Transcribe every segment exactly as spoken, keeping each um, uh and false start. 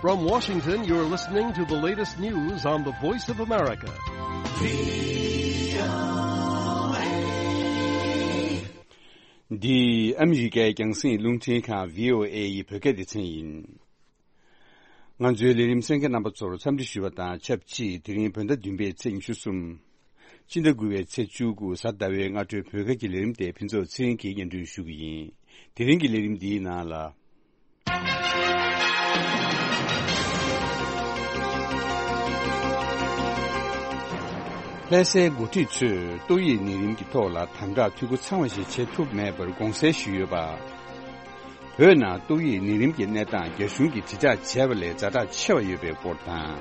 From Washington, you're listening to the latest news on the Voice of America. འདི་ཨ་མི་རི་ཀའི་རྒྱང་སྲིང་རླུང་འཕྲིན་ཁང་བྷི་ཨོ་ཨེ་ཡི་བོད་སྐད་སྡེ་ཚན་ཡིན། ང་ཚོའི་ལས་རིམ་གསན་མཁན་རྣམ་པ་ཚོར་འཚམས་འདྲི་ཞུ་བ་དང་ཆབས་ཅིག་དེ་རིང་བོད་ཟླ་བདུན་པའི་ཚེས་ཉི་ཤུ་གསུམ། སྤྱི་ཟླ་དགུ་པའི་ཚེས་བཅུ་དགུ་གཟའ་ཟླ་བའི་སྔ་དྲོའི་བོད་སྐད་ཀྱི་ལས་རིམ་དེ་ཕུན་ཚོགས་ཚེ་རིང་གིས་སྙན་སྒྲོན་ཞུ་གི་ཡིན། དེ་རིང་གི་ལས་རིམ་འདིའི་ནང་ལ། ལྷ་སའི་འགོ་ཁྲིད་ཚོས་ཏོག་དབྱིབས་ནད་རིམས་ཀྱི་ཐོག་ལ་དམ་དྲག་འཐུས་སྒོ་ཚང་བ་ཞིག་བྱེད་ཐུབ་མེད་པར་དགོངས་སེལ་ཞུས་ཡོད་པ། བོད་ནང་ཏོག་དབྱིབས་ནད་རིམས་ཀྱི་གནས་སྟངས་རྒྱ་གཞུང་གིས་དྲིལ་བསྒྲགས་བྱས་པ་ལས་ཛ་དྲག་ཆེ་བ་ཡོད་པའི་སྐོར་དང་།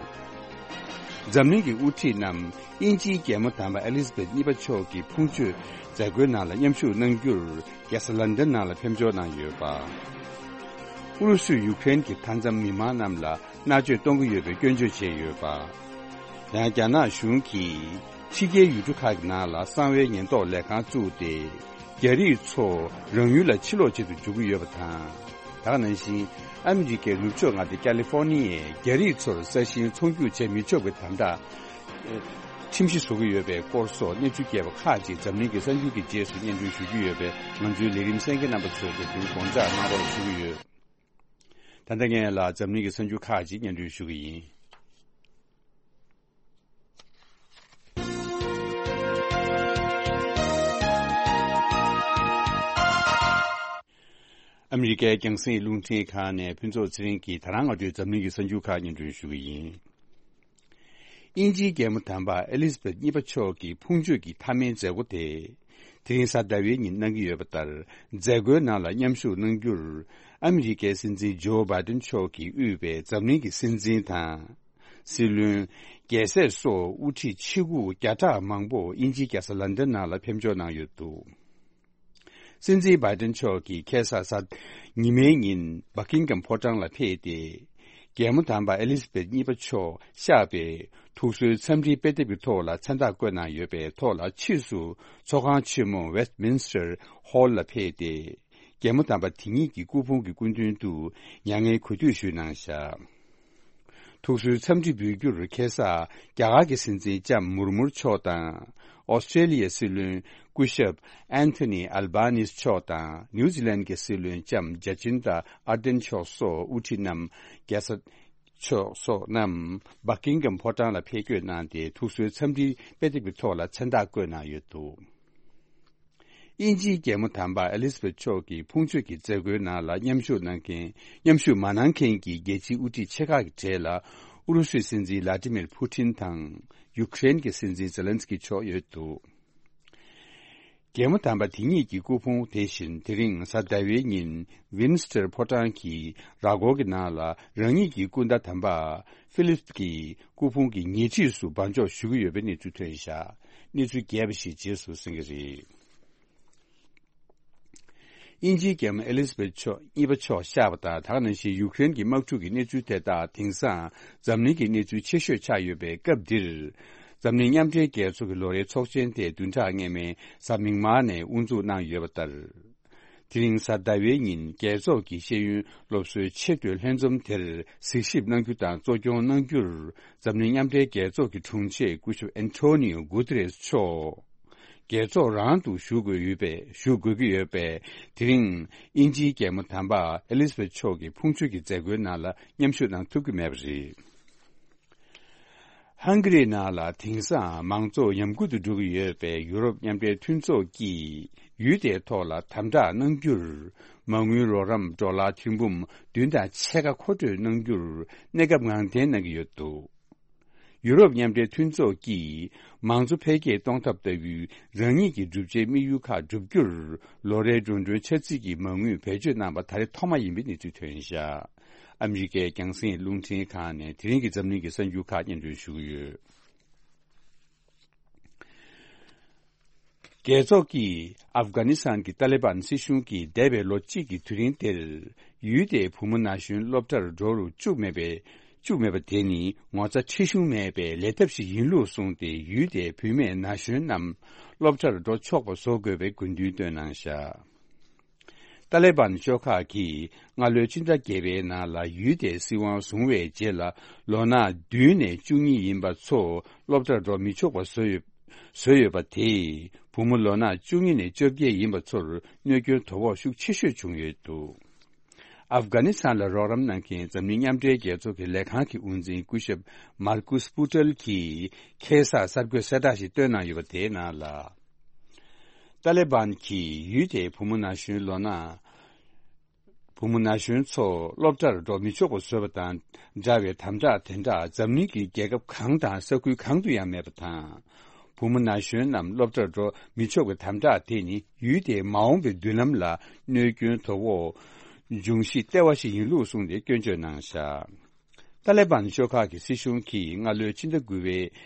འཛམ་གླིང་གི་དབུ་ཁྲིད་རྣམས་དབྱིན་ཇིའི་རྒྱལ་མོ་དམ་པ་ཨེ་ལི་ཛ་བེད་གཉིས་པ་མཆོག་གི་ཕུང་མཆོད་མཛད་སྒོའི་ནང་ལ་མཉམ་ཞུགས་གནང་རྒྱུར་རྒྱལ་ས་ལན་ཌན་ནང་ལ་ཕེབས་འབྱོར་གནང་ཡོད་པ། ཨུ་རུ་སུས་ཡུཀ་རེན་གྱི་མཐའ་མཚམས་མི་མང་རྣམས་ལ་མནར་གཅོད་གཏོང་གི་ཡོད་པའི་སྐྱོན་བརྗོད་བྱས་ཡོད་པ། ཡང་རྒྱ་ནག་གཞུང་གིས་ཕྱི་རྒྱལ་ཡུལ་གྲུ་ཁག་གི་ནང་ལ་གསང་བའི་ཉེན་རྟོག་ལས་ཁང་བཙུགས་ཏེ། རྒྱ་རིགས་ཚོ་རང་ཡུལ་ལ་ཕྱིར་ལོག་བྱེད་དུ་འཇུག་གི་ཡོད་པ་དང་། ད་ག་ནང་བཞིན་ཨ་མི་རི་ཀའི་ནུབ་ཕྱོགས་མངའ་སྡེ་ཀ་ལི་ཧྥོ་ནི་ཡའི་རྒྱ་རིགས་ཚོར་ས་ཞིང་ཚོང་རྒྱུག་བྱེད་མི་ཆོག་པའི་དམ་དྲག་ཁྲིམས་གཞི་བཟོ་གི་ཡོད་པའི་སྐོར་སོགས་གནས་ཚུལ་རྒྱས་པ་ཁག་ཅིག་འཛམ་གླིང་གི་གསར་འགྱུར་གྱི་རྗེས་སུ་སྙན་སྒྲོན་ཞུ་རྒྱུ་ཡོད་པས། ང་ཚོའི་ལས་རིམ་གསན་མཁན་རྣམ་པ་ཚོས་དེ་དོན་དགོངས་འཇགས་གནང་རོགས་ཞུ་གི་ཡོད། ད་ལྟ་ངས་ལ་འཛམ་གླིང་གི་གསར་འགྱུར་ཁག་ཅིག་སྙན་སྒྲོན་ཞུ་གི་ཡིན། ཨ་མི་རི་ཀའི་རྒྱང་སྲིང་རླུང་འཕྲིན་ཁང་ནས་ཕུན་ཚོགས་ཚེ་རིང་གིས་ད་རང་སྔ་དྲོའི་འཛམ་གླིང་གི་གསར་འགྱུར་ཁག་སྙན་སྒྲོན་ཞུ་གི་ཡིན། དབྱིན་ཇིའི་རྒྱལ་མོ་དམ་པ་ཨེ་ལི་ཛ་བེད་གཉིས་པ་མཆོག་གི་ཕུང་མཆོད་ཀྱི་མཐའ་མའི་མཛད་སྒོ་དེ། དེ་རིང་གཟའ་ཟླ་བའི་ཉིན་གནང་གི་ཡོད་པ་ལྟར། མཛད་སྒོའི་ནང་ལ་མཉམ་ཞུགས་གནང་རྒྱུར། ཨ་མི་རི་ཀའི་སྲིད་འཛིན་ཇོ་བྷའི་ཏིན་མཆོག་གིས་དབུས་པའི་འཛམ་གླིང་གི་སྲིད་འཛིན་དང་། སྲིད་བློན། རྒྱལ་སྲས་སོགས་དབུ་ཁྲིད་ཆེ་ཁག་བརྒྱ་ཕྲག་མང་པོ་དབྱིན་ཇིའི་རྒྱལ་ས་ལན་ཌན་ནང་ལ་ཕེབས་འབྱོར་གནང་ཡོད་འདུག། སྲིད་འཛིན་བྷའི་ཏིན་མཆོག་གིས་ཁ་སང་གཟའ་ཉི་མའི་ཉིན་བྷ་ཀིང་གྷམ་ཕོ་བྲང་ལ་ཕེབས་ཏེ། རྒྱལ་མོ་དམ་པ་ཨེ་ལི་ཛ་བེད་གཉིས་པ་མཆོག་གཤེགས་པའི་ཐུགས་གསོའི་འཚམས་འདྲིའི་དཔེ་དེབ་ཀྱི་ཐོག་ལ་མཚན་རྟགས་བཀོད་གནང་ཡོད་པའི་ཐོག་ལ། ཕྱིས་སུ་ཚོགས་ཁང་ཆེན་མོ་Westminster Hall ལ་ཕེབས་ཏེ། རྒྱལ་མོ་དམ་པ་དེ་ཉིད་ཀྱི་སྐུ་ཕུང་གི་སྐུ་མདུན་དུ་མྱ་ངན་གུས་འདུད་ཞུས་གནང་བཞག། ཐུགས་གསོའི་འཚམས་འདྲི་འབུལ་རྒྱུར་ཁ་སང་རྒྱ་གར་གྱི་སྲིད་འཛིན་ལྕམ་མུར་མུར་མཆོག་དང་། ཨོ་སི་ཀྲེ་ལི་ཡའི་སྲིད་བློན་སྐུ་ཞབས་ཨན་ཐོ་ནི་ཨལ་བྷ་ནིས་མཆོག་དང་། ནིའུ་ཛི་ལན་གྱི་སྲིད་བློན་ལྕམ་ཇ་ཅིན་ཏ་ཨར་ཌེན་མཆོག་སོགས་དབུ་ཁྲིད་རྣམས། རྒྱལ་ས་མཆོག་སོགས་རྣམས་བྷ་ཀིང་གྷམ་ཕོ་བྲང་ལ་ཕེབས་སྐྱོད་གནང་སྟེ། ཐུགས་གསོའི་འཚམས་འདྲིའི་དཔེ་དེབ་ཀྱི་ཐོག་ལ་མཚན་རྟགས་བཀོད་གནང་ཡོད་འདུག། དབྱིན་ཇིའི་རྒྱལ་མོ་དམ་པ་ཨེ་ལི་ཛ་བེད་མཆོག་གི་ཕུང་མཆོད་ཀྱི་མཛད་སྒོའི་ནང་ལ་མཉམ་ཞུགས་གནང་མཁན། མཉམ་ཞུགས་མ་གནང་མཁན་གྱི་རྒྱལ་སྤྱིའི་དབུ་ཁྲིད་ཆེ་ཁག་གི་གྲས་ལ། ཨུ་རུ་སུའི་སྲིད་འཛིན་ལ་ཏི་མིར་ཕུ་ཏིན་དང་། ཡུཀ་རེན་གྱི་སྲིད་འཛིན་ཛེ་ལན་སི་ཀི་མཆོག་ཡོད་འདུག། རྒྱལ་མོ་དམ་པ་དེ་ཉིད་ཀྱི་སྐུ་ཕུང་དེ་བཞིན་དེ་རིང་གཟའ་ཟླ་བའི་ཉིན་ཝིན་སི་ཊར་ཕོ་བྲང་གི་ར་སྐོར་གྱི་ནང་ལ། རང་ཉིད་ཀྱི་སྐུ་ཟླ་དམ་པ་ཧྥི་ལིབ་ཀྱི་སྐུ་ཕུང་གི་ཉེ་འཁྲིས་སུ་སྦ་འཇོག་ཞུ་གི་ཡོད་པའི་གནས་ཚུལ་ཐོན་བཞག། གནས་ཚུལ་རྒྱས་པ་ཞིག་རྗེས་སུ་གསན་གྱི་རེད། དབྱིན་ཇིའི་རྒྱལ་མོ་ཨེ་ལི་ཛ་བེད་མཆོག་གཉིས་པ་མཆོག་གཤེགས་པ་དང་། ད་ག་ནང་བཞིན་ཡུཀ་རེན་གྱི་དམག་འཁྲུག་གི་གནས་ཚུལ་དེ་དག་དེང་སང་འཛམ་གླིང་གི་གནས་ཚུལ་ཆེ་ཤོས་ཆགས་ཡོད་པའི་སྐབས་འདིར། འཛམ་གླིང་མཉམ་འབྲེལ་རྒྱལ་ཚོགས་ཀྱི་ལོ་རེའི་ཚོགས་ཆེན་དེ་བདུན་ཕྲག་སྔོན་མའི་གཟའ་མིག་དམར་ནས་དབུ་འཛུགས་གནང་ཡོད་པ་ལྟར། དེ་རིང་གཟའ་ཟླ་བའི་ཉིན་རྒྱལ་ཚོགས་ཀྱི་ཤེས་ཡོན་སློབ་གསོའི་ཆེས་མཐོའི་ལྷན་འཛོམས་དེར་གཟིགས་ཞིབ་གནང་རྒྱུ་དང་གཙོ་སྐྱོང་གནང་རྒྱུར། འཛམ་གླིང་མཉམ་འབྲེལ་རྒྱལ་ཚོགས་ཀྱི་དྲུང་ཆེ་སྐུ་ཞབས་ཨན་ཐོ་ནིའོ་གུ་ཏེ་རེས་མཆོག་རྒྱལ་ཚོགས་རང་དུ་བཞུགས་དགོས་ཡོད་པས། བཞུགས་དགོས་ཀྱི་ཡོད་པས། དེ་རིང་དབྱིན་ཇིའི་རྒྱལ་མོ་དམ་པ་ཨེ་ལི་ཛ་བེད་མཆོག་གི་ཕུང་མཆོད་ཀྱི་མཛད་སྒོའི་ནང་ལ་མཉམ་ཞུགས་གནང་ཐུབ་ཀྱི་མེད་པ་རེད། ཧང་ག་རིའི་ནང་ལ་དེང་སང་མང་གཙོ་ཉམས་རྒུད་དུ་འགྲོ་གི་ཡོད་པས། ཡུ་རོབ་མཉམ་འབྲེལ་མཐུན་ཚོགས་ཀྱིས་ཡུལ་དེའི་ཐོག་ལ་དམ་དྲག་གནང་རྒྱུར། མ་དངུལ་རོགས་རམ་ཌོ་ལར་ཐེར་འབུམ་བདུན་དང་ཕྱེད་ཀ་མཁོ་སྤྲོད་གནང་རྒྱུར་གནས་སྐབས་ངང་འཐེན་གནང་གི་ཡོད་འདུག། ཡུ་རོབ་མཉམ་འབྲེལ་མཐུན་ཚོགས་ཀྱིས་མང་གཙོ་འཕེལ་རྒྱས་གཏོང་ཐབས་ལྟ་བུའི་རང་ཉིད་ཀྱི་བསྒྲུབ་བྱའི་དམིགས་ཡུལ་ཁག་བསྒྲུབ་རྒྱུར། ལོ་རེའི་འགྲོ་གྲོན་འཆར་རྩིས་ཀྱི་མ་དངུལ་བེད་སྤྱོད་གནང་པ་ད་རེས་ཐོག་མ་ཡིན་པའི་གནས་ཚུལ་ཐོན་བཞག། ཨ་མི་རི་ཀའི་རྒྱང་སྲིང་རླུང་འཕྲིན་ཁང་ནས་དེ་རིང་གི་འཛམ་གླིང་གི་གསར་འགྱུར་ཁག་སྙན་སྒྲོན་ཞུ་གི་ཡོད། རྒྱལ་ཚོགས་ཀྱིས་ཨབ་གྷ་ནི་སི་ཐན་གྱི་ཏཱ་ལི་བན་སྲིད་གཞུང་གིས་འདས་པའི་ལོ་གཅིག་གི་དུས་རིང་དེར། ཡུལ་དེའི་བུ་མོ་ན་གཞོན་སློབ་གྲྭར་འགྲོ་རུ་བཅུག་མེད་པའི་བཅུག་མེད་པ་དེ་ནི་ངོ་ཚ་ཁྲེལ་གཞུང་མེད་པའི་ལས་ཐབས་ཤིག་ཡིན་ལུགས་གསུངས་ཏེ། ཡུལ་དེའི་བུད་མེད་ན་གཞོན་རྣམས་སློབ་གྲྭར་འགྲོ་ཆོག་པ་བཟོ་དགོས་པའི་དགོས་འདུན་བཏོན་གནང་བཞག། ཏཱ་ལེ་བཱན་ཤོག་ཁག་གིས་སྔ་ལོའི་ཕྱི་ཟླ་བརྒྱད་པའི་ནང་ལ་ཡུལ་དེའི་སྲིད་དབང་བཟུང་བའི་རྗེས་ལ། ལོ་ན་བདུན་ནས་བཅུ་གཉིས་ཡིན་པ་ཚོ་སློབ་གྲྭར་འགྲོ་མི་ཆོག་པ་བཟོས་ཡོད། བཟོས་ཡོད་པ་དེས་བུ་མོ་ལོ་ན་བཅུ་གཉིས་ནས་བཅོ་བརྒྱད་ཡིན་པ་ཚོར་གནོད་སྐྱོན་དོ་ཕོག་ཤུགས་ཆེ་ཤོས་བྱུང་ཡོད་འདུག། ཨབ་གྷ་ནི་སི་ཐན་ལ་རོགས་རམ་གནང་མཁན་འཛམ་གླིང་མཉམ་འབྲེལ་རྒྱལ་ཚོགས་ཀྱི་ལས་ཁང་གི་དབུ་འཛིན་སྐུ་ཞབས་མར་ཀུས་པུ་ཏེལ་གྱིས་ཁ་སང་གསར་འགོད་གསལ་བསྒྲགས་ཤིག་བཏོན་གནང་ཡོད་པ་དེའི་ནང་ལ། ཏཱ་ལེ་བཱན་གྱིས་ཡུལ་དེའི་བུ་མོ་ན་གཞོན་ལོ་ན། བུ་མོ་ན་གཞོན་ཚོ་སློབ་གྲྭར་འགྲོ་མི་ཆོག་པ་བཟོས་པ་དང་འདྲ་བའི་དམ་དྲག་དེ་འདྲ་འཛམ་གླིང་གི་རྒྱལ་ཁབ་གང་དང་ས་ཁུལ་གང་དུ་ཡང་མེད་པ་དང་། བུ་མོ་ན་གཞོན་རྣམས་སློབ་གྲྭར་འགྲོ་མི་ཆོག་པའི་དམ་དྲག་དེ་ནི་ཡུལ་དེའི་མ་འོངས་པའི་མདུན་ལམ་ལ་གནོད་སྐྱོན་དོ་ཕོག་འབྱུང་གཞི་ལྟེ་བ་ཞིག་ཡིན་ལུགས་གསུངས་ཏེ་སྐྱོན་བརྗོད་གནང་བཞག། ཏཱ་ལེ་བཱན་ཤོག་ཁག་གི་སྲིད་གཞུང་གིས་སྔ་ལོའི་ཕྱི་ཟླ་དགུ་པའི་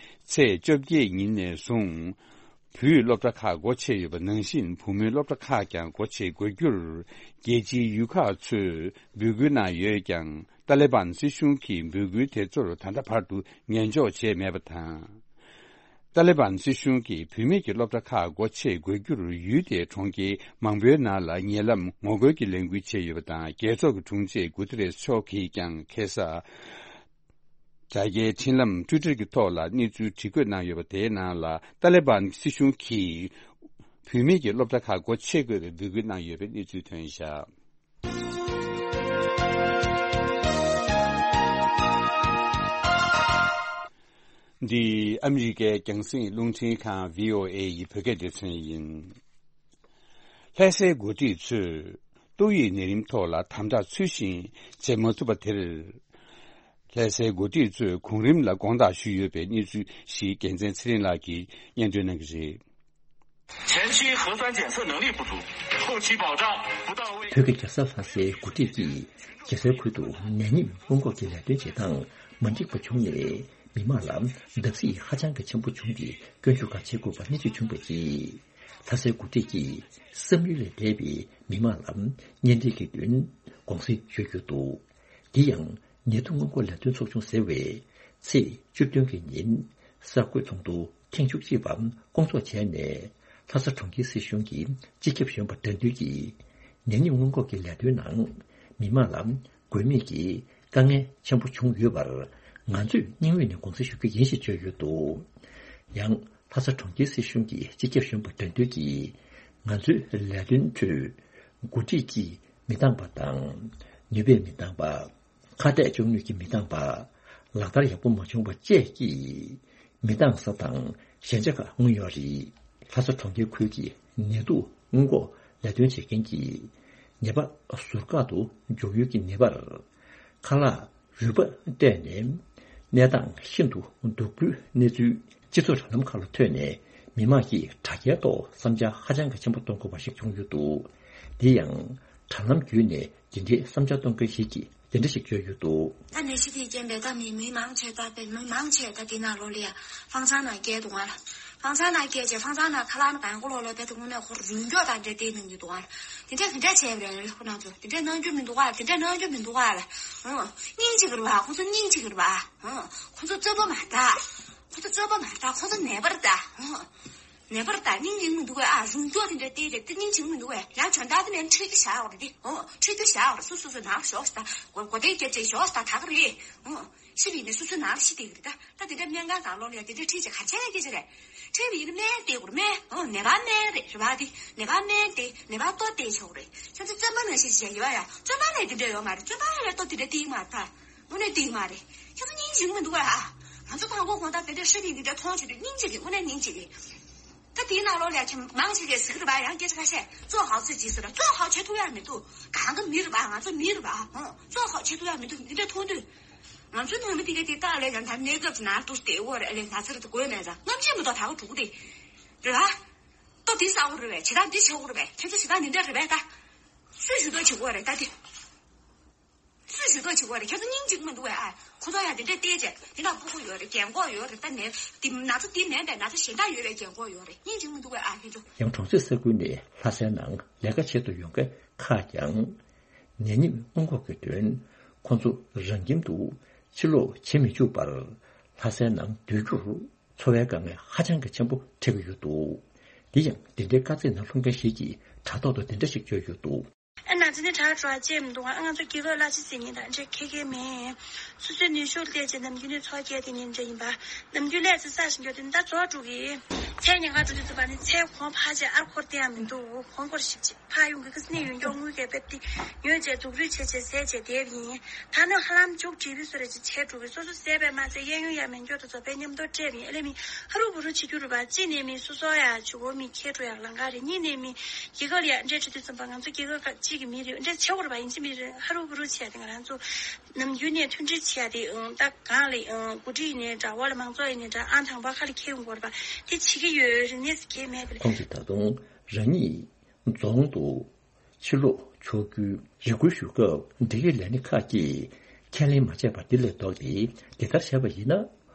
ཚེས་བཅོ་བརྒྱད་ཉིན་ནས་བཟུང་། བུའི་སློབ་གྲྭ་ཁག་སྒོ་ཕྱེ་ཡོད་པ་ནང་བཞིན་བུ་མོའི་སློབ་གྲྭ་ཁག་ཀྱང་སྒོ་ཕྱེ་དགོས་རྒྱུར་རྒྱལ་སྤྱིའི་ཡུལ་ཁག་ཚོས་འབོད་སྐུལ་གནང་ཡོད་ཀྱང་། ཏཱ་ལེ་བཱན་སྲིད་གཞུང་གིས་འབོད་སྐུལ་དེ་ཚོར་ད་ལྟ་བར་དུ་ཉན་འཇོག་བྱས་མེད་པ་དང་། ཏཱ་ལེ་བཱན་སྲིད་གཞུང་གིས་བུད་མེད་ཀྱི་སློབ་གྲྭ་ཁག་སྒོ་ཕྱེ་དགོས་རྒྱུར་ཡུལ་དེའི་གྲོང་ཁྱེར་མང་པོའི་ནང་ལ་ཉེ་ལམ་ངོ་རྒོལ་གྱི་ལས་འགུལ་བྱས་ཡོད་པ་དང་། རྒྱལ་ཚོགས་ཀྱི་དྲུང་ཆེ་གུ་ཏེ་རེས་མཆོག་གིས་ཀྱང་ཁ་སང་དྲ་རྒྱའི་འཕྲིན་ལམ་ཊུའི་ཊར་གྱི་ཐོག་ལ་གནས་ཚུལ་བྲིས་བཀོད་གནང་ཡོད་པ་དེའི་ནང་ལ། ཏཱ་ལེ་བཱན་སྲིད་གཞུང་གིས་བུད་མེད་ཀྱི་སློབ་གྲྭ་ཁག་སྒོ་ཕྱེ་དགོས་པའི་འབོད་སྐུལ་གནང་ཡོད་པའི་གནས་ཚུལ་ཐོན་བཞག། འདི་ཨ་མི་རི་ཀའི་རྒྱང་སྲིང་རླུང་འཕྲིན་ཁང་བྷི་ཨོ་ཨེ་ཡི་བོད་སྐད་སྡེ་ཚན་ཡིན། ལྷ་སའི་འགོ་ཁྲིད་ཚོས་ཏོག་དབྱིབས་ནད་རིམས་ཐོག་ལ་དམ་དྲག་ཚུལ་བཞིན་བྱེད་མ་ཐུབ་པ་དེར། ལྷ་སའི་འགོ་ཁྲིད་ཚོས་གོང་རིམ་ལ་དགོངས་དག་ཞུས་ཡོད་པའི་གནས་ཚུལ་ཞིག་རྒྱལ་མཚན་ཚེ་རིང་ལགས་ཀྱིས་སྙན་སྒྲོན་གནང་གི་རེད། 前期核酸检测能力不足，后期保障不到位。 བོད་ཀྱི་རྒྱལ་ས་ལྷ་སའི་འགོ་ཁྲིད་ཀྱིས་རྒྱལ་སའི་ཁུལ་དུ་ནད་ཉིན་སྔོན་འགོག་གི་ལས་དོན་བྱེད་སྟངས་མ་འགྲིག་པ་བྱུང་ནས། མི་མང་ལ་བརྡབ་གསིག་ཧ་ཅང་གི་ཆེན་པོ་བྱུང་སྟེ། སྐྱོན་བརྗོད་ཁག་བྱེད་དགོས་པ་གནས་ཚུལ་བྱུང་བའི་རྗེས། ལྷ་སའི་འགོ་ཁྲིད་ཀྱིས་བསམ་ཡུལ་ལས་འདས་པའི་མི་མང་ལ་གཉེན་སྒྲིག་གི་དོན་དགོངས་སེལ་ཞུས་ཡོད་འདུག། དེ་ཡང་ནད་དུག་སྔོན་འགོག་ལས་དོན་ཚོགས་ཆུང་ཟེར་བས། ཚེས་བཅུ་བདུན་གྱི་ཉིན་གསར་འགོད་ཚོགས་འདུ་ཐེངས་བཅུ་གཅིག་པ་བསྐོང་ཚོགས་བྱས་ནས། ལྷ་ས་གྲོང་ཁྱེར་སྲིད་གཞུང་གི་སྤྱི་ཁྱབ་གཞོན་པ་དགྲ་འདུལ་གྱིས་ནད་ཉིན་སྔོན་འགོག་གི་ལས་དོན་ནང་མི་མང་ལ་དགོས་མེད་ཀྱི་དཀའ་ངལ་ཆེན་པོ་བྱུང་ཡོད་པར། ང་ཚོས་སྙིང་དབུས་ནས་དགོངས་སེལ་ཞུ་རྒྱུ་ཡིན་ཞེས་བརྗོད་ཡོད་འདུག། ཡང་ལྷ་ས་གྲོང་ཁྱེར་སྲིད་གཞུང་གི་སྤྱི་ཁྱབ་གཞོན་པ་དགྲ་འདུལ་གྱིས། ང་ཚོའི་ལས་དོན་ཁྲོད་འགོ་ཁྲིད་ཀྱིས་མི་འདང་པ་དང་། ནུས་པས་མི་འདང་པ། ཁ་གཏད་གཅོག་ནུས་ཀྱིས་མི་འདང་པ། ལག་བསྟར་ཡག་པོ་མ་བྱུང་བ་བཅས་ཀྱིས་མི་འདང་ས་དང་ཞན་ཆ་ཁག་མངོན་ཡོད་རེད། ལྷ་ས་གྲོང་ཁྱེར་ཁུལ་གྱི་ནད་དུག་སྔོན་འགོག་ལས་དོན་བྱེད་མཁན་གྱིས་ནད་པ་ཟུར་བཀག་ཏུ་འཇུག་ཡུལ་གྱི་ནད་པར་ཁ་ལག་རུལ་པ་སྤྲད་ནས། གནས་སྟངས་ཤིན་ཏུ་སྡུག་པོའི་གནས་ཚུལ་སྤྱི་ཚོགས་དྲ་ལམ་ཁག་ལ་ཐོན་ནས། མི་མང་གིས་དྲ་རྒྱའི་ཐོག་བསམ་འཆར་ཧ་ཅང་གི་ཆེན་པོ་གཏོང་དགོས་པ་ཞིག་བྱུང་ཡོད་འདུག། དེ་ཡང་དྲ་ལམ་བརྒྱུད་ནས་འདི་འདྲའི་བསམ་འཆར་གཏོང་མཁན་ཞིག་གིས་འདི་འདྲ་ཞིག་བརྗོད་ཡོད་འདུག། ད་ནད་གཞི་དེའི་རྐྱེན་པས་ད་མི་མི་མང་ཆེ་ད་པའི་མི་མང་ཆེ་ད་དེ་ནང་ལོགས་ལ་ཡ་ཧྥང་ཚང་ནང་སྐྱེལ་འདུག་ང་ལ། ཧྥང་ཚང་ནང་སྐྱེལ་རྗེས་ཧྥང་ཚང་ནང་ཁ་ལག་ནི་གང་གོ་ལོག་ལོག་དེ་དུང་ནས་ཁོར་རུལ་མགྱོགས་དང་འདྲ་དེ་གནང་གི་འདུག་ང་ལ། དེ་འདྲ་དེ་འདྲ་བྱས་པ་རེད་ཁོ་རང་ཚོ། དེ་འདྲ་གནང་རྒྱུ་མི་འདུག་ཨ། དེ་འདྲ་གནང་རྒྱུ་མི་འདུག་ཨ་ལ། ཨང་། སྙིང་རྗེ་གི་རེད་བ། ཁོ་ཚོ་སྙིང་རྗེ་གི་རེད་བ། ཨང་། ཁོ་ཚོ་རྩོད་པ་མ་རེད་ད། ཁོ་ཚོ་རྩོད་པ་མ་རེད་ད། ཁོ་ཚོ་ནད་པ་རེད་ད། ཨང་། ནད་པ་རེད་ད། སྙིང་རྗེ་གི་མི་འདུག་ཨ། རུལ་མགྱོགས་དེ་འདྲ་བལྟས་རེད་དེ་སྙིང་རྗེ་གི་མི་འདུག་ཨ། ཡང་གྱོན་བརྡར་དེ་ནས་ཁྲིད་རྒྱུ་བཞག་ཡོད་རེད་དེ། ཨང་། ཁྲིད་རྒྱུ་བཞག་ཡོད་རེད། སོ་སོ་སོ་ནང་ཞོག་ད་གོ་གོ་དེ་སྐྱེ་ཅེ་ཞོག་ད་ད་ག་རེད། ཨང་། ཤི་བའི་ནས་སོ་སོ་ནང་ཤི་དེ་རེད་ད། ད་དེ་འདྲ་སྨན་ཁང་ནང་ལོགས་ལ་ཡ་དེ་འདྲ་ཁྲིད་ཅེ་ག་ཆེ་སྐད་ཆ་རེད། ཁྲིད་པ་ཡིན་ན་སྨན་སྟེར་དགོས་རེད། སྨན། ཨོ་ནད་པ་སྨན་རེད་རེད་བ། དེ་ནད་པ་སྨན་སྟེར་ནད་པ་ལྟོ་སྟེར་ཆོག་རེད། ཁྱེད་ཚོ་བཙུན་མ་ནང་བཞིན་བྱས་ཡོད་ཡ། བཙུན་མ་ལ་དེ་འདྲ་ཡོད་མ་རེད། བཙུན་མ་ལ་ལྟོ་དེ་འདྲ་སྟེར་མ་ཐག་དངོས་གནས་སྟེར་མ་རེད། ཁྱེད་ཚོ་སྙིང་རྗེ་མི་འདུག་ཨ། ང་ཚོ་དང་པོ་དགོང་དག་དེ་འདྲ་ཧྲི་ལིང་དེ་འདྲ་མཐོང་བྱེད་དུས་སྙིང་རྗེ་གི་དངོས་གནས་སྙིང་རྗེ་གི། ད་དེའི་ནང་ལོགས་ལ་ཁྱེད་མང་ཆེ་གས་ཟིག་རེད་བ། ཡང་སྐད་ཆ་ཁ་ཤས་ཙོ་ཧའོ་ཚེ་ཇི་ཟེར་ར། ཙོ་ཧའོ་བྱེད་ཐུབ་ཡ་མི་འདུག། གང་གི་མི་རེད་བ། ང་ཚོ་མི་རེད་བ། ཧོ། ཙོ་ཧའོ་བྱེད་ཐུབ་ཡ་མི་འདུག། དེ་འདྲ་མཐོང་དུས། ང་ཚོའི་ནང་མི་དེ་ག་དེ་ལྟ་ལས་ཀྱང་ད་གནས་སྐབས་ཀྱི་ནང་དུ་བསྡད་ཡོད་རེད། ལས་ན་ཚ་རེད་དེ་དགོས་མེད་ཙང་རྔམ་བརྗིད་མི་ཐོག་ད་ག་དྲུག་དེ་རེད་ལ། ལྟོ་འདི་ཟ་དགོས་རེད་པས། བྱེད་སྟངས་འདི་བྱེད་དགོས་རེད་པས། ཁྱེད་ཚོ་བྱེད་སྟངས་འདི་འདྲ་རེད་པས་ད། སུས་ཞུ་གཏུག་བྱེད་དགོས་རེད་ད་དེ། སུས་ཞུ་གཏུག་བྱེད་དགོས་རེད། ཁྱེད་ཚོ་སྙིང་རྗེ་མི་འདུག་པས་ཨ། ཁོ་ཚོ་ཡང་དེ་འདྲས་བལྟས་བྱས་དེ་ན་ཕྲུ་གུ་ཡོད་རེད། རྒན་གོག་ཡོད་རེད། ད་ནས་དེ་ན་ཚ་འདི་མེད་པས། ན་ཚ་གཞན་དག་ཡོད་པའི་རྒན་གོག་ཡོད་རེད། སྙིང་རྗེ་མི་འདུག་པས་ཨ་ཁྱེད་ཚོ། ཡང་གྲོང་གསེབ་ས་ཁུལ་ནས་ལྷ་སའི་ནང་ལས་ཀ་བྱེད་དུ་ཡོང་མཁན་ཁག་ཀྱང་། ནད་ཉིན་སྔོན་འགོག་གི་དོན་ཁོང་ཚོ་རང་ཁྱིམ་དུ་ཕྱིར་ལོག་བྱེད་མི་བཅུག་པར་ལྷ་སའི་ནང་སྡོད་རྒྱུར་འཚོ་བའི་དཀའ་ངལ་ཧ་ཅང་གི་ཆེན་པོ་འཕྲད་ཀྱི་ཡོད་འདུག། དེ་ཡང་འདི་འདྲའི་དཀའ་ཚེགས་ནང་ལྷུང་མཁན་ཞིག་གིས་དྲ་ཐོག་ཏུ་འདི་འདྲ་ཞིག་བརྗོད་ཡོད་འདུག། ཨ་ན་ ང་ཚོ་ནི་དྲག་དྲག་ཅེས་མི་འདུག་ཨ་ང་ཚོ་སྐྱེ་འགག་གླ་ཆ་ཟེར་མཁན་དང་འདྲ་ཁེ་ཁེ་མེད། སོ་སོའི་ནུས་ཤུགས་བལྟས་ཅེས་ནམ་རྒྱུན་ནས་ཚོགས་བསྐྱལ་དེ་ཉིན་འདྲ་ཡིན་པ། ནམ་རྒྱུན་ལས་ཚེ་ས་ཞིང་སྐྱོ་དེ་འདྲ་རྫོགས་འགྲོ་གི། ཚེ་ཉེན་ཁ་འགྲོ་དུས་ཚོད་པ་ནི་ཚེ་གོང་འཕར་ཅེས་ཨར་འཁོར་དེ་ཡང་མི་འདུག་གོང་འཁོར་ཞིབ་ཅེས་ཕ་ཡོང་གི་ཁ་སི་ནས་ཡོན་སྐྱོ་དངུལ་གས་པེབ་ཏི་ཉོས་ཅེས་སྡུག་རུས་བྱས་ཅེས་ཟས་ཅེས་བསྡད་ཡིན། ད་ནི་ཧ་ལམ་མཇུག་སྒྲིལ་བི་སོ་རེ་ཅེས་བྱས་འགྲོ་གི། སོ་སོ་ཟས་པས་མ་ཟད་གཡས་གཡོན་ཡ་མེན་སྐྱོ་དང་རྫོགས་པའི་མཉམ་དུ་སྤྲད་པ་ཡིན། ཨ་ལེ་མི་ཧ་རུ་བུ་རུ་བྱེད་རྒྱུ་རུ་བ་གཅིག་ནས་མི་སོ་སོ་ཡ་ཆུ་གོ་མི་ཁྱེད་འགྲོ་ཡ་ལང་ག་རེད། གཉིས་ནས་མི་རྒྱལ་ཁབ་ལ་འདྲེ་ཁྲི་དུས་ཙམ་པ་ང་ཚོ་རྒྱལ་ཁབ་གཅིག་གི་མི་རེད། འདྲེ་ཆེ་བོར་བ་ཡིན་གཅིག་མི་རེད། ཧ་རུ་བུ་རུ་བྱས་ཏེ་ང་རང་ཚོ་ནམ་རྒྱུན་ནས་མཐུན་སྒྲིལ་བྱས་ཏེ་ད་གང་ལས་འགོ་ཁྲིད་ཡིན་ནའི་འདྲ་བ་ལ་མང་ཚོགས་ཡིན་ནའི་འདྲ་ཨང་དང་པོ་ཁ་ལ་འཁྱེར་ཡོང་དགོས་རེད་པ། དེ་བྱེད་ཀྱི་ཡོད་རིག་གནས་སུ་ཁྱེར་མེད་པ་རེད། ཁོང་གིས་ད་དུང་རང་ཉིད་རྫོང་དུ་ཕྱི་ལོགས་ཕྱོགས་བསྐྱོད་རེ་སྐུལ་ཞུ་སྐབས་འབྲེལ་ཡོད་ལས་སྣེ་ཁག་གིས་ཁས་ལེན་མ་བྱས་པར་འདི་ལས་ལྡོག་སྟེ་འདི་ལྟར་བྱས་པ་ཡིན་ན།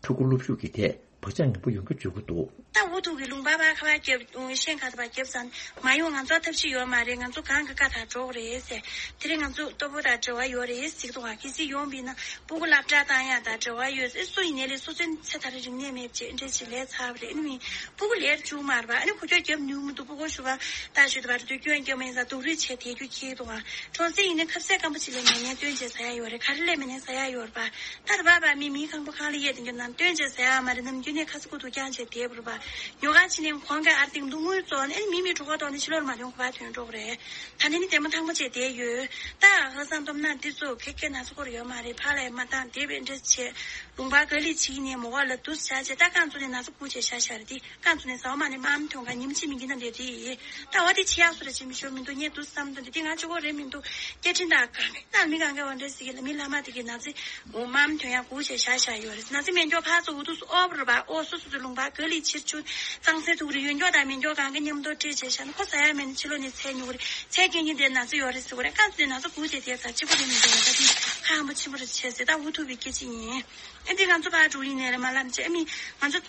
ཕྲུ་གུ་སློབ་ཞུགས་ཀྱི་ཐད་བག་ཆགས་ངན་པ་ཡོང་རྒྱུ་བརྗོད་ཀྱི་འདུག་ད་འུ་ཐུག་གི་ལུང་པ་བར་ཁ་བར་རྒྱབ་ཤེས་ཁ་ཐ་བར་རྒྱབ་ཙང་མ་ཡོང་། ང་ཚོ་ཐབས་ཤེས་ཡོད་མ་རེད། ང་ཚོ་གང་གི་བཀའ་ཐག་འགྲོ་གི་རེད་ཟེར། དེ་རིང་ང་ཚོ་ལྟོ་ཕོ་དང་འབྲེལ་བ་ཡོད་རེད་ཟེར་གི་འདུག་ག་གལ་སྲིད་ཡོང་བ་ཡིན་ན་སྤུ་གུ་སློབ་གྲྭ་བཏང་ཡ་དང་འབྲེལ་བ་ཡོད་ཟེར། སུ་ཡིན་ནའི་ལས་སོ་སོའི་ཚེ་ཐར་རིག་གནས་མེད་ཅེས་འདྲ་ཅིག་ལས་ཚར་བ་རེད། ཨ་ནི་མི་སྤུ་གུ་ལས་བཅུག་མ་རེད་པ། ཨ་ནི་ཁོ་ཁྱོད་རྒྱབ་ནུས་མི་འདུག་སྤུ་གུ་ཞུ་བ་ད་ཞུ་དུ་བར་དུ་སྐྱོན་རྒྱབ་མ་ཡིན་ས་སྡུག་རུས་བྱས་དེ་རྒྱུ་ཁྱེད་འདུག་ག་གྲོང་གསེབ་ཡིན་ན་ཁ་ཟས་སྐམ་པོ་ཅིག་ལས་མེད་ནའི་སྟོན་བྱས་ཟ་ཡ་ཡོད་རེད། ག་རེ་ལས་མེད་ནའི་ཟ་ཡ་ཡོད་རེད་པ། ད་ད་བར་བར་མི་མི་ཁང་པ་ཁང་ལ་གཡས་དེ་འགྱོ་ནང་སྟོན་བྱས་ཟ་ཡ་མ་རེད། ནམ་རྒྱུན་ནས་ཁ་ས་ཁུ་ཐུག་རྐྱང་བྱས་བསྡད་པ་རེད་པ། ཉོ་ག་ཕྱིན་ནས་གོང་གི་ཨར་ཏིང་འདུག་དངུལ་བཙོང་ནས་མི་མི་གྲོད་ཁོག་ལྟོགས་ནས་ཕྱི་ལོགས་ལ་མ་ཐོན་གོ་བ་ཐོན་འགྲོ་གི་རེད། ད་ནི་ནི་དེ་མ་ཐང་པ་བྱས་བསྡད་ཡོད། ད་ཧ་སང་སྟོབས་ན་འདི་ཚོ་ཁེ་ཁེ་ན་ཚོ་སྐོར་ཡོད་མ་རེད། ཕ་ལ་ཡ་མ་བཏང་དེ་བས་འདྲ་བྱས་ལུང་པ་ག་ལི་བྱིས་ནས་མོ་ག་ལ་དུས་བྱ་བྱས་ད་རྐང་བཙུགས་ནས་ན་ཚ་སྐུ་བྱས་ཤ་ཤ་རེད། དེ་རྐང་བཙུགས་ནས་ཟ་བ་མ་ནས་མ་མ་ཐོན་ག་ཉིམ་ཆི་མི་འགྱིན་ན་འདྲ་རེད། ད་བ་དེ་ཆི་ཡག་སུ་ར་ཆི་མི་ཤོར་མི་འདུག་ངས་དུས་བསམ་དོན་དེ་དེ་ང་ཆོ་གོ་རེད་མི་འདུག་སྐད་འཕྲིན་དང་གང་ལྟར་མི་གང་ག་བ་འདྲ་ཟིག་གི་ལ་མི་ལྷ་མ་དེ་གི་ན་ཚེ་འོ་མམ་དོན་ཡང་གུག་བྱས་བཞག་བཞག་ཡོད་རེད། ན་ཚེ་མེ་མགྱོགས་ཕར་ཚུར་འུ་ཐུག་སུ་ཨོབ་རེད་པ། ཨོ་སུ་སུ་ཚོ་ལུང་པ་ག་ལི་ཕྱིར་ཆུ་གཙང་སེལ་ཐུག་རེད། ཡོན་མགྱོགས་དང་མེ་མགྱོགས་གང་ག་མཉམ་དུ་སྤྲད་བྱས་བཞག་ན་ཁོ་ཟ་ཡ་མེད་ན་ཕྱི་ལོགས་ནས་ཚལ་ཉོ་གི་རེད། ཚལ་སྐྱེ་ཉིན་དེ་ན་ཚེ་ཡོད་རེད་ཟེར་གོ་རེད། རྐང་བཙུགས་ནས་ན་ཚེ་གུག་བྱས་དེ་ཟ་གཅིག་པོ་རེད་མི་འདུག་ད་དེ་ཁ་ཧམ་པ་ཆེན་པོ་རེད་བྱས་ཟེར། ད་འུ་ཐུག་པའི་སྐད་ཆ་ཡིན། ཨེ་འདི་ང་ཚོ་ཕར་འགྲོ་ཡིན་ནས་རེད་མ་ལབ་བྱས། ཨ་མི་ང་ཚོ་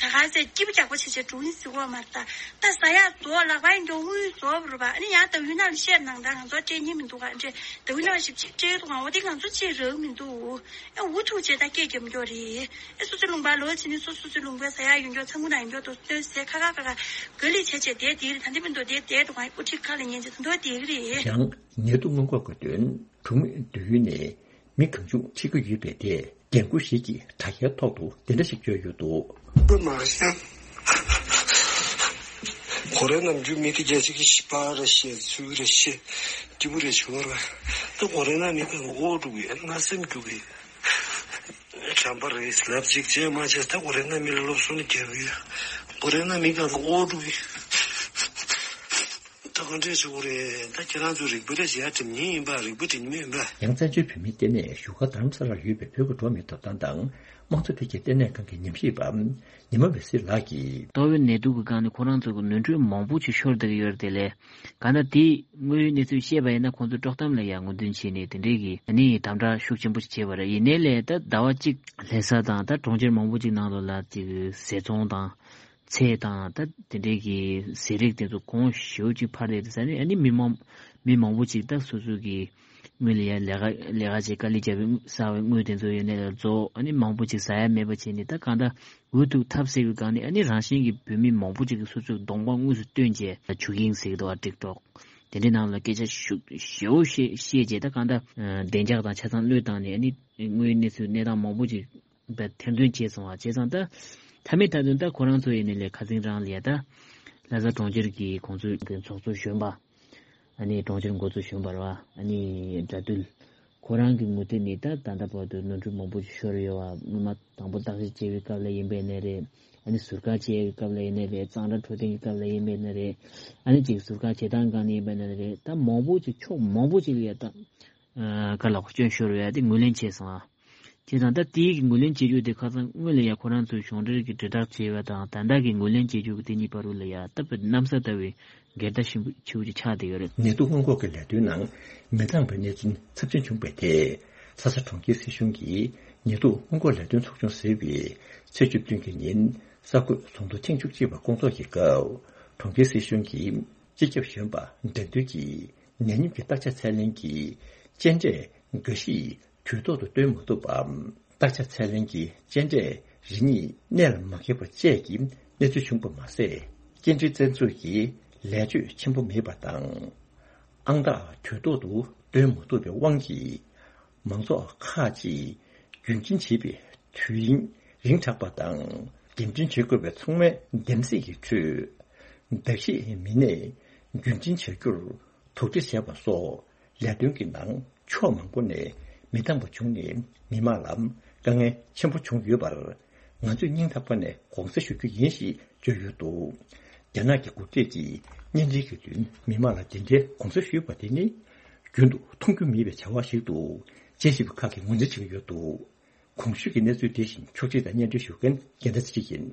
ད་ག་ཟེ་སྐྱིད་པོ་རྒྱག་པོ་བྱེད་བྱེད་འགྲོ་ཡིན་ཟེར་གོ་མ་རེད། ད་ད་ཟ་ཡག་རྫོགས་ལག་པ་ཡིན་འགྲོ་དངུལ་རྫོགས་པ་རེད་པ། ཨ་ནི་ཡང་ད་ཡུལ་ནང་ལ་བཤད་ནང་ད་ང་ཚོ་སྤྲད་ཉིན་མི་འདུག་ག་འདྲེ་ད་ཡུལ་ནང་ཞིབ་ཅིག་སྤྲད་འདུག་ག་འོ་དེ་ང་ཚོ་ཅིག་རག་མི་འདུག་ཨ་འུ་ཐུག་བྱས་ད་སྐད་རྒྱབ་མགྱོགས་རེད། ཨེ་སོ་སོའི་ལུང་པ་ལོ་ཕྱིན་ནས་སོ་སོ་སོའི་ལུང་པའི་ཟ་ཡག་ཡོད་མགྱོགས་ཚ་མུ་ན་ཡོད་མགྱོགས་དུ་སྟོན་ཟས་ཁ་ཁ་ཁ་ཁ་ག་ལི་བྱས་བྱས་དེ་དེ་རེད། ད་འདི་མི་འདུག་དེ་དེ་འདུག་ག་དབུ་ཁྲིད་ཁ་ལ་ཉན་བྱས་ད་འདུག་དེ་གི་རེད། ཡང་ཉེ་དུ་སྔོན་འགོག་གི་དོན་གྲོང་མི་སྡོད་ཡུལ་ནས་མི་གང་བྱུང་ཁྲིད་ཀྱི་ཡོད་པའི་ཐད་འགན་འཁུར་ཞིག་གིས་དྲ་རྒྱའི་ཐོག་ཏུ་འདི་འདྲ་ཞིག་བརྗོད་ཡོད་འདུག་པ་མ་ཤང་། གོ་རེ་ནམ་རྒྱུན་མི་དེ་རྒྱལ་སྤྱི་གི་ཤི་པ་རེ་ཤེས་ཚུལ་རེ་ཤེས་སྐྱིད་པོ་རེ་བྱུང་བར་ད་གོ་རེ་ན་མི་གང་ཨོ་འགྲོ་གི་ང་སེམས་སྐྱོ་གི་བྱམས་པ་རེད་ལབ་ཅིག་བྱས་མ་བྱས་ད་གོ་རེ་ན་མི་ལ་སློབ་གསོ་ནི་རྒྱབ་ཡོད། གོ་རེ་ན་མི་གང་ཨོ་འགྲོ་གི་ད་ག་འདྲས་བྱུང་རེད། ད་ཁྱེད་རང་ཚོ་རིག་པ་རེ་བྱས་དྲིམ་ཉེ་ཡིན་པ་རིག་པ་དྲིམ་མེད་ཡིན་པ། ཡང་བཙན་བྱོལ་བོད་མིའི་ལྟེ་གནས་བཞུགས་སྒར་རྡ་རམ་ས་ལར་ཡོད་པའི་བོད་ཀྱི་འགྲོ་བ་མིའི་ཐོབ་ཐང་དང་དམངས་གཙོ་བདེ་སྐྱིད་ལྟེ་གནས་ཁང་གི་ཉམས་ཞིབ་པ་ཉི་མ་འོད་ཟེར་ལགས་ཀྱིས། ཏོག་དབྱིབས་ནད་དུག་གི་སྒང་ནས་ཁོ་རང་ཚོ་གི་ནོར་འཁྲུལ་མང་པོ་ཞིག་ཤོར་བསྡད་ཀྱི་ཡོད་རེད་དེ་ལས། གང་ལྟར་དེའི་དངོས་ཡོད་གནས་ཚུལ་བཤད་པ་ཡིན་ན་ཁོང་ཚོ་དཀྲོག་གཏམ་ལ་ཡང་ངོས་འཛིན་བྱས་ནས་དེ་འདྲའི་གི་ཨ་ནི་དམ་དྲག་ཤུགས་ཆེན་པོ་ཞིག་བྱས་པ་རེད། ཡིན་ནའི་ལས་ད་ཟླ་བ་གཅིག་ལྷ་ས་དང་ད་གྲོང་ཁྱེར་མང་པོ་ཅིག་ནང་ལོགས་ལ་ཅིག་ཟས་བཙོང་དང་། ཚལ་དང་ད་དེ་འདྲའི་གི་ཟས་རིགས་དེ་ཚོ་གོང་ཞེ་པོ་ཅིག་འཕར་བསྡད་དེ་ས་ནས་ཨ་ནི་མི་མང་མི་མང་པོ་ཅིག་ད་སོ་སོ་གི་དངུལ་ལ་ཡ་ལས་ཀ་ལས་ཀ་བྱེད་དཀའ་ལས་བརྒྱབ་པའི་བསགས་པའི་དངུལ་དེ་ཚོ་ཡོད་ནས་ལ་རྫོགས་ཨ་ནི་མང་པོ་ཅིག་ཟ་ཡ་མེད་པ་བྱས་ནས་ད་གང་ལྟར་འུ་ཐུག་ཐབས་ཟད་པའི་སྒང་ནས་ཨ་ནི་རང་བཞིན་གྱི་བོད་མི་མང་པོ་ཅིག་གིས་སོ་སོའི་གདོང་པ་དངོས་སུ་སྟོན་བྱས་ཆུ་ཁེངས་ཟེར་གི་འདུག་བ་ཀྲིག་ཀྲོག་དེ་འདྲའི་ནང་ལ་སྐད་ཆ་ཤུགས་ཞེ་པོ་བཤད་བཤད་བྱས་ད་གང་ལྟར་བདེ་འཇགས་དང་ཆ་ཚང་བློས་བཏང་ནས་ཨ་ནི་དངུལ་གནས་ཚུལ་གནས་སྟངས་མང་པོ་ཅིག་ད་ཐེར་འདོན་བྱས་སོང་བ་བྱས་ཙང་ད་མཐའ་མའི་མཐའ་དོན་ད་ཁོ་རང་ཚོ་ཡིན་ནའི་ལས་ཁ་སང་རང་ལ་ཡ་ད་ལྷ་ས་གྲོང་ཁྱེར་གྱི་ཁོང་ཚོའི་གི་ཚོགས་གཙོ་གཞོན་པ་ཨ་ནི་གྲོང་ཁྱེར་འགོ་གཙོ་གཞོན་པ་རེད་བ་ཨ་ནི་དགྲ་འདུལ་ཁོ་རང་གི་ངོས་ཐད་ནས་ད་ད་ལྟ་བར་དུ་ནོར་འཁྲུལ་མང་པོ་ཞིག་ཤོར་ཡོད་བ། སྔོན་མ་དང་པོ་བརྟག་ཞིབ་བྱེད་པའི་སྐབས་ལ་ཡིན་པའི་ནས་རེད། ཨ་ནི་ཟུར་བཀག་བྱེད་ཡའི་སྐབས་ལ་ཡིན་ནའི་རེད། གཙང་སྦྲ་འཕྲོད་བསྟེན་གྱི་སྐབས་ལ་ཡིན་པའི་ནས་རེད། ཨ་ནི་ཅིག་ཟུར་བཀག་བྱེད་སྟངས་སྒང་ནས་ཡིན་པའི་ནས་རེད། ད་མང་པོ་ཅིག་ཕྱོགས་མང་པོ་ཅིག་ལ་ཡ་ད་ཨ་ག་ལ་སྐྱོན་ཤོར་ཡོད་དེ་ངོས་ལེན་བྱས་སོང་ཨ། བྱས་ཙང་ད་དེའི་གི་ངོས་ལེན་བྱེད་རྒྱུ་དེ་ཁ་སང་སྔོན་ལ་ཡ་ཁོ་རང་ཚོའི་གཞུང་འབྲེལ་གྱི་དྲིལ་བསྒྲགས་བྱས་པ་དང་ད་ལྟ་གི་ངོས་ལེན་བྱེད་རྒྱུ་གི་དེ་གཉིས་བར་དུ་ལ་ཡ་ད་བར་གནམ་ས་ལྟ་བུའི་འགལ་ཟླ་ཆེན་པོ་ཆེ་བོ་ཅིག་ཆགས་བསྡད་ཡོད་རེད། ནད་དུག་སྔོན་འགོག་གི་ལས་དོན་ནང་མི་འདང་བའི་གནས་ཚུལ་ཚབས་ཆེན་བྱུང་བའི་ཐད། ལྷ་ས་གྲོང་ཁྱེར་སྲིད་གཞུང་གིས་ཉེན་རྟོག་སྔོན་འགོག་ལས་དོན་ཚོགས་ཆུང་ཟེར་བའི་ཚེས་བཅུ་བདུན་གྱི་ཉིན་གསར་འགོད་ཚོགས་འདུ་ཐེངས་བཅུ་གཅིག་པ་བསྐོང་ཚོགས་ཀྱི་སྐབས་གྲོང་ཁྱེར་སྲིད་གཞུང་གི་སྤྱི་ཁྱབ་གཞོན་པ་དགྲ་འདུལ་གྱིས་ནད་ཉམས་ཀྱི་བརྟག་དཔྱད་ཚད་ལེན་གྱི་དཔྱད་འབྲས་འགའ་ཞིག་དུས་ཐོག་ཏུ་བཏོན་མ་ཐུབ་པ། བརྟག་དཔྱད་ཚད་ལེན་གྱི་དཔྱད་འབྲས་རེ་གཉིས་གནད་ལ་མ་འཁེལ་བ་བཅས་ཀྱི་གནས་ཚུལ་བྱུང་པ་མ་ཟད། སྐྱེལ་འདྲེན་བཙན་འཛུལ་གྱི་ལས་ཆོད་ཆེན་པོ་མེད་པ་དང་། ཨང་རྟགས་དུས་ཐོག་ཏུ་བཏོན་མ་ཐུབ་པའི་དབང་གིས། མང་ཚོགས་ཁག་ཅིག་རྒྱུན་འཛིན་བྱེད་པའི་དུས་ཡུན་རིང་དྲགས་པ་དང་། འགྲེམས་སྟོན་བྱེད་དགོས་པའི་ཚོགས་མིའི་འདེམས་གསེས་ཀྱི་ཁྲོད། གདགས་གཤིས་མི་སྣས་རྒྱུན་འཛིན་བྱ་རྒྱུར་དོགས་འདྲི་བྱས་པ་སོགས། ལས་དོན་གྱི་ནང་ཕྱོགས་མང་པོ་ནས་མི་འདང་བ་བྱུང་ནས། མི་མང་ལ་དཀའ་ངལ་ཆེན་པོ་བྱུང་ཡོད་པར། ང་ཚོས་སྙིང་ཐག་པ་ནས་དགོངས་སེལ་ཞུ་རྒྱུ་ཡིན་ཞེས་བརྗོད་ཡོད་འདུག། རྒྱ་ནག་གི་འགོ་ཁྲིད་ཀྱིས་བརྙན་འཕྲིན་གྱི་མདུན་མི་མང་ལ་འདི་འདྲའི་དགོངས་སེལ་ཞུས་པ་དེ་ནི། རྒྱུན་དུ་མཐོང་རྒྱུ་མེད་པའི་བྱ་བ་ཞིག་ཏུ། དཔྱད་ཞིབ་པ་ཁག་གིས་ངོས་འཛིན་བྱེད་ཀྱི་ཡོད་འདུག། གོང་ཞུས་ཀྱི་གནས་ཚུལ་དེ་བཞིན་ཕྱོགས་སྒྲིག་དང་སྙན་སྒྲོན་ཞུ་མཁན་རྒྱལ་ཟླ་ཚེ་རིང་ཡིན།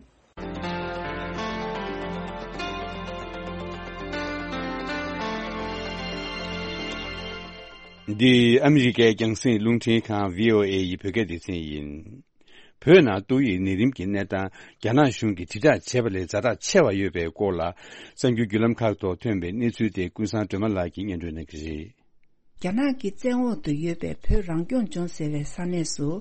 འདི་ཨ་མི་རི་ཀའི་རྒྱང་སྲིང་རླུང་འཕྲིན་ཁང་བྷི་ཨོ་ཨེ་ཡི་བོད་སྐད་སྡེ་ཚན་ཡིན། བོད་ནང་ཏོག་དབྱིབས་ནད་རིམས་ཀྱི་གནས་སྟངས་རྒྱ་ནག་གཞུང་གིས་དྲིལ་བསྒྲགས་བྱས་པ་ལས་ཛ་དྲག་ཆེ་བ་ཡོད་པའི་སྐོར་ལ། གསར་འགྱུར་བརྒྱུད་ལམ་ཁག་ཐོག་ཐོན་པའི་གནས་ཚུལ་དེ་ཀུན་བཟང་སྒྲོལ་མ་ལགས་ཀྱིས་སྙན་སྒྲོན་གནང་གི་རེད། རྒྱ་ནག་གི་བཙན་འོག་ཏུ་ཡོད་པའི་བོད་རང་སྐྱོང་ལྗོངས་ཟེར་བའི་ས་གནས་སུ།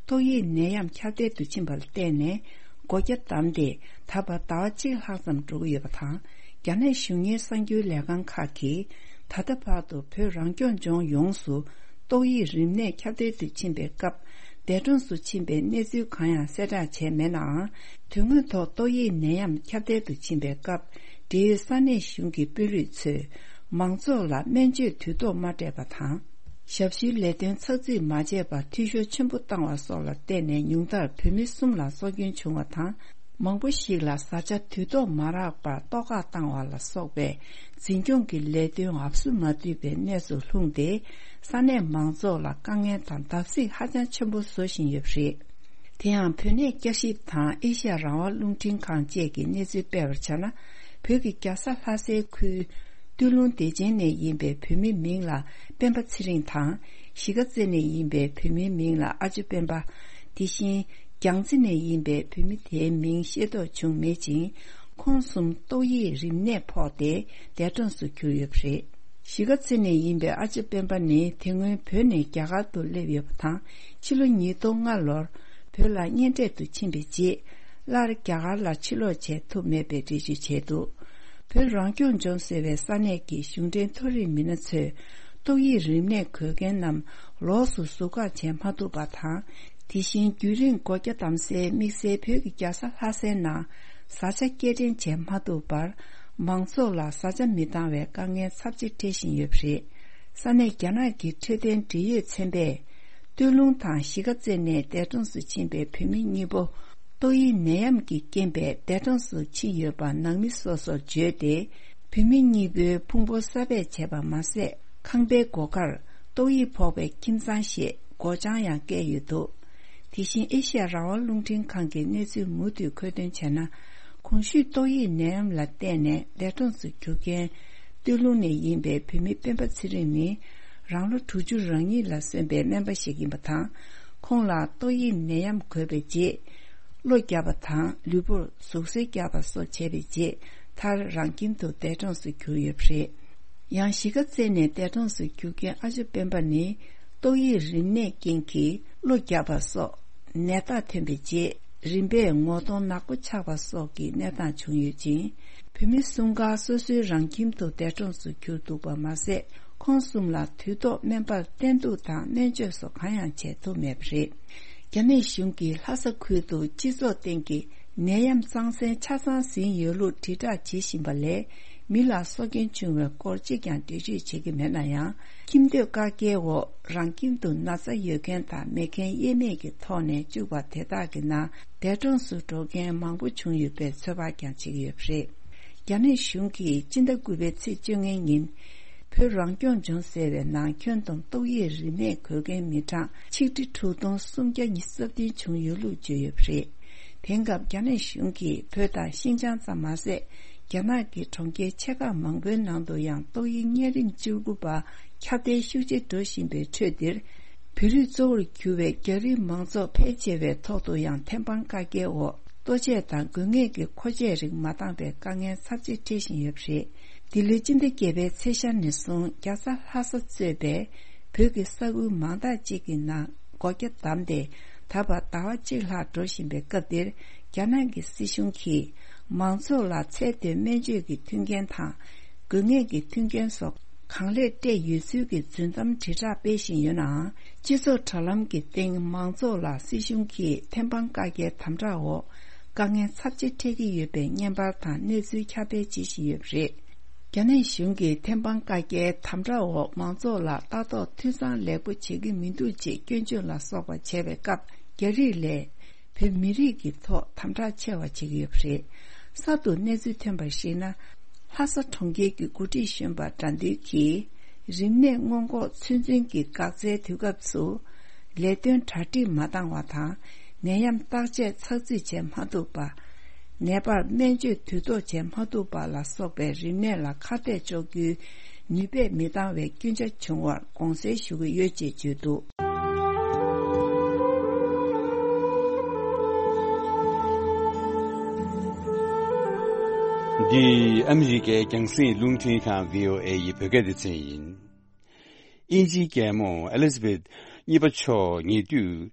ཏོག་དབྱིབས་ནད་ཡམས་ཁྱབ་གདལ་དུ་ཕྱིན་པ་ལ་བརྟེན་ནས། སྒོ་རྒྱ་བསྡམས་ཏེ། ད་བར་ཟླ་བ་གཅིག་ལྷག་ཙམ་འགྲོ་གི་ཡོད་པ་དང་། རྒྱ་ནག་གཞུང་གཉེར་གསར་འགྱུར་ལས་ཁང་ཁག་གིས། ད་ལྟ་བར་དུ་བོད་རང་སྐྱོང་ལྗོངས་ཡོངས་སུ། ཏོག་དབྱིབས་རིམས་ནད་ཁྱབ་གདལ་དུ་ཕྱིན་པའི་སྐབས། འདས་གྲོངས་སུ་ཕྱིན་པའི་གནས་ཚུལ་གང་ཡང་གསལ་བསྒྲགས་བྱས་མེད་ནའང་། དོན་དངོས་ཐོག་ཏོག་དབྱིབས་ནད་ཡམས་ཁྱབ་གདལ་དུ་ཕྱིན་པའི་སྐབས། འབྲེལ་ཡོད་ས་གནས་གཞུང་གི་དཔོན་རིགས་ཚོས། མང་ཚོགས་ལ་སྨན་བཅོས་དུས་ཐོག་མ་སྤྲད་པ་དང་། ཞབས་ཞུའི་ལས་དོན་ཚགས་ཚུད་མ་བྱས་པར་འཐུས་ཤོར་ཆེན་པོ་བཏང་བ་སོགས་ལ་བརྟེན་ནས། ཉུང་མཐར་བོད་མི་གསུམ་ལ་སྲོག་སྐྱོན་བྱུང་བ་དང་། མང་པོ་ཞིག་ལ་བཟའ་བཅའ་དུས་ཐོག་མ་རག་པར་ལྟོགས་ཁ་བཏང་བ་ལ་སོགས་པའི་འཛིན་སྐྱོང་གི་ལས་དོན་འབབ་སུ་མ་བཏུད་པའི་གནས་སུ་ལྷུང་སྟེ། ས་གནས་མང་ཚོགས་ལ་དཀའ་ངལ་དང་བརྡབ་གསིག་ཧ་ཅང་ཆེན་པོ་བཟོ་བཞིན་ཡོད་པ་རེད། དེ་ཡང་བོད་གནས་བསྐྱར་ཞིབ་དང་ཨེ་ཤ་ཡ་རང་དབང་རླུང་འཕྲིན་ཁང་བཅས་ཀྱིས་གནས་ཚུལ་སྤེལ་བར་བྱས་ན། བོད་ཀྱི་རྒྱལ་ས་ལྷ་སའི་ཁུལ། སྟོད་ལུང་བདེ་ཆེན་ནས་ཡིན་པའི་བོད་མིའི་མིང་ལ་སྤེན་པ་ཚེ་རིང་དང་། གཞིས་ཀ་རྩེ་ནས་ཡིན་པའི་བོད་མིའི་མིང་ལ་ཨ་ཅོ་སྤེན་པ། དེ་བཞིན་རྒྱལ་རྩེ་ནས་ཡིན་པའི་བོད་མི་དེའི་མིང་ཤེས་རྟོགས་བྱུང་མེད་ཅིང་། ཁོང་གསུམ་ཏོག་དབྱིབས་རིམས་ནད་ཕོག་སྟེ་འདས་གྲོངས་སུ་གྱུར་ཡོད་པ་རེད། གཞིས་ཀ་རྩེ་ནས་ཡིན་པའི་ཨ་ཅོ་སྤེན་པ་ནི་དེ་སྔོན་བོད་ནས་རྒྱ་གར་དུ་སླེབས་ཡོད་པ་དང་། ཕྱི་ལོ་ཉིས་སྟོང་ལྔ་ལོར་བོད་ལ་གཉེན་འཕྲད་དུ་ཕྱིན་པའི་རྗེས། སླར་རྒྱ་གར་ལ་ཕྱིར་ལོག་བྱེད་ཐུབ་མེད་པའི་འགྲེལ་བརྗོད་བྱས་འདུག། བོད་རང་སྐྱོང་ལྗོངས་ཟེར་བའི་ས་གནས་ཀྱི་གཞུང་འབྲེལ་མཐོ་རིམ་མི་སྣ་ཚོས་ཏོག་དབྱིབས་རིམས་ནད་འགོས་མཁན་རྣམས་ལོགས་སུ་ཟུར་བཀག་བྱེད་མ་ཐུབ་པ་དང་། དེ་བཞིན་རྒྱུན་རིང་སྒོ་རྒྱ་བསྡམས་སའི་དམིགས་བསལ་བོད་ཀྱི་རྒྱལ་ས་ལྷ་སའི་ནང་བཟའ་བཅའ་སྐྱེལ་འདྲེན་བྱེད་མ་ཐུབ་པར། མང་ཚོགས་ལ་བཟའ་བཅའ་མི་འདང་བའི་དཀའ་ངལ་ཚབས་ཆེ་འཕྲད་བཞིན་ཡོད་པ་རེད། ས་གནས་རྒྱ་ནག་གི་འཕྲོད་བསྟེན་འབྲེལ་ཡོད་ཚན་པས། སྟོད་ལུང་དང་གཞིས་ཀ་རྩེ་ནས་འདས་གྲོངས་སུ་ཕྱིན་པའི་བོད་མི་གཉིས་པོ། ཏོག་དབྱིབས་ནད་ཡམས་ཀྱི་རྐྱེན་པས་འདས་གྲོངས་སུ་ཕྱིན་ཡོད་པ་ནང་མི་སོ་སོར་བརྗོད་དེ། བོད་མི་གཉིས་པོའི་ཕུང་པོ་གསར་པས་བྱས་པ་མ་ཟད། ཁང་པའི་སྒོ་ཁར་ཏོག་དབྱིབས་ཕོག་པའི་ཁྱིམ་ཚང་ཞེས་སྒོ་བྱང་ཡང་བཀལ་ཡོད་འདུག། དེ་བཞིན་ཨེ་ཤ་ཡ་རང་དབང་རླུང་འཕྲིན་ཁང་གིས་གནས་ཚུལ་མུ་མཐུད་མཁོ་འདོན་བྱས་ན། གོང་ཞུས་ཏོག་དབྱིབས་ནད་ཡམས་ལ་བརྟེན་ནས་འདས་གྲོངས་སུ་གྱུར་མཁན། སྟོད་ལུང་ནས་ཡིན་པའི་བོད་མི་སྤེན་པ་ཚེ་རིང་ནི། རང་ལོ་དྲུག་ཅུ་རང་ཉིད་ལ་སོན་པའི་སྨན་པ་ཞིག་ཡིན་པ་དང་། ཁོང་ལ་ཏོག་དབྱིབས་ནད་ཡམས་འགོས་པའི་རྗེས། གློ་བརྒྱབ་པ་དང་ལུས་པོར་ཟུག་གཟེར་བརྒྱབ་པ་སོགས་བྱས་པའི་རྗེས། མཐར་རང་ཁྱིམ་དུ་འདས་གྲོངས་སུ་གྱུར་ཡོད་པ་རེད། ཡང་གཞིས་ཀ་རྩེ་ནས་འདས་གྲོངས་སུ་གྱུར་མཁན་ཨ་ཅོ་སྤེན་པ་ནི། ཏོག་དབྱིབས་རིམས་ནད་རྐྱེན་གྱིས་གློ་བརྒྱབ་པ་སོགས་ནད་རྟགས་ཐོན་པའི་རྗེས། རིམ་པས་ངོ་གདོང་ནག་པོ་ཆགས་པ་སོགས་ཀྱི་གནས་སྟངས་བྱུང་ཡོད་ཅིང་། བོད་མི་གསུམ་ཀ་སོ་སོའི་རང་ཁྱིམ་དུ་འདས་གྲོངས་སུ་གྱུར་འདུག་པ་མ་ཟད། ཁོང་གསུམ་ལ་དུས་ཐོག་སྨན་པར་བསྟེན་གཏུག་དང་སྨན་བཅོས་སོགས་གང་ཡང་བྱེད་ཐུབ་མེད་པ་རེད། རྒྱ་ནག་གཞུང་གིས་ལྷ་ས་ཁུལ་དུ་སྤྱི་ཚོགས་སྟེང་གི་ནད་ཡམས་རྩང་གསེང་ཆ་ཚང་ཟིན་ཡོད་ལུགས་དྲིལ་བསྒྲགས་བྱེད་བཞིན་པ་ལས། མི་ལ་སྲོག་སྐྱོན་བྱུང་བའི་སྐོར་གཅིག་ཀྱང་འགྲེལ་བརྗོད་བྱེད་ཀྱི་མེད་ན་ཡང་། ཁྱིམ་སྡོད་བཀག་རྒྱའི་འོག་རང་ཁྱིམ་དུ་ན་ཚ་ཡོད་མཁན་དང་མེད་མཁན་དབྱེར་མེད་ཀྱི་ཐོག་ནས་བཅུག་པ་དེ་དག་གི་ནང་འདས་གྲོངས་སུ་འགྲོ་མཁན་མང་པོ་བྱུང་ཡོད་པའི་ཚོད་དཔག་ཀྱང་བྱེད་ཀྱི་ཡོད་པ་རེད། རྒྱ་ནག་གཞུང་གིས་སྤྱི་ཟླ་དགུ་པའི་ཚེས་བཅོ་ལྔའི་ཉིན། བོད་རང་སྐྱོང་ལྗོངས་ཟེར་བའི་ནང་ཁྱོན་བསྡོམས་ཏོག་དབྱིབས་རིམས་ནད་འགོས་མཁན་མི་གྲངས་ཆིག་ཁྲི་དྲུག་སྟོང་སུམ་བརྒྱ་ཉི་ཤུ་རྩ་བདུན་བྱུང་ཡོད་ལུགས་བརྗོད་ཡོད་པ་རེད། དེང་སྐབས་རྒྱ་ནག་གཞུང་གིས་བོད་དང་ཤིན་ཅང་ཙམ་མ་ཟད། རྒྱ་ནག་གི་གྲོང་ཁྱེར་ཆེ་ཁག་མང་པོའི་ནང་དུ་ཡང་ཏོག་དབྱིབས་གཉན་རིམས་བཅུ་དགུ་པ་ཁྱབ་གདལ་ཤུགས་ཆེ་འགྲོ་བཞིན་པའི་ཁྲོད་འདིར། བོད་རིགས་གཙོ་བོར་གྱུར་བའི་རྒྱ་རིགས་མང་ཚོགས་ཕལ་ཆེ་བའི་ཐོག་ཏུ་ཡང་ཐེམ་སྤང་བཀག་རྒྱའི་འོག་ལྟོ་ཆས་དང་དགོས་ངེས་ཀྱི་མཁོ་ཆས་རིགས་མ་འདང་པའི་དཀའ་ངལ་ཚབས་ཆེ་འཕྲད་བཞིན་ཡོད་པ་རེད། འདི་ལོའི་སྤྱི་ཟླ་བརྒྱད་པའི་ཚེས་ཤར་ནས་བཟུང་རྒྱལ་ས་ལྷ་ས་གཙོས་པའི་བོད་ཀྱི་ས་ཁུལ་མང་དག་ཅིག་གི་ནང་སྒོ་རྒྱ་བསྡམས་ཏེ། ད་བར་ཟླ་བ་གཅིག་ལྷག་འགྲོ་བཞིན་པའི་སྐབས་འདིར། རྒྱ་ནག་གི་སྲིད་གཞུང་གིས་མང་ཚོགས་ལ་ཚད་མཐོའི་སྨན་བཅོས་ཀྱི་མཐུན་རྐྱེན་དང་། དགོས་ངེས་ཀྱི་མཐུན་རྐྱེན་སོགས་ གང་ལེགས་སྤྲད་ཡོད་ཚུལ་གྱི་རྫུན་གཏམ་དྲིལ་བསྒྲགས་སྤེལ་བཞིན་ཡོད་ནའང་། སྤྱི་ཚོགས་དྲ་ལམ་གྱི་སྟེང་མང་ཚོགས་ལ་སྲིད་གཞུང་གིས་ཐེམ་སྤང་བཀའ་རྒྱའི་དམ་དྲག་འོག་དཀའ་ངལ་ཚབས་ཆེ་འཕྲད་ཀྱི་ཡོད་པའི་བརྙན་པར་དང་གནས་ཚུལ་ཁྱབ་སྤེལ་བྱེད་བཞིན་ཡོད་པ་རེད། རྒྱ་ནག་གཞུང་གིས་ཐེམ་སྤང་བཀའ་རྒྱའི་དམ་དྲག་འོག་མང་ཚོགས་ལ་ལྟ་རྟོག་འཐུས་ཚང་ལེགས་པོ་བྱེད་ཀྱི་མི་འདུག་ཅེས་སྐྱོན་བརྗོད་ལ་སོགས་པ་བྱས་པའི་སྐབས། རྒྱ་རིགས་ལས་བོད་མི་རིགས་ཀྱི་ཐོག་དམ་དྲག་ཆེ་བ་བྱེད་ཀྱི་ཡོད་པ་རེད། གསར་དུ་གནས་ཚུལ་ཐོན་པར་གཞིགས་ན། ལྷ་ས་གྲོང་ཁྱེར་གྱི་འགོ་ཁྲིད་གཞོན་པ་དགྲ་འདུལ་གྱིས། རིམས་ནད་སྔོན་འགོག་ཚོད་འཛིན་གྱི་འགག་རྩའི་དུས་སྐབས་སུ། ལས་དོན་གྲ་སྒྲིག་མ་འདང་བ་དང་། ནད་ཡམས་བརྟག་དཔྱད་ཚགས་ཚུད་བྱེད་མ་ཐུབ་པ། ནད་པར་སྨན་བཅོས་དུས་ཐོག་བྱེད་མ་ཐུབ་པ་ལ་སོགས་པའི་རིམས་ནད་ལ་ཁ་གཏད་གཅོག་རྒྱུའི་ནུས་པས་མི་འདང་བའི་སྐྱོན་ཆ་བྱུང་བར་དགོངས་སེལ་ཞུ་གི་ཡོད་ཅེས་བརྗོད་འདུག། འདི་ཨ་མི་རི་ཀའི་རྒྱང་སྲིང་རླུང་འཕྲིན་ཁང་བྷི་ཨོ་ཨེ་ཡི་བོད་སྐད་སྡེ་ཚན་ཡིན། དབྱིན་ཇིའི་རྒྱལ་མོ་ཨེ་ལི་ཛ་བེད་གཉིས་པ་མཆོག་ཉེ་དུས་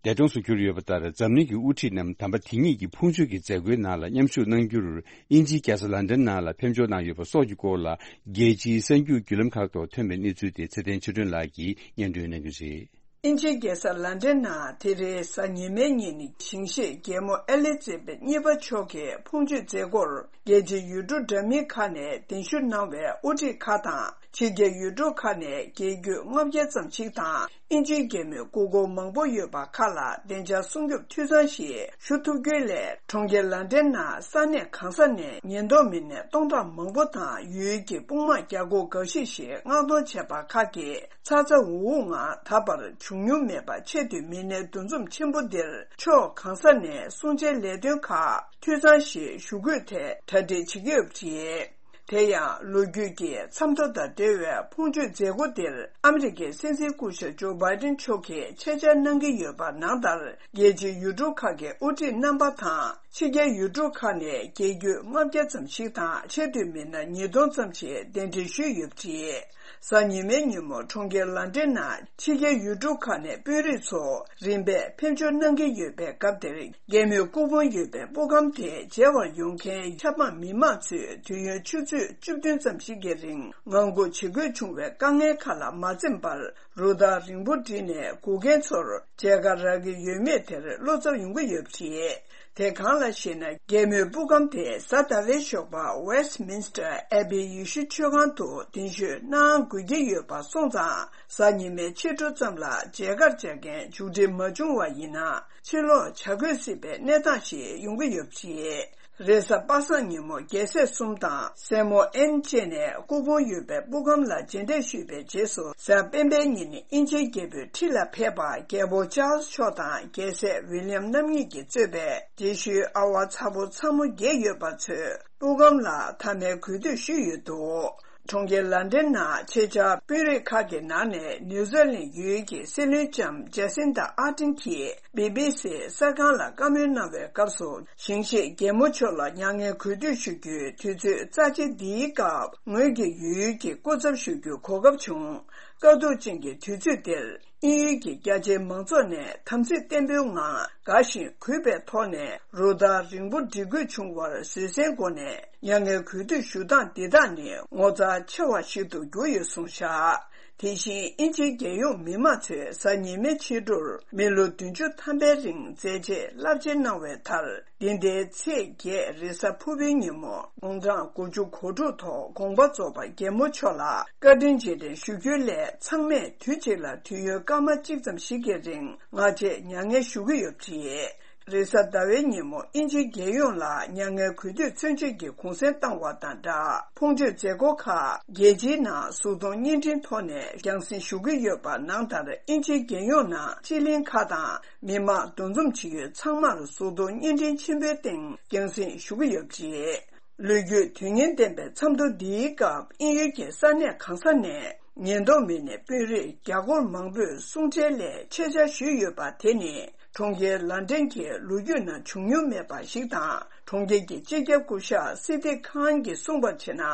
འདས་གྲོངས་སུ་གྱུར་ཡོད་པ་ལྟར། འཛམ་གླིང་གི་དབུ་ཁྲིད་རྣམས་དམ་པ་དེ་ཉིད་ཀྱི་ཕུང་མཆོད་ཀྱི་མཛད་སྒོའི་ནང་ལ་མཉམ་ཞུགས་གནང་རྒྱུར། དབྱིན་ཇིའི་རྒྱལ་ས་ལན་ཌན་ནང་ལ་ཕེབས་འབྱོར་གནང་ཡོད་པ་སོགས་ཀྱི་སྐོར་ལ། རྒྱལ་སྤྱིའི་གསར་འགྱུར་བརྒྱུད་ལམ་ཁག་ཐོག་ཐོན་པའི་གནས་ཚུལ་དེ་ཚེ་བརྟན་ཆོས་སྒྲོན་ལགས་ཀྱིས་སྙན་སྒྲོན་གནང་གི་རེད། དབྱིན་ཇིའི་རྒྱལ་ས་ལན་ཌན་ནང་དེ་རིང་གཟའ་ཉི་མའི་ཉིན། ཞིང་གཤེགས་རྒྱལ་མོ་ཨེ་ལི་ཛེ་བེད་གཉིས་པ་མཆོག་གི་ཕུང་མཆོད་མཛད་སྒོར། རྒྱལ་སྤྱིའི་ཡུལ་གྲུ་འདྲ་མིན་ཁག་ནས་གདན་ཞུ་གནང་བའི་དབུ་ཁྲིད་ཁག་དང་། ཕྱི་རྒྱལ་ཡུལ་གྲུ་ཁག་ནས་རྒྱལ་རྒྱུད་ལྔ་བརྒྱ་ཙམ་ཞིག་དང་། དབྱིན་ཇིའི་རྒྱལ་མོའི་སྐུ་འཁོར་མང་པོ་ཡོད་པ་ཁག་ལ་བདེ་འཇགས་སྲུང་སྐྱོབ་འཐུས་ཚང་ཞིག་ཞུ་ཐུབ་རྒྱུའི་སླད། གྲོང་ཁྱེར་ལན་ཌན་ནང་ས་གནས་གང་ས་ནས་ཉེན་རྟོག་མི་སྣ་སྟོང་ཕྲག་མང་པོ་དང་། ཡུལ་གྱི་དཔུང་དམག་བརྒྱ་སྐོར་འགའ་ཞིག་ཞིག་མངགས་གཏོང་བྱས་པ་ཁག་གིས། ཚ་ཚ་འུར་འུར་ངང་ད་བར་བྱུང་མྱོང་མེད་པ་ཆེད་དུ་མི་སྣའི་འདུ་འཛོམས་ཆེན་པོ་འདིར། ཕྱོགས་གང་ས་ནས་སྲུང་བྱའི་ལས་དོན་ཁག་འཐུས་ཚང་ཞིག་ཞུ་དགོས་ཐད་གྲ་སྒྲིག་བྱེད་ཀྱི་ཡོད་པ་རེད། དེ་ཡང་། ལོ་རྒྱུས་ཀྱི་མཚམས་ཐོ་དང་འབྲེལ་བའི་ཕུང་མཆོད་མཛད་སྒོ་འདིར། ཨ་མི་རི་ཀའི་སྲིད་འཛིན་སྐུ་ཞབས་ཇོ་བྷའི་ཌེན་མཆོག་གིས་ཆེད་བཅར་གནང་གི་ཡོད་པ་ནང་ལྟར། རྒྱལ་སྤྱིའི་ཡུལ་གྲུ་ཁག་གི་དབུ་ཁྲིད་རྣམ་པ་དང་། ཕྱི་རྒྱལ་ཡུལ་གྲུ་ཁག་ནས་རྒྱལ་རྒྱུད་ལྔ་བརྒྱ་ཙམ་ཞིག་དང་། ཆེས་མཐོའི་མི་སྣ་ཉིས་སྟོང་ཙམ་ཞིག་གདན་འདྲེན་ཞུས་ཡོད་པ་རེད། གཟའ་ཉི་མའི་ཉིན་མོ་གྲོང་ཁྱེར་ལན་ཌན་ནང་ཕྱི་རྒྱལ་ཡུལ་གྲུ་ཁག་ནས་དཔོན་རིགས་ཚོ་རིམ་པས་ཕེབས་འབྱོར་གནང་གི་ཡོད་པའི་སྐབས་དེར། རྒྱལ་མོའི་སྐུ་ཕུང་ཡོད་པའི་སྤུ་ཁང་དེར་མཇལ་བར་ཡོང་མཁན་ཆབ་འབངས་མི་མང་ཚོས་དུས་ཡུན་ཆུ་ཚོད་བཅུ་བདུན་ཙམ་ཞིག་གི་རིང་ངང་སྒུག་བྱེད་དགོས་བྱུང་བའི་དཀའ་ངལ་ཁག་ལ་མ་འཛེམས་པར། རུ་སྟར་རིང་པོ་བསྒྲིགས་ནས་སྒུག་མཁན་ཚོར་མཇལ་ཁ་རག་གི་ཡོད་མེད་དེར་བློ་འཚབ་ཡོང་གི་ཡོད་པ་རེད། དེ་གང་ལགས་ཤེ་ན། རྒྱལ་མོའི་སྤུ་ཁང་དེ་གཟའ་ཟླ་བའི་ཞོགས་པ་Westminster Abbey ཡེ་ཤུ་ཆོས་ཁང་དུ་གདན་ཞུ་གནང་དགོས་ཀྱི་ཡོད་པ་སོང་ཙང་། གཟའ་ཉི་མའི་ཕྱི་དྲོ་ཙམ་ལ་མཇལ་ཁར་བཅར་མཁན་མཇུག་སྒྲིལ་མ་བྱུང་བ་ཡིན་ན། ཕྱིར་ལོག་བྱ་དགོས་སྲིད་པའི་གནས་སྟངས་ཤིག་ཡོང་གི་ཡོད་པ་རེད། རེས་གཟའ་པ་སངས་ཉིན་མོ་རྒྱལ་སྲས་གསུམ་དང་སྲས་མོ་ཨེན་བཅས་ནས་སྐུ་ཕུང་ཡོད་པའི་སྤུ་ཁང་ལ་མཇལ་འཕྲད་ཞུས་པའི་རྗེས་སུ། གཟའ་སྤེན་པའི་ཉིན་དབྱིན་ཇིའི་རྒྱལ་པོའི་འཁྲིས་ལ་ཕེབས་པ། རྒྱལ་པོ་ཅཱལ་སི་མཆོག་དང་རྒྱལ་སྲས་ཝི་ལི་ཡམ་རྣམ་གཉིས་ཀྱིས་གཙོས་པའི་རྗེས་ཤུལ་ཨ་བ་ཚ་བོ་ཚ་མོ་བརྒྱད་ཡོད་པ་ཚོས་སྤུ་ཁང་ལ་མཐའ་མའི་གུས་འདུད་ཞུས་ཡོད་འདུག། གྲོང་ཁྱེར་ལན་ཌན་ནང་ཆེད་བཅར་དཔོན་རིགས་ཁག་གི་ནང་ནས་ནིའུ་ཛི་ལན་ཡུལ་གྱི་སྲིད་བློན་ལྕམ་ཇེ་སིན་ཏ་ཨར་ཏིན་གྱིས་བི་བི་སི་གསར་ཁང་ལ་བཀའ་མོལ་གནང་བའི་སྐབས་སུ། ཞིང་གཤེགས་རྒྱལ་མོ་མཆོག་ལ་མྱ་ངན་གུས་འདུད་ཞུ་རྒྱུའི་དུས་ཚོད་རྩ་ཆེ་འདིའི་སྐབས། ངོས་ཀྱིས་ཡུལ་གྱི་སྐུ་ཚབ་ཞུ་རྒྱུའི་གོ་སྐབས་བྱུང་། དཀའ་སྡུག་ཅན་གྱི་དུས་ཚོད་འདིར། དབྱིན་ཡུལ་གྱི་རྒྱ་ཆེའི་མང་ཚོགས་ནས་དམ་ཚིག་བརྟན་པོའི་ངང་། དགའ་ཞིང་གུས་པའི་ཐོག་ནས་རུ་སྟར་རིང་པོ་སྒྲིག་དགོས་བྱུང་བར་བཟོད་བསྲན་སྒོ་ནས་མྱ་ངན་གུས་འདུད་ཞུ་སྟངས་འདི་དག་ནི་ངོ་མཚར་ཆེ་བ་ཞིག་ཏུ་གྱུར་ཡོད་གསུངས་བཞག། དེ་བཞིན་དབྱིན་ཇིའི་རྒྱལ་ཡོངས་མི་མང་ཚོས་གཟའ་ཉི་མའི་ཕྱི་དྲོར་མི་ལོ་བདུན་ཅུ་ཐམ་པའི་རིང་མཛད་རྗེས་རླབས་ཆེན་གནང་བའི་མཐར། འདི་ཟླའི་ཚེས་བརྒྱད་རེས་གཟའ་ཕུར་བུའི་ཉིན་མོ་དགུང་གྲངས་དགུ་བཅུ་གོ་དྲུག་ཐོག་དགོངས་པ་རྫོགས་པ་རྒྱལ་མོ་མཆོག་ལ་བཀའ་དྲིན་རྗེས་དྲན་ཞུ་རྒྱུའི་སླད། ཚང་མས་དུས་གཅིག་ལ་དུས་ཡུན་སྐར་མ་གཅིག་ཙམ་ཞིག་གི་རིང་ངག་བཅད་མྱ་ངན་ཞུ་གི་ཡོད་པ་རེད། རེས་གཟའ་ཟླ་བའི་ཉིན་མོ་དབྱིན་ཇིའི་རྒྱལ་ཡོངས་ལ་མྱ་ངན་གུས་འདུད་མཚོན་བྱེད་ཀྱི་གུང་སེང་བཏང་བ་དང་སྦྲགས། ཕུང་མཆོད་མཛད་སྒོ་ཁག་རྒྱལ་སྤྱིའི་ནང་གཟུགས་མཐོང་བརྙན་འཕྲིན་ཐོག་ནས་རྒྱང་སྲིང་ཞུ་གི་ཡོད་པ་ནང་ལྟར། དབྱིན་ཇིའི་རྒྱལ་ཡོངས་ནང་སྤྱི་གླིང་ཁག་དང་མི་མང་འདུ་འཛོམས་བྱེད་ཡུལ་ཚང་མར་གཟུགས་མཐོང་བརྙན་འཕྲིན་ཆེན་པོའི་སྟེང་རྒྱང་སྲིང་ཞུ་གི་ཡོད་པ་རེད། ལོ་རྒྱུས་དོན་སྙིང་ལྡན་པའི་མཚམས་ཐོ་འདིའི་སྐབས། དབྱིན་ཡུལ་གྱི་ས་གནས་གང་ས་ནས་ཉེན་རྟོག་མི་སྣའི་དཔོན་རིགས་བརྒྱ་སྐོར་མང་པོས་གསུང་ཆོས་སླད་ཆེད་བཅར་ཞུས་ཡོད་པ་དེ་ནི། གྲོང་ཁྱེར་ལན་ཌན་གྱི་ལོ་རྒྱུས་ནང་བྱུང་མྱོང་མེད་པ་ཞིག་དང་། གྲོང་ཁྱེར་གྱི་སྤྱི་ཁྱབ་སྐུ་ཞབས་སི་ཏི་ཁཱན་གྱིས་གསུངས་པར་བྱས་ན།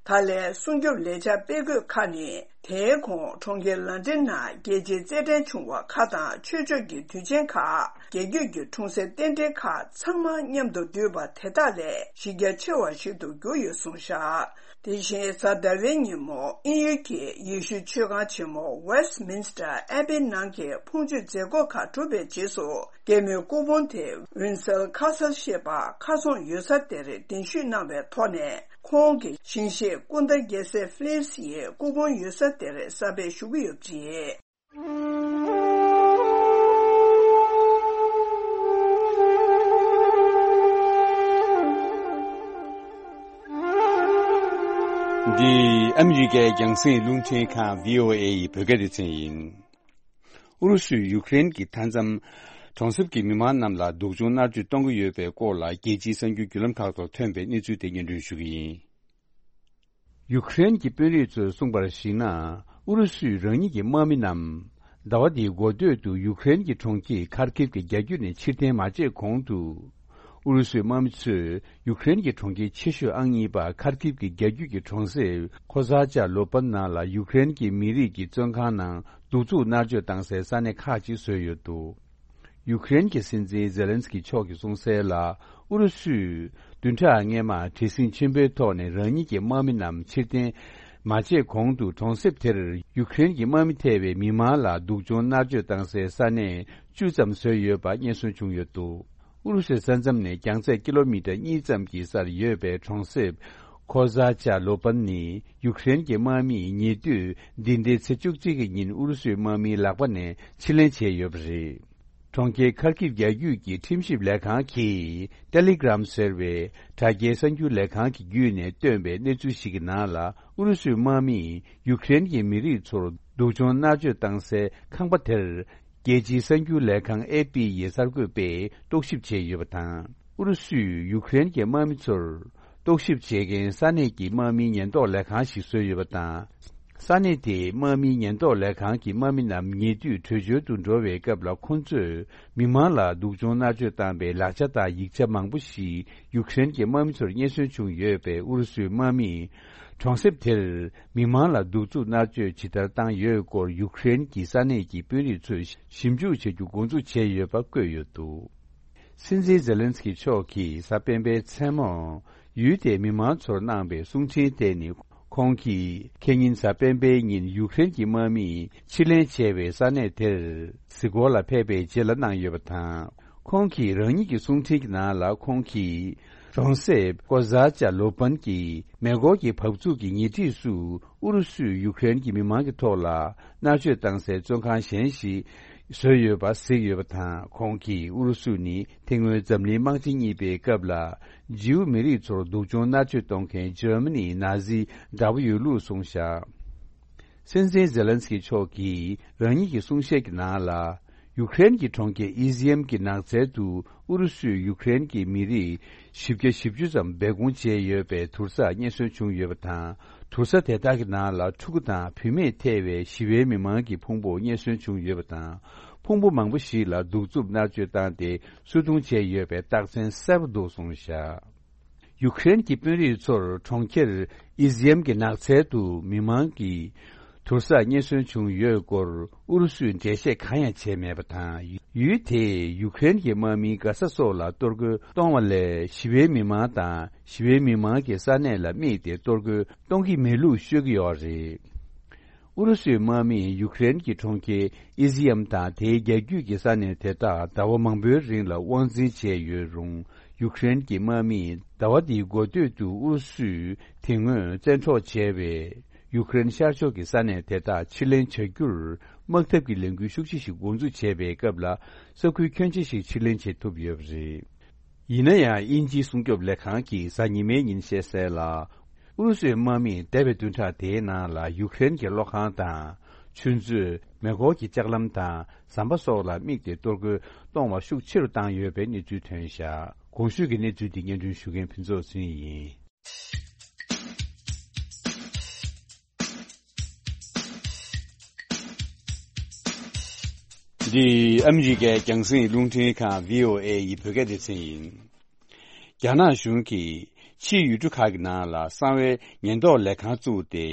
ད་ལན་སྲུང་སྐྱོབ་ལས་འཆར་སྤེལ་དགོས་ཁག་ནི། དེའི་གོང་གྲོང་ཁྱེར་ལན་ཌན་ནང་རྒྱལ་སྤྱིའི་རྩེད་འགྲན་བྱུང་བ་ཁག་དང་ཆོས་ཕྱོགས་ཀྱི་དུས་ཆེན་ཁག་རྒྱལ་རྒྱུད་ཀྱི་འཁྲུངས་སའི་རྟེན་འབྲེལ་ཁག་ཚང་མ་མཉམ་དུ་འདུས་པ་དེ་དག་ལས་གཞི་རྒྱ་ཆེ་བ་ཞིག་ཏུ་གྱུར་ཡོད་གསུངས་བཞག། དེ་བཞིན་གཟའ་ཟླ་བའི་ཉིན་མོ་དབྱིན་ཡུལ་གྱི་ཡེ་ཤུའི་མཆོད་ཁང་ཆེན་མོ་Westminster Abbey ནང་གི་ཕུང་མཆོད་མཛད་སྒོ་ཁག་གྲུབ་པའི་རྗེས་སུ། སྐྱེད་མོས་སྐུ་ཕུང་དེ་Windsor Castle ཞེས་པ་ཁ་ཚོན་ཡོད་ས་དེར་གདན་ཞུས་གནང་བའི་ཐོག་ནས། ཁོང་གི་ཞིང་གཤེགས་སྐུ་ཟླ་རྒྱལ་སྲས་ཕི་ལིབ་སི་ཡི་སྐུ་ཕུང་ཡོད་ས་དེར་གསར་པས་བཞུགས་ཀྱི་ཡོད་པ་རེད། འདི་ཨ་མི་རི་ཀའི་རྒྱང་སྲིང་རླུང་འཕྲིན་ཁང་VOA ཡི་བོད་སྐད་སྡེ་ཚན་ཡིན། ཨུ་རུ་སུས་ཡུཀ་རེན་གྱི་མཐའ་མཚམས་གྲོང་གསེབ་ཀྱི་མི་མང་རྣམས་ལ་སྡུག་སྦྱོང་མནར་གཅོད་གཏོང་གི་ཡོད་པའི་སྐོར་ལ། རྒྱལ་སྤྱིའི་གསར་འགྱུར་བརྒྱུད་ལམ་ཁག་ཐོག་ཐོན་པའི་གནས་ཚུལ་དེ་སྙན་སྒྲོན་ཞུ་གི་ཡིན། ཡུཀ་རེན་གྱི་དཔོན་རིགས་ཚོས་གསུངས་པར་གཞིགས་ན། ཨུ་རུ་སུས་རང་ཉིད་ཀྱི་དམག་མི་རྣམས་ཟླ་བ་འདིའི་འགོ་སྟོད་དུ་ཡུཀ་རེན་གྱི་གྲོང་ཁྱེར་ཁར་ཀིབ་ཀྱི་རྒྱ་རྒྱུད་ནས་ཕྱིར་འཐེན་མ་བྱས་གོང་དུ། ཨུ་རུ་སུའི་དམག་མི་ཚོས་ཡུཀ་རེན་གྱི་གྲོང་ཁྱེར་ཆེ་ཤོས་ཨང་གཉིས་པ་ཁར་ཀིབ་ཀྱི་རྒྱ་རྒྱུད་ཀྱི་གྲོང་གསེབ་ཁོ་ཛ་ཅཱ་ལོ་པན་ནང་ལ་ཡུཀ་རེན་གྱི་མི་རིགས་ཀྱི་བཙོན་ཁང་ནང་གདུག་རྩུབ་མནར་གཅོད་བཏང་སའི་ས་གནས་ཁག་ཅིག་བཟོས་ཡོད་འདུག་ཡུཀ་རེན་གྱི་སྲིད་འཛིན་ཛེ་ལན་སི་ཀི་མཆོག་གིས་གསུངས་གསལ་ལ། ཨུ་རུ་སུས་བདུན་ཕྲག་སྔས་མར་བྲེལ་ཟིང་ཆེན་པོའི་ཐོག་ནས་རང་ཉིད་ཀྱི་དམག་མི་རྣམས་ཕྱིར་འཐེན་མ་བྱས་གོང་དུ། གྲོང་གསེབ་དེར་ཡུཀ་རེན་གྱི་དམག་མི་ཐེ་བའི་མི་མང་ལ་སྡུག་སྦྱོང་མནར་གཅོད་བཏང་སའི་ས་གནས་བཅུ་ཙམ་བཟོས་ཡོད་པ་རྙེད་སོན་བྱུང་ཡོད་འདུག་ཨུ་རུ་སུའི་ས་མཚམས་ནས་རྒྱང་ཚད་ཀི་ལོ་མི་ཊར་གཉིས་ཙམ་གྱི་སར་ཡོད་པའི་གྲོང་གསེབ་ཁོ་ཛ་ཅཱ་ལོ་པན་ནི་ཡུཀ་རེན་གྱི་དམག་མིས་ཉེ་དུས་འདི་ཟླའི་ཚེས་བཅུ་གཅིག་གི་ཉིན་ཨུ་རུ་སུའི་དམག་མིའི་ལག་པ་ནས་ཕྱིར་ལེན་བྱས་ཡོད་པ་རེད། གྲོང་ཁྱེར་ཁར་ཀིབ་རྒྱ་རྒྱུད་ཀྱི་ཁྲིམས་ཞིབ་ལས་ཁང་གིས་Telegram ཟེར་བའི་དྲ་རྒྱའི་གསར་འགྱུར་ལས་ཁང་གི་བརྒྱུད་ནས་བཏོན་པའི་གནས་ཚུལ་ཞིག་གི་ནང་ལ། ཨུ་རུ་སུའི་དམག་མིས་ཡུཀ་རེན་གྱི་མི་རིགས་ཚོར་སྡུག་སྦྱོང་མནར་གཅོད་བཏང་སའི་ཁང་པ་དེར། རྒྱལ་སྤྱིའི་གསར་འགྱུར་ལས་ཁང་ཨེ་པི་ཡིས་གསར་འགོད་པས་རྟོག་ཞིབ་བྱས་ཡོད་པ་དང་། ཨུ་རུ་སུས་ཡུཀ་རེན་གྱི་དམག་མི་ཚོར་རྟོག་ཞིབ་བྱེད་མཁན་ས་གནས་ཀྱི་དམག་མིའི་ཉེན་རྟོག་ལས་ཁང་ཞིག་བཟོས་ཡོད་པ་དང་། ས་གནས་དེའི་དམག་མིའི་ཉེན་རྟོག་ལས་ཁང་གི་དམག་མི་རྣམས་ཉེ་དུས་བྲོས་བྱོལ་དུ་འགྲོ་བའི་སྐབས་ལ། ཁོང་ཚོས་མི་མང་ལ་སྡུག་སྦྱོང་མནར་གཅོད་བཏང་པའི་ལག་ཆ་དང་ཡིག་ཆ་མང་པོ་ཞིག་ཡུཀ་རེན་གྱི་དམག་མི་ཚོར་རྙེད་སོན་བྱུང་ཡོད་པས། ཨུ་རུ་སུའི་དམག་མིས་གྲོང་གསེབ་དེར་མི་མང་ལ་གདུག་རྩུབ་མནར་གཅོད་ཇི་ལྟར་བཏང་ཡོད་སྐོར་ཡུཀ་རེན་གྱི་ས་གནས་ཀྱི་དཔོན་རིགས་ཚོས་ཞིབ་འཇུག་བྱ་རྒྱུ་འགོ་འཛུགས་བྱས་ཡོད་པ་བཀོད་ཡོད་འདུག་སྲིད་འཛིན་ཛེ་ལན་སི་ཀི་མཆོག་གིས་གཟའ་སྤེན་པའི་མཚན་མོར་ཡུལ་དེའི་མི་མང་ཚོར་གནང་པའི་གསུང་འཕྲིན་དེ་ནི། ཁོང་གིས་ཁེ་ཉིན་གཟའ་སྤེན་པའི་ཉིན་ཡུཀ་རེན་གྱི་དམག་མིས་ཕྱིར་ལེན་བྱས་པའི་ས་གནས་དེར་གཟིགས་སྐོར་ལ་ཕེབས་པའི་རྗེས་ལ་གནང་ཡོད་པ་དང་། ཁོང་གིས་རང་ཉིད་ཀྱི་གསུང་འཕྲིན་གྱི་ནང་ལ། ཁོང་གིས་གྲོང་གསེབ་ཀོ་ཛ་ཅཱ་ལོ་པན་གྱི་མེ་འཁོར་གྱི་བབས་ཚུགས་ཀྱི་ཉེ་འཁྲིས་སུ། ཨུ་རུ་སུས་ཡུཀ་རེན་གྱི་མི་མང་གི་ཐོག་ལ་མནར་གཅོད་བཏང་སའི་བཙོན་ཁང་གཞན་ཞིག་བཟོས་ཡོད་པ་གཟིགས་ཡོད་པ་དང་། ཁོང་གིས་ཨུ་རུ་སུ་ནི་དེ་སྔོན་འཛམ་གླིང་དམག་ཆེན་གཉིས་པའི་སྐབས་ལ་ཇིའུ་མི་རིགས་ཚོར་སྡུག་སྦྱོང་མནར་གཅོད་གཏོང་མཁན་ཇར་མ་ནིའི་ན་ཛི་དགྲ་བོ་ཡོད་ལུགས་གསུངས་བཞག་སྲིད་འཛིན་ཛེ་ལན་སི་ཀི་མཆོག་གིས་རང་ཉིད་ཀྱི་གསུང་བཤད་ཀྱི་ནང་ལ། ཡུཀ་རེན་གྱི་གྲོང་ཁྱེར་ཨི་ཟི་ཡམ་གྱི་ནགས་ཚལ་དུ་ཨུ་རུ་སུས་ཡུཀ་རེན་གྱི་མི་རིགས་བཞི་བརྒྱ་བཞི་བཅུ་ཙམ་སྦས་སྐུང་བྱས་ཡོད་པའི་དུར་ས་རྙེད་སོན་བྱུང་ཡོད་པ་དང་། དུར་ས་དེ་དག་གི་ནང་ལ་ཕྲུ་གུ་དང་བུད་མེད་ཐེ་བའི་ཞི་བའི་མི་མང་གི་ཕུང་པོ་རྙེད་སོན་བྱུང་ཡོད་པ་དང་། ཕུང་པོ་མང་པོ་ཞིག་ལ་གདུག་རྩུབ་མནར་གཅོད་བཏང་སྟེ་གསོད་རྡུང་བྱས་ཡོད་པའི་རྟགས་མཚན་གསལ་པོ་འདུག་གསུངས་བཞག་ཡུཀ་རེན་གྱི་དཔོན་རིགས་ཚོར་གྲོང་ཁྱེར་ཨི་ཟི་ཡམ་གྱི་ནགས་ཚལ་དུ་མི་མང་གི་དུར་ས་རྙེད་སོན་བྱུང་ཡོད་སྐོར་ཨུ་རུ་སུས་འགྲེལ་བཤད་གང་ཡང་བྱས་མེད་པ་དང་། ཡུལ་དེས་ཡུཀ་རེན་གྱི་དམག་མིའི་མགར་ས་སོགས་ལ་གཏོར་རྒོལ་གཏོང་བ་ལས། ཞི་བའི་མི་མང་དང་ཞི་བའི་མི་མང་གི་ས་གནས་ལ་དམིགས་ཏེ་གཏོར་རྒོལ་གཏོང་གི་མེད་ལུགས་ཤོད་ཀྱི་ཡོད་རེད། ཨུ་རུ་སུའི་དམག་མིས་ཡུཀ་རེན་གྱི་གྲོང་ཁྱེར་ཨི་ཟི་ཡམ་དང་དེའི་རྒྱ་རྒྱུད་ཀྱི་ས་གནས་དེ་དག་ཟླ་བ་མང་པོའི་རིང་ལ་དབང་འཛིན་བྱས་ཡོད་རུང་། ཡུཀ་རེན་གྱི་དམག་མིས་ཟླ་བ་འདིའི་འགོ་སྟོད་དུ་ཨུ་རུ་སུས་དེ་སྔོན་བཙན་འཕྲོག་བྱས་པའི་ཡུཀ་རེན་ཤར་ཕྱོགས་ཀྱི་ས་གནས་དེ་དག་ཕྱིར་ལེན་བྱ་རྒྱུར་དམག་འཐབ་ཀྱི་ལས་འགུལ་ཤུགས་ཆེ་ཞིག་འགོ་འཛུགས་བྱས་པའི་སྐབས་ལ། ས་ཁུལ་ཁྱོན་ཆེ་ཞིག་ཕྱིར་ལེན་བྱེད་ཐུབ་ཡོད་པ་རེད། ཡིན་ན་ཡང་། དབྱིན་ཇིའི་སྲུང་སྐྱོབ་ལས་ཁང་གིས་གཟའ་ཉི་མའི་ཉིན་བཤད་གསལ་ལ། ཨུ་རུ་སུའི་དམག་མིས་འདས་པའི་བདུན་ཕྲག་དེའི་ནང་ལ་ཡུཀ་རེན་གྱི་གློག་ཁང་དང་། ཆུ་མཛོད། མེ་འཁོར་གྱི་ལྕགས་ལམ་དང་ཟམ་པ་སོགས་ལ་དམིགས་ཏེ་གཏོར་རྒོལ་གཏོང་བ་ཤུགས་ཆེ་རུ་བཏང་ཡོད་པའི་གནས་ཚུལ་ཐོན་བཞག་གོང་ཞུས་ཀྱི་གནས་ཚུལ་འདི་སྙན་སྒྲོན་ཞུ་མཁན་ཕུན་ཚོགས་ཚུན་ཡིན། འདི་ཨ་མི་རི་ཀའི་རྒྱང་སྲིང་རླུང་འཕྲིན་ཁང་VOA ཡི་བོད་སྐད་སྡེ་ཚན་ཡིན། རྒྱ་ནག་གཞུང་གིས་ཕྱིའི་ཡུལ་གྲུ་ཁག་གི་ནང་ལ་གསང་བའི་ཉེན་རྟོག་ལས་ཁང་བཙུགས་ཏེ།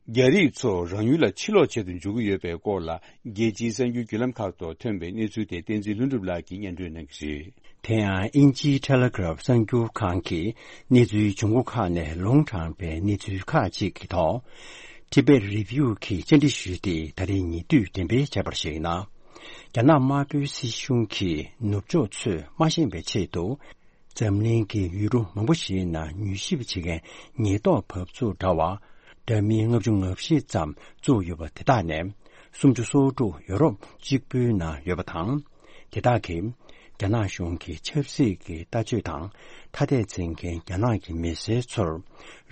རྒྱ་རིགས་ཚོ་རང་ཡུལ་ལ་ཕྱིར་ལོག་བྱེད་དུ་འཇུག་གི་ཡོད་པའི་སྐོར་ལ། རྒྱལ་སྤྱིའི་གསར་འགྱུར་བརྒྱུད་ལམ་ཁག་ཐོག་ཐོན་པའི་གནས་ཚུལ་དེ་བསྟན་འཛིན་ལྷུན་གྲུབ་ལགས་ཀྱིས་སྙན་སྒྲོན་གནང་གི་རེད། དེ་ཡང་དབྱིན་ཇིའི་ཊེ་ལེ་གྷི་རབ་གསར་འགྱུར་ཁང་གིས་གནས་ཚུལ་བྱུང་སྒོ་ཁག་ནས་ལུང་དྲངས་པའི་གནས་ཚུལ་ཁག་ཅིག་གི་ཐོག་Tibet Review གིས་བཅར་འདྲི་ཞུས་ཏེ། ད་རེས་ཉེ་དུས་འགྲེམས་སྤེལ་བྱས་པར་གཞིགས་ན། རྒྱ་ནག་དམར་པོའི་སྲིད་གཞུང་གིས་ནུབ་ཕྱོགས་ཚོས་མ་ཤེས་པའི་ཆེད་དུ། འཛམ་གླིང་གི་ཡུལ་གྲུ་མང་པོ་ཞིག་ནང་མྱུལ་ཞིབ་བྱེད་མཁན་ཉེན་རྟོག་བབས་ཚུགས་འདྲ་བ་འདྲ་མིན་ལྔ་བཅུ་ང་བཞི་ཙམ་བཙུགས་ཡོད་པ་དེ་དག་ནས་སུམ་ཅུ་སོ་དྲུག་ཡོ་རོབ་གཅིག་པུའི་ནང་ཡོད་པ་དང་། དེ་དག་གིས་རྒྱ་ནག་གཞུང་གི་ཆབ་སྲིད་ཀྱི་ལྟ་སྤྱོད་དང་ཐ་དད་འཛིན་མཁན་རྒྱ་ནག་གི་མི་སེར་ཚོར་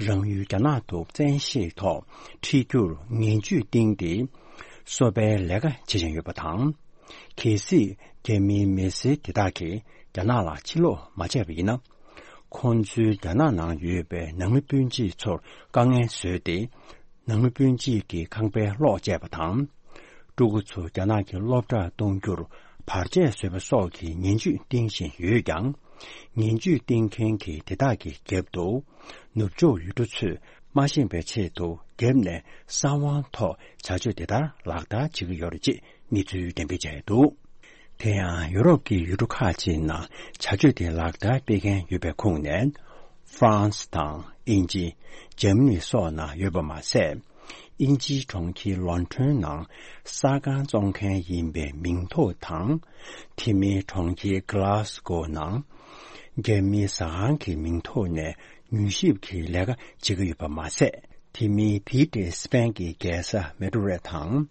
རང་ཡུལ་རྒྱ་ནག་ཏུ་བཙན་ཤེད་ཐོག་ཁྲིད་རྒྱུར་ངན་ཇུས་བཏིང་སྟེ། གསོ་སྤེལ་ལས་ཀ་བྱེད་བཞིན་ཡོད་པ་དང་། གལ་སྲིད་རྒྱ་མིའི་མི་སེར་དེ་དག་གིས་རྒྱ་ནག་ལ་ཕྱིར་ལོག་མ་བྱས་པ་ཡིན་ན། ཁོང་ཚོའི་རྒྱ་ནག་ནང་ཡོད་པའི་ནང་མི་སྤུན་མཆེད་ཚོར་དཀའ་ངལ་བཟོས་ཏེ། ནང་མི་སྤུན་མཆེད་ཀྱི་ཁང་པའི་གློག་བཅད་པ་དང་། ཕྲུ་གུ་ཚོ་རྒྱ་ནག་གི་སློབ་གྲྭར་གཏོང་རྒྱུར་བར་ཆད་བཟོས་པ་སོགས་ཀྱི་ངན་ཇུས་བཏིང་བཞིན་ཡོད་ཀྱང་། ངན་ཇུས་བཏིང་མཁན་གྱི་དེ་དག་གི་རྒྱབ་ཏུ། ནུབ་ཕྱོགས་ཡུལ་གྲུ་ཚོས་མ་ཤེས་པའི་ཆེད་དུ་རྒྱབ་ནས་གསང་བའི་ཐོག་བྱ་སྤྱོད་དེ་ལྟར་ལག་བསྟར་བྱེད་ཀྱི་ཡོད་རེད་ཅེས་གནས་ཚུལ་འགྲེམས་སྤེལ་བྱས་འདུག་དེ་ཡང་ཡུ་རོབ་ཀྱི་ཡུལ་གྲུ་ཁག་ཅིག་ནང་བྱ་སྤྱོད་དེ་ལག་བསྟར་སྤེལ་མཁན་ཡོད་པའི་ཁོངས་ནས། ཧྥ་རན་སི་དང་དབྱིན་ཇི། འཇར་མ་ནི་སོགས་ནང་ཡོད་པ་མ་ཟད། དབྱིན་ཇིའི་གྲོང་ཁྱེར་ལོན་ཁྲོན་ནང་གསར་ཁང་བཙོང་མཁན་ཡིན་པའི་མིང་ཐོ་དང་། དེ་མིན་གྲོང་ཁྱེར་གྷི་ལཱ་སི་ཀོ་ནང་རྒྱ་མིའི་ཟ་ཁང་གི་མིང་ཐོག་ནས་མྱུལ་ཞིབ་ཀྱི་ལས་ཀ་བྱེད་ཀྱི་ཡོད་པ་མ་ཟད། དེ་མིན་དེའི་གྲས་སི་པན་གྱི་རྒྱལ་ས་མེ་ཏྲོ་རེད་དང་།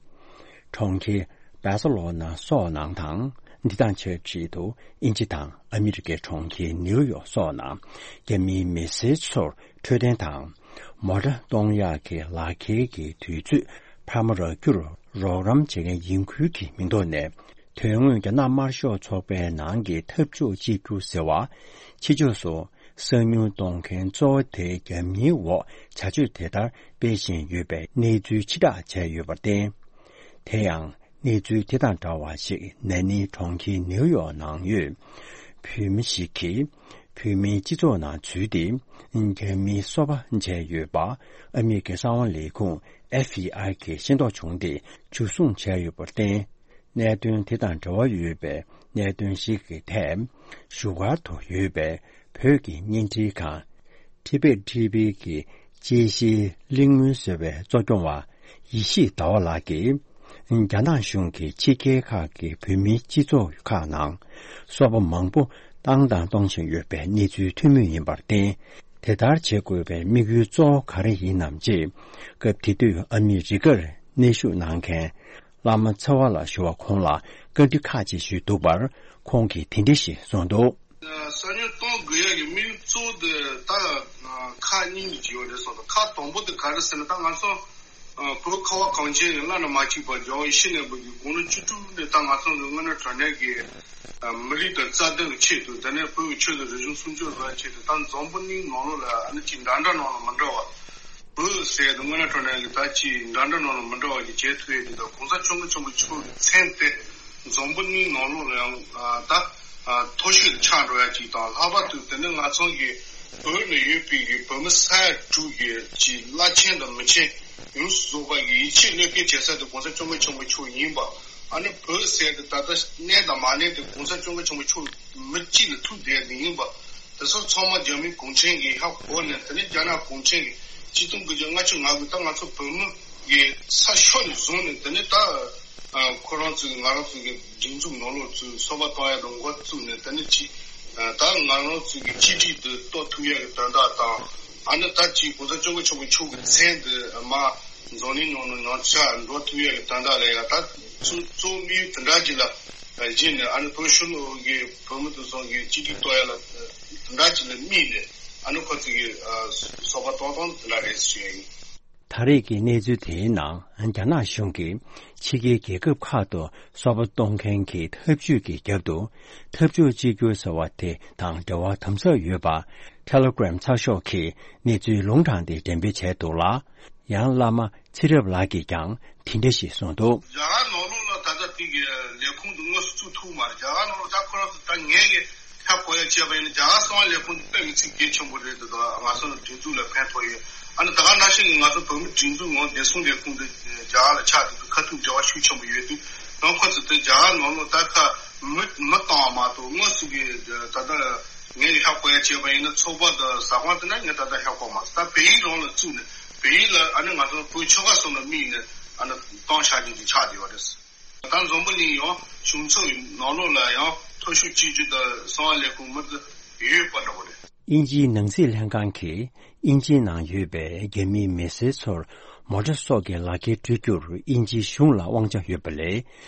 གྲོང་ཁྱེར་སྦ་སེ་ལོ་ན་སོགས་ནང་དང་། འདི་དང་ཆབས་ཅིག་ཏུ་དབྱིན་ཇི་དང་ཨ་མི་རི་ཀའི་གྲོང་ཁྱེར་ནིའུ་ཡོག་སོགས་ནང་རྒྱ་མིའི་མི་སེར་ཚོར་འཕྲོད་བསྟེན་དང་། མོ་ཊ་གཏོང་ཡག་གི་ལག་ཁྱེར་གྱི་དུས་ཚོད་འཕར་མ་རག་རྒྱུར་རོགས་རམ་བྱེད་མཁན་ཡིན་ཁུལ་གྱི་མིང་ཐོག་ནས། དོན་དངོས་རྒྱ་ནག་དམར་ཤོག་ཚོགས་པའི་ནང་གི་འཐབ་ཕྱོགས་གཅིག་གྱུར་ཟེར་བ། ཕྱི་ཕྱོགས་སུ་གསང་མྱུལ་གཏོང་མཁན་གཙོ་བོ་དེ་རྒྱ་མིའི་འོག་བྱ་སྤྱོད་དེ་ལྟར་སྤེལ་བཞིན་ཡོད་པའི་གནས་ཚུལ་ཕྱིར་བསྒྲགས་བྱས་ཡོད་པར་བརྟེན། དེ་ཡང་གནས་ཚུལ་དེ་དང་འདྲ་བ་ཞིག་ན་ནིང་གྲོང་ཁྱེར་ནིའུ་ཡོག་ནང་ཡོད་བོད་མི་ཞིག་གིས་བོད་མིའི་སྤྱི་ཚོགས་ནང་འཛུལ་ཏེ། རྒྱ་མིའི་སོ་པ་མཇལ་ཡོད་པ་ཨ་མི་རི་ཀའི་གསང་བ་ལས་ཁུངས་ཨེཕ་བི་ཨའི་གིས་ཤེས་རྟོགས་བྱུང་སྟེ་འཇུ་བཟུང་བྱས་ཡོད་པར་བརྟེན། གནད་དོན་དེ་དང་འབྲེལ་བ་ཡོད་པའི་གནད་དོན་ཞིག་གི་ཐད་བཞུགས་སྒར་དུ་ཡོད་པའི་བོད་ཀྱི་བརྙན་འཕྲིན་ཁང་ཊི་བེཊ་ཊི་བི་གི་དཔྱད་གཞིའི་གླེང་མོལ་ཟེར་བའི་གཙོ་སྐྱོང་བ་ཡེ་ཤེས་ཟླ་བ་ལགས་ཀྱིས། རྒྱ་ནག་གཞུང་གིས་ཕྱི་རྒྱལ་ཁག་གི་བོད་མིའི་སྤྱི་ཚོགས་ཁག་ནང་སོ་པ་མང་པོ་བཏང་དང་གཏོང་བཞིན་ཡོད་པའི་གནས་ཚུལ་ཐོན་མུས་ཡིན་པར་བརྟེན། དེ་ལྟར་བྱེད་དགོས་པའི་དམིགས་ཡུལ་གཙོ་བོ་ག་རེ་ཡིན་ནམ་ཅེས། སྐབས་དེ་དུས་ཨ་མི་རི་ཀར་གནས་བཞུགས་གནང་མཁན་བླ་མ་ཚེ་དབང་ལགས་ཞུ་བ་ཁོང་ལ་བཀའ་འདྲི་ཁག་ཅིག་ཞུས་འདུག་པར། ཁོང་གིས་དེ་འདྲ་ཞིག་གསུངས་འདུག་གསང་མྱུལ་གཏོང་དགོས་ཡག་གི་དམིགས་ཡུལ་གཙོ་བོ་དེ་ད་ཁག་གཉིས་ཀྱི་ཡོད་རེད་གསུངས་འདུག་ཁག་དང་པོ་དེ་ག་རེ་ཟེར་ན། ད་ང་ཚོ་བོད་ཁ་བ་གངས་ཅན་གྱི་བླ་ན་མ་མཆིས་པ་རྒྱལ་བ་ཡིད་བཞིན་ནོར་བུ་གི་དགུང་ལོ་བཅུ་དྲུག་ནས་ད་ང་ཚོ་གི་དངོས་གནས་དྲང་གནས་ཀྱི་མི་རིགས་དང་རྩ་དོན་གྱི་ཆེད་དུ། དེ་ནས་བོད་ཀྱི་ཆོས་དང་རིག་གཞུང་སྲུང་སྐྱོབ་བཟོ་ཡག་ཆེད་དུ། ད་འཛམ་བུ་གླིང་ནང་ལོགས་ལ་ཨ་ནི་ཅིག་འདྲ་འདྲ་ནང་ལ་མི་འདྲ་བ། བོད་ཟེར་དུས་དངོས་གནས་དྲང་གནས་ཀྱི་ད་ཅིག་འདྲ་འདྲ་ནང་ལ་མི་འདྲ་བ་ཞིག་བྱེད་ཐུབ་ཡག་དེ་དང་། གོང་ས་སྐྱབས་མགོན་ཆེན་པོ་མཆོག་གི་མཚན་དེ་འཛམ་བུ་གླིང་ནང་ལོགས་ལ་ཡང་ད་མཐོ་ཤོས་ལ་ཆགས་འགྲོ་ཡག་ཅིག་དང་། ལྷག་པར་དུ་དེ་ནི་ང་ཚོ་གི་བོད་ནང་ཡོད་པའི་གི་བོད་མི་ས་ཡ་དྲུག་གི་ཅིག་བླ་ཆེན་དང་མི་ཆེན་ཡོངས་སུ་རྫོགས་པ་གི་ཡིད་ཆེས་བློས་འགེལ་བྱེད་ས་དེ་གོང་ས་སྐྱབས་མགོན་ཆེན་པོ་མཆོག་ཡིན་པ། ཨ་ནི་བོད་ཟེར་དེ་ད་ལྟ་གནས་དང་མ་གནས་དེ་གོང་ས་སྐྱབས་མགོན་ཆེན་པོ་མཆོག་མི་གཅིག་ལ་ཐུག་བསྡད་དེ་ཡིན་པ། དེ་ཚོ་ཚང་མ་རྒྱ་མི་གུང་ཁྲན་གྱིས་ཧ་གོ་ནས། དེ་ནས་རྒྱ་ནག་གུང་ཁྲན་གྱིས་ཆིག་སྟོང་དགུ་བརྒྱ་ལྔ་བཅུ་ང་དགུ་ད་ང་ཚོ་བོད་མི་གི་ས་ཕྱོགས་ནས་བཟུང་ནས། དེ་ནས་ད་ཁོ་རང་ཚོའི་ང་རང་ཚོའི་གི་སྒྲིག་འཛུགས་ནང་ལོགས་ཚུར་སོ་པ་གཏོང་ཡག་དང་འགོ་བཙུགས་ནས། དེ་ནས་ཅིག་ད་ང་རང་ཚོའི་གི་གཅིག་སྒྲིལ་དུ་གཏོད་ཐུབ་ཡག་གི་དོན་དག་དང་། ཨ་ནི་ད་ཅིག་གོང་ས་སྐྱབས་མགོན་ཆེན་པོ་མཆོག་གི་མཚན་དེ་མར་འཛམ་གླིང་ནང་ནས་ཉམས་ཆག་འགྲོ་ཐུབ་ཡག་གི་དོན་དག་ལ་ཡ་ད་ཚུར་གཙོ་བོ་དམིགས་ཡུལ་དེ་འདྲ་ཅིག་ལ་བཞེངས་ནས། ཨ་ནི་བོད་ཕྱི་ལོགས་ཀྱི་བོད་མི་དེ་ཚོ་གི་གཅིག་སྒྲིལ་གཏོད་ཡག་ལ་དེ་འདྲ་ཅིག་ལ་དམིགས་ནས། ཨ་ནི་ཁོ་ཚོ་གི་སོ་པ་གཏོང་སྟངས་དེ་འདྲ་རེད་ཞུ་ཡ་ཡིན། ད་རེས་ཀྱི་གནས་ཚུལ་དེའི་ནང་། རྒྱ་ནག་གཞུང་གིས་ཕྱི་རྒྱལ་རྒྱལ་ཁབ་ཁག་ཏུ་སོ་པ་གཏོང་མཁན་གྱི་ཐབས་ཇུས་ཀྱི་རྒྱབ་ཏུ། འཐབ་ཕྱོགས་གཅིག་གྱུར་ཟེར་བ་དེ་དང་འབྲེལ་བ་དམ་ཟབ་ཡོད་པ། Telegram་ཚགས་ཤོག་གིས་གནས་ཚུལ་ལུང་དྲངས་ཏེ་འགྲེམས་སྤེལ་བྱས་འདུག་ལ། ཡང་བླ་མ་ཚེ་རབས་ལགས་ཀྱིས་ཀྱང་དེ་འདྲ་ཞིག་གསུངས་འདུག་རྒྱ་གར་ནང་ལོགས་ལ་ད་ལྟ་དེ་གི་ལས་ཁུངས་དེ་དངོས་སུ་བཙུགས་ཐུབ་མ་རེད། རྒྱ་གར་ནང་ལོགས་ད་ཁོ་རང་ཚོ་ད་ངས་གི་ཧ་གོ་ཡ་བྱས་པ་ཡིན་ན། རྒྱ་གར་གསང་བའི་ལས་ཁུངས་དེ་དཔེ་མི་སྲིད་གལ་ཆེན་པོ་རེད་འདུག་ད་ང་ཚོ་ལ་སྒྲིག་འཛུགས་ལ་ཕན་ཐོགས་ཡོད། ཨ་ནི་ད་ག་ནང་བཞིན་གི་ང་ཚོ་བོད་མི་སྒྲིག་འཛུགས་ངོ་བདེ་སྲུང་ལས་ཁུངས་དེ་རྒྱ་གར་ལ་ཆགས་འདུག་ཁ་ཐུག་འབྲེལ་བ་ཤུགས་ཆེན་པོ་ཡོད་དུས། ཡང་ཁོ་ཚོ་དེ་རྒྱ་གར་ནང་ལོགས་ད་ཁ་མི་མི་བཏང་བ་མ་གཏོགས། དངོས་སུ་གི་ད་ལྟ་ངས་ཧ་གོ་ཡ་བྱས་པ་ཡིན་ན། ཚོགས་པ་དང་ཟ་ཁང་དེ་ན་ངས་ད་ལྟ་ཧ་གོ་མ་སོང་། ད་བལ་ཡུལ་རང་ལ་བཙུགས་ནས། བལ་ཡུལ་ལ་ཨ་ནི་ང་ཚོ་བོད་ཆོལ་ཁ་གསུམ་ལ་དམིགས་ནས་ཨ་ནི་བཏང་བཞག་རྒྱུ་ཅིག་ཆགས་བསྡད་པ་རེད། ད་འཛམ་བུ་གླིང་ཡང་གཞུང་ཚབ་ནང་ལོགས་ལ་ཡང་མཐོ་ཤོས་སྤྱི་ཁྱབ་དང་གསང་བ་ལས་ཁུངས་མི་དེ་ཡོད་པ་འདྲ་པོ་རེད། དབྱིན་ཇིའི་ནང་སྲིད་ལྷན་ཁང་གིས་དབྱིན་ཇིའི་ནང་ཡོད་པའི་རྒྱ་མིའི་མི་སེར་ཚོར་མོ་ཊ་སོགས་ཀྱི་ལག་འཁྱེར་སྤྲོད་རྒྱུར་དབྱིན་ཇིའི་གཞུང་ལ་དབང་ཆ་ཡོད་པ་ལས།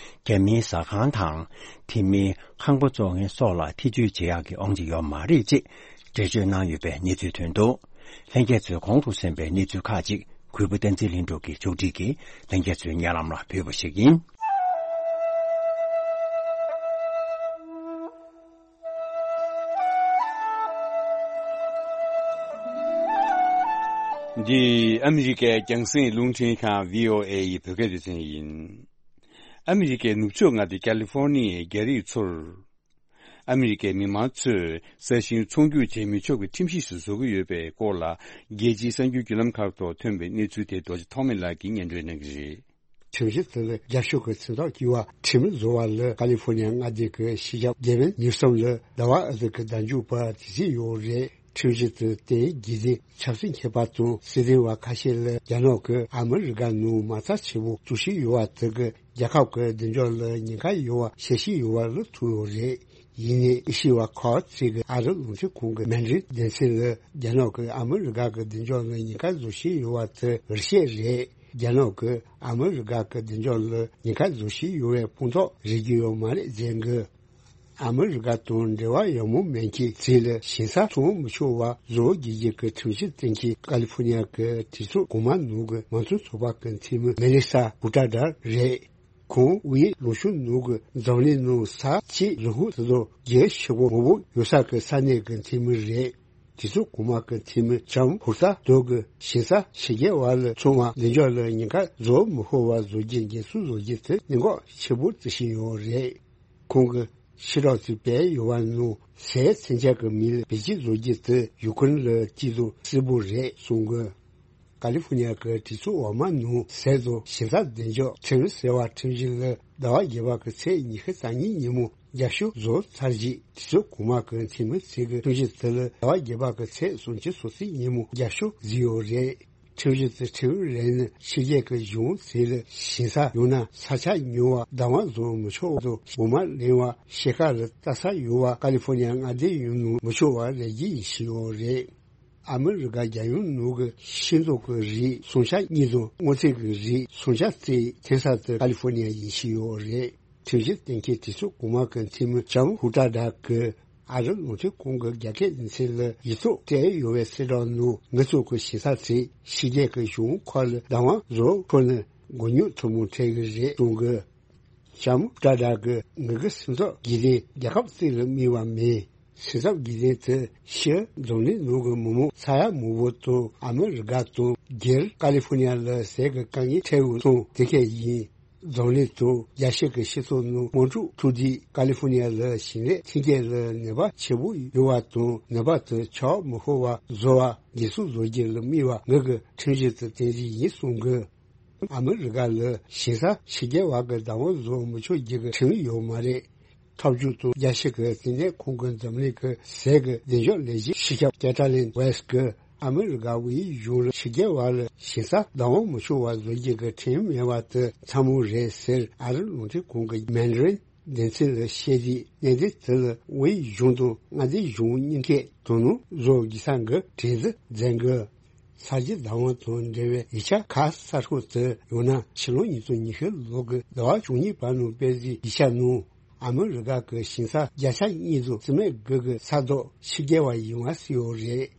རྒྱ་མིའི་ཟ་ཁང་དང་། དེ་མིན་ཁང་པ་བཙོང་མཁན་སོགས་ལ་ཐེ་བྱུས་བྱེད་ཡག་གི་དབང་ཆ་ཡོད་མ་རེད་ཅེས་འགྲེལ་བརྗོད་གནང་ཡོད་པའི་གནས་ཚུལ་ཐོན་འདུག་ལྷན་རྒྱས་ཚོས་གོང་དུ་གསན་པའི་གནས་ཚུལ་ཁག་ཅིག་གུས་པ་བསྟན་འཛིན་ལྷུན་གྲུབ་ཀྱིས་ཕྱོགས་སྒྲིག་གིས་ལྷན་རྒྱས་ཚོའི་སྙན་ལམ་ལ་ཕུལ་བ་ཞིག་ཡིན། འདི་ཨ་མི་རི་ཀའི་རྒྱང་སྲིང་རླུང་འཕྲིན་ཁང་བྷི་ཨོ་ཨེ་ཡི་བོད་སྐད་སྡེ་ཚན་ཡིན། ཨ་མི་རི་ཀའི་ནུབ་ཕྱོགས་མངའ་སྡེ་ཀ་ལི་ཧྥོར་ནི་ཡའི་རྒྱ་རིགས་ཚོར། ཨ་མི་རི་ཀའི་མི་མང་ཚོས་ས་ཞིང་ཚོང་རྒྱུག་བྱེད་མི་ཆོག་གི་ཁྲིམས་གཞི་ཞིག་བཟོ་གི་ཡོད་པའི་སྐོར་ལ། རྒྱལ་སྤྱིའི་གསར་འགྱུར་བརྒྱུད་ལམ་ཁག་ཐོག་ཐོན་པའི་གནས་ཚུལ་དེ་རྡོ་རྗེ་ཐོགས་མེད་ལགས་ཀྱིས་སྙན་སྒྲོན་གནང་གི་རེད། ཁྲིམས་གཞི་དེ་ལ་རྒྱབ་སྐྱོར་གྱི་མཚན་རྟགས་བཀོད་པའི་ཁྲིམས་བཟོ་བ་ལ་ཀ་ལི་ཧྥོར་ནི་ཡ་མངའ་སྡེ་གི་སྤྱི་ཁྱབ་ཌེ་ཝིཌ་ནིའུ་སམ་ལ་ཟླ་བ་ཨ་ཟུར་གྱི་བདམས་ཞུགས་པ་དེ་བརྩིས་ཡོད་རེད། ཁྲིམས་གཞི་དེ་དེའི་སྒེར་སྡེ་ཆབ་སྲིད་མཁས་པ་དང་སྲིད་དོན་བ་ཁ་ཤས་ལ་རྒྱ་ནག་གིས་ཨ་མི་རི་ཀ་ནང་མ་རྩ་ཆེ་པོ་བཙུགས་བཞིན་ཡོད་པ་དེ་གིས་རྒྱལ་ཁབ་ཀྱི་བདེ་འཇགས་ལ་ཉེན་ཁ་ཡོད་པ་བཤད་བཞིན་ཡོད་པ་ལ་ཐུག་ཡོད་རེད། ཡིན་ནའི་ཨེ་ཤི་ཡ་ཁག་ཅིག་གི་ཨ་རི་རླུང་འཕྲིན་ཁང་གི་མན་ཌ་རིན་སྡེ་ཚན་ལ་རྒྱ་ནག་གིས་ཨ་མི་རི་ཀ་གི་བདེ་འཇགས་ལ་ཉེན་ཁ་བཟོ་བཞིན་ཡོད་པ་དེ་འུར་བཤད་རེད། རྒྱ་ནག་གིས་ཨ་མི་རི་ཀ་གི་བདེ་འཇགས་ལ་ཉེན་ཁ་བཟོ་བཞིན་ཡོད་པའི་དཔང་རྟགས་རག་གི་ཡོད་མ་རེད་ཟེར་གི། ཨ་མི་རི་ཀ་དང་འབྲེལ་བ་ཡག་མོ་མེད་མཁན་ཚོ་ལ་ཞིང་ས་བཙོང་མི་ཆོག་པ་བཟོ་དགོས་ཀྱི་ཁྲིམས་གཞི་གཏན་འཁེལ་ཀ་ལི་ཧྥོར་ནི་ཡ་གི་གྲོས་ཚོགས་གོང་མ་ནང་གི་མང་གཙོ་ཚོགས་པ་གི་འཐུས་མི་མེ་ལི་ས་ཧུ་ཏྲ་ཌར་རེད། ཁོང་དབུས་ལུང་ཤུར་ནང་གི་འཛམ་གླིང་ནང་ས་བྱི་ལུ་ཧུ་དེ་ཚོ་རྒྱལ་ཆེ་པོ་མང་པོ་ཡོད་ས་གི་ས་གནས་གི་འཐུས་མི་རེད། གྲོས་ཚོགས་གོང་མ་གི་འཐུས་མི་ལྕམ་ཧུར་ཐ་རྡོ་གི་ཞིང་ས་ཕྱི་རྒྱལ་བ་ལ་བཙོང་བ་བདེ་འཇགས་ལ་ཉེན་ཁ་བཟོ་མི་ཕོད་པ་བཟོ་རྒྱུ་འགན་སྲུང་བཟོ་རྒྱུ་དེ་གནད་འགག་ཆེ་པོ་བརྩི་བཞིན་ཡོད་རེད། ཁོང་གིས་ཕྱི་ལོགས་སུ་སྤེལ་ཡོད་པ་ནང་སའི་མཚོན་ཆ་གི་མིང་ལ་བེད་སྤྱོད་བཟོ་རྒྱུ་དེ་ཡུ་ཁུ་རེན་ལ་སྐྱིད་སྡུག་སིལ་བུ་རེད་གསུངས་གི། ཀ་ལི་ཧྥོར་ནི་ཡ་གི་གྲོས་ཚོགས་འོག་མ་ནང་ཟས་དང་ཞིང་ས་བདེ་འཇགས་ཁྲིམས་ཟེར་བ་ཁྲིམས་གཞི་ལ་ཟླ་བ་བརྒྱད་པ་གི་ཚེས་ཉི་ཤུ་རྩ་གཉིས་ཉིན་མོ་རྒྱབ་སྐྱོར་བཟོ་ཚར་རྗེས་གྲོས་ཚོགས་གོང་མ་གི་འཐུས་མི་ཚོས་ཀྱི་ཁྲིམས་གཞི་དེ་ལ་ཟླ་བ་བརྒྱད་པ་གི་ཚེས་སུམ་ཅུ་སོ་གཅིག་ཉིན་མོ་རྒྱབ་སྐྱོར་བཟོས་ཡོད་རེད། ཁྲིམས་གཞི་དེ་ཁྲིམས་རན་ནི་ཕྱི་རྒྱལ་གྱི་གཞུང་ཚོ་ལ་ཞིང་ས་ཡང་ན་ས་ཆ་ཉོ་བ་བདག་དབང་བཟོ་མི་ཆོག་པ་དང་འོ་མ་ལེན་པ་ཕྱེད་ཀ་ལ་ལྟ་ས་ཡོད་པ་ཀ་ལི་ཧྥོར་ནི་ཡ་མངའ་སྡེ་ཡོངས་ནང་མི་ཆོག་པ་རེ་གཅིག་ཡིན་བཞིན་ཡོད་རེད། ཨ་མི་རི་ཀ་རྒྱལ་ཡོངས་ནང་གི་ཤིང་ཏོག་གི་རིགས་སྲུང་སྐྱོབ་གཉིས་དང་སྔོ་ཚལ་གྱི་རིགས་སྲུང་སྐྱོབ་རྩིས་འཐེན་ས་དེ་ཀ་ལི་ཧྥོར་ནི་ཡ་ཡིན་བཞིན་ཡོད་རེད། ཁྲིམས་གཞི་གཏན་འཁེལ་གྲོས་ཚོགས་གོང་མ་གི་འཐུས་མི་ལྕམ་ཧུ་ཏྲ་ཌ་གིས་ཨ་རི་རླུང་འཕྲིན་ཁང་གི་རྒྱ་སྐད་སྡེ་ཚན་ལ་ཡིག་ཚགས་སྤྲད་ཡོད་པའི་གསལ་བསྒྲགས་ནང་ང་ཚོ་གི་ཞིང་ས་དེ་ཕྱི་རྒྱལ་གྱི་གཞུང་ཁག་ལ་བདག་དབང་བཟོ་ཁུལ་ནས་མགོ་རྙོག་ཐུན་མོང་འཕྲད་ཀྱི་རེད་གསུངས་གི། ལྕམ་ཧུ་ཏྲ་ཌ་གིས་ང་གི་སེམས་འཚབ་གི་དེ་རྒྱལ་ཁབ་གཅིག་ལ་དམིགས་པ་མིན། སེམས་འཚབ་གི་དེ་དེ་ཕྱིར་འཛམ་གླིང་ནང་གི་མི་མང་ས་ཡ་མང་པོ་དང་ཨ་མི་རི་ཀ་དང་སྒེར་ཀ་ལི་ཧྥོར་ནི་ཡ་ལ་ཟས་ཀྱི་དཀའ་ངལ་འཕྲད་འོས་སོང་དེ་གས་ཡིན། འཛམ་གླིང་དང་རྒྱལ་སྤྱི་གི་སྤྱི་ཚོགས་ནང་དམངས་ཁྲོད་ཐུག་དུས་ཀ་ལི་ཧྥོར་ནི་ཡ་ལ་ཞིང་ལས་ཐོན་སྐྱེད་ལ་ནུས་པ་ཆེ་པོ་ཡོད་པ་དང་ནུས་པ་དེ་ཆག་མི་ཕོད་པ་བཟོ་བ་འགན་སྲུང་བཟོ་རྒྱུ་ལ་དམིགས་པ་ངེད་ཀྱི་ཁྲིམས་གཞི་དེ་དེ་རིགས་ཡིན་གསུངས་གི། ཨ་མི་རི་ཀ་ལ་ཞིང་ས་ཕྱི་རྒྱལ་བ་གི་བདག་དབང་བཟོ་མི་ཆོག་རྒྱུ་གི་ཁྲིམས་ཡོད་མ་རེད། ཐབས་ཇུས་དང་རྒྱལ་སྤྱི་གི་བཙན་གནོན་ཁང་གིས་འཛམ་གླིང་གི་ཟས་ཀྱི་བདེ་འཇགས་ལས་གཞིའི་སྤྱི་ཁྱབ་ཀེ་ཏྲ་ལིན་ཝེས་ཀྱིས་ཨ་མི་རི་ཀ་དབུས་གཞུང་ལ་ཕྱི་རྒྱལ་བ་ལ་ཞིང་ས་བདག་དབང་མི་ཆོག་པ་བཟོ་རྒྱུ་གི་ཁྲིམས་མེད་པ་དེ་ཚ་མོ་རེད་ཟེར་ཨ་རི་རླུང་འཕྲིན་ཁང་གི་མན་ཌ་རིན་སྡེ་ཚན་ལ་བཤད་དུས་གནད་དོན་དེ་ལ་དབུས་གཞུང་དང་མངའ་སྡེ་གཞུང་གཉིས་ཀས་དོ་སྣང་བཟོ་དགོས་ས་གི་དྲན་གསོ་མཛད་དགོས། ས་གཞི་བདག་དབང་དང་འབྲེལ་བའི་ཡིག་ཆ་ཁག་གསར་ཤོག་དེ་ཡང་ན་ཕྱི་ལོ་ཉིས་སྟོང་ཉི་ཤུ་ལོ་གི་ཟླ་བ་བཅུ་གཉིས་པ་ནང་སྤེལ་གཟིགས་ཡིག་ཆ་ནང་ཨ་མི་རི་ཀ་གི་ཞིང་ས་བརྒྱ་ཆ་གཉིས་དང་རྩིས་མེད་དགུ་གི་ས་རྡོ་ཕྱི་རྒྱལ་བ་ཡིན་པ་གསལ་ཡོད་རེད།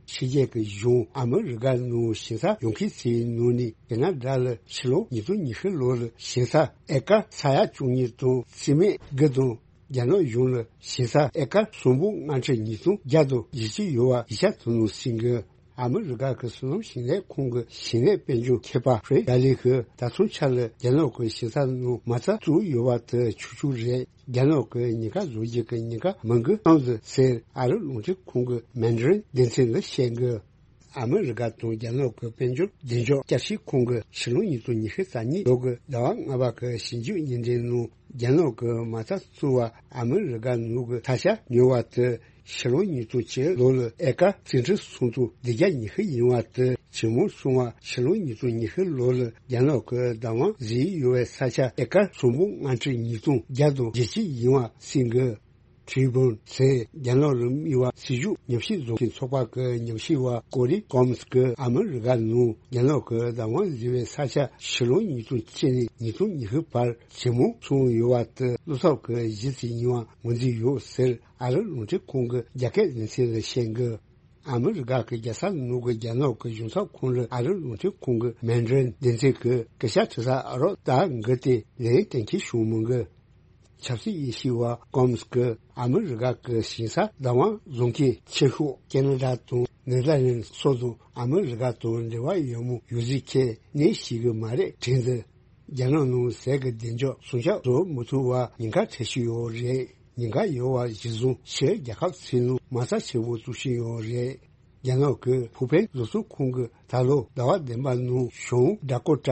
ཕྱི་རྒྱལ་གྱི་གཞུང་ཨ་མི་རི་ཀ་ནང་ཞིང་ས་ཡོང་མཁན་ཚོའི་ནང་ནས་ཁེ་ན་ཌ་ལ་ཕྱི་ལོ་ཉིས་སྟོང་ཉི་ཤུ་ལོ་ལ་ཞིང་ས་ཨེ་ཀར་ས་ཡ་བཅུ་གཉིས་དང་རྩིས་མེད་དགུ་དང་རྒྱ་ནག་གཞུང་ལ་ཞིང་ས་ཨེ་ཀར་གསུམ་པོ་ལྔ་ཁྲི་ཉིས་སྟོང་བརྒྱ་དང་བཞི་བཅུ་ཡོད་པ་ཡིག་ཆ་དེ་ནང་གསལ་གི། ཨ་མི་རི་ཀ་གི་སོ་ནམ་ཞིང་ལས་ཁང་གི་ཞིང་ལས་དཔལ་འབྱོར་མཁས་པ་ཧྥེ་ཌ་ལི་ཧི་ད་ཐེངས་ཆར་ལ་རྒྱ་ནག་གི་ཞིང་ས་ནང་མ་རྩ་བཙུགས་ཡོད་པ་དེ་ཆོག་ཆོག་རེད། རྒྱ་ནག་གི་ཉེན་ཁ་བཟོ་རྒྱུ་གི་ཉེན་ཁ་མང་གི་བཏང་ཟིན་ཟེར་ཨ་རི་རླུང་འཕྲིན་ཁང་གི་མན་ཌ་རིན་སྡེ་ཚན་ལ་བཤད་གི། ཨ་མི་རི་ཀ་དང་རྒྱ་ནག་གི་དཔལ་འབྱོར་བདེ་འཇགས་བསྐྱར་ཞིབ་ཁང་གིས་ཕྱི་ལོ་ཉིས་སྟོང་ཉི་ཤུ་རྩ་གཉིས་ལོ་གི་ཟླ་བ་ལྔ་པ་གི་ཞིབ་འཇུག་བརྙན་འཕྲིན་ནང་རྒྱ་ནག་གི་མ་རྩ་བཙུགས་པ་ཨ་མི་རི་ཀ་ནང་གི་ས་ཆ་ཉོ་བ་དེ་ཕྱི་ལོ་ཉིས་སྟོང་བཅུ་ལོ་ལ་ཨེ་ཀར་རྩིས་ཁྲི་སུམ་སྟོང་བདུན་བརྒྱ་ཉི་ཤུ་ཡིན་པ་དེ་ཇེ་མང་སོང་བ། ཕྱི་ལོ་ཉིས་སྟོང་ཉི་ཤུ་ལོ་ལ་རྒྱ་ནག་གི་བདག་དབང་བཟུང་ཡོད་པའི་ས་ཆ་ཨེ་ཀར་སུམ་སྟོང་ལྔ་ཁྲི་ཉིས་སྟོང་བརྒྱ་དང་བརྒྱད་ཅུ་ཡིན་པ་གསུངས་གི། ཁྲི་བོན་ཟེར་རྒྱ་ནག་ལ་དམིགས་པ་སྲིད་ཇུས་ཉམས་ཞིབ་བཟོ་མཁན་ཚོགས་པ་གི་ཉམས་ཞིབ་པ་ཀོ་རི་ཀོམ་སི་གིས་ཨ་མི་རི་ཀ་ནང་རྒྱ་ནག་གི་བདག་དབང་བཟུང་བའི་ས་ཆ་ཕྱི་ལོ་ཉིས་སྟོང་བཅུ་ནས་ཉིས་སྟོང་ཉི་ཤུ་བར་ཇེ་མང་སོང་ཡོད་པ་དེ་བློ་འཚབ་ཀྱི་གཞི་ཞིག་ཡིན་པ་ངོས་འཛིན་ཡོད་ཟེར་ཨ་རི་རླུང་འཕྲིན་ཁང་གི་རྒྱ་སྐད་སྡེ་ཚན་ལ་བཤད་གི། ཨ་མི་རི་ཀ་གི་རྒྱལ་ས་ནང་གི་རྒྱ་ནག་གི་གཞུང་ཚབ་ཁང་ལ་ཨ་རི་རླུང་འཕྲིན་ཁང་གི་མན་ཌ་རིན་སྡེ་ཚན་གྱི་སྐད་ཆ་དྲི་ས་ཨ་རོགས་ད་འགི་དེ་ལན་གཏན་འཁེལ་བྱུང་མི་འགི། ཆབ་སྲིད་དབྱེ་ཞིབ་པ་ཀོམ་སི་གིས་ཨ་མི་རི་ཀ་གི་ཞིང་ས་བདག་དབང་བཟུང་མཁན་ཆེ་ཤོས་ཁེ་ན་ཌ་དང་ནེ་དར་ལེནཌ་སོགས་དང་ཨ་མི་རི་ཀ་དང་འབྲེལ་བ་ཡོད་མི་ཡོད་ཚུལ་གྱི་གནས་ཤིག་གི་མ་རེད་དྲན་ཚེ། རྒྱ་ནག་ནང་ཟས་ཀྱི་བདེ་འཇགས་སྲུང་སྐྱོབ་བཟོ་མི་ཐུབ་པ་ཉེན་ཁ་འཕྲད་བཞིན་ཡོད་རེད། ཉེན་ཁ་ཡོད་པ་གཞིར་བཟུང་ཕྱིའི་རྒྱལ་ཁབ་ཚོའི་ནང་མ་རྩ་ཆེན་པོ་བཙུགས་བཞིན་ཡོད་རེད། རྒྱ་ནག་གི་ཕུགས་ཕན་བཟོ་ཚོང་ཁང་གིས་ད་ལོ་ཟླ་བ་བདུན་པ་ནང་ཞང་ཌ་ཀོ་ཊ་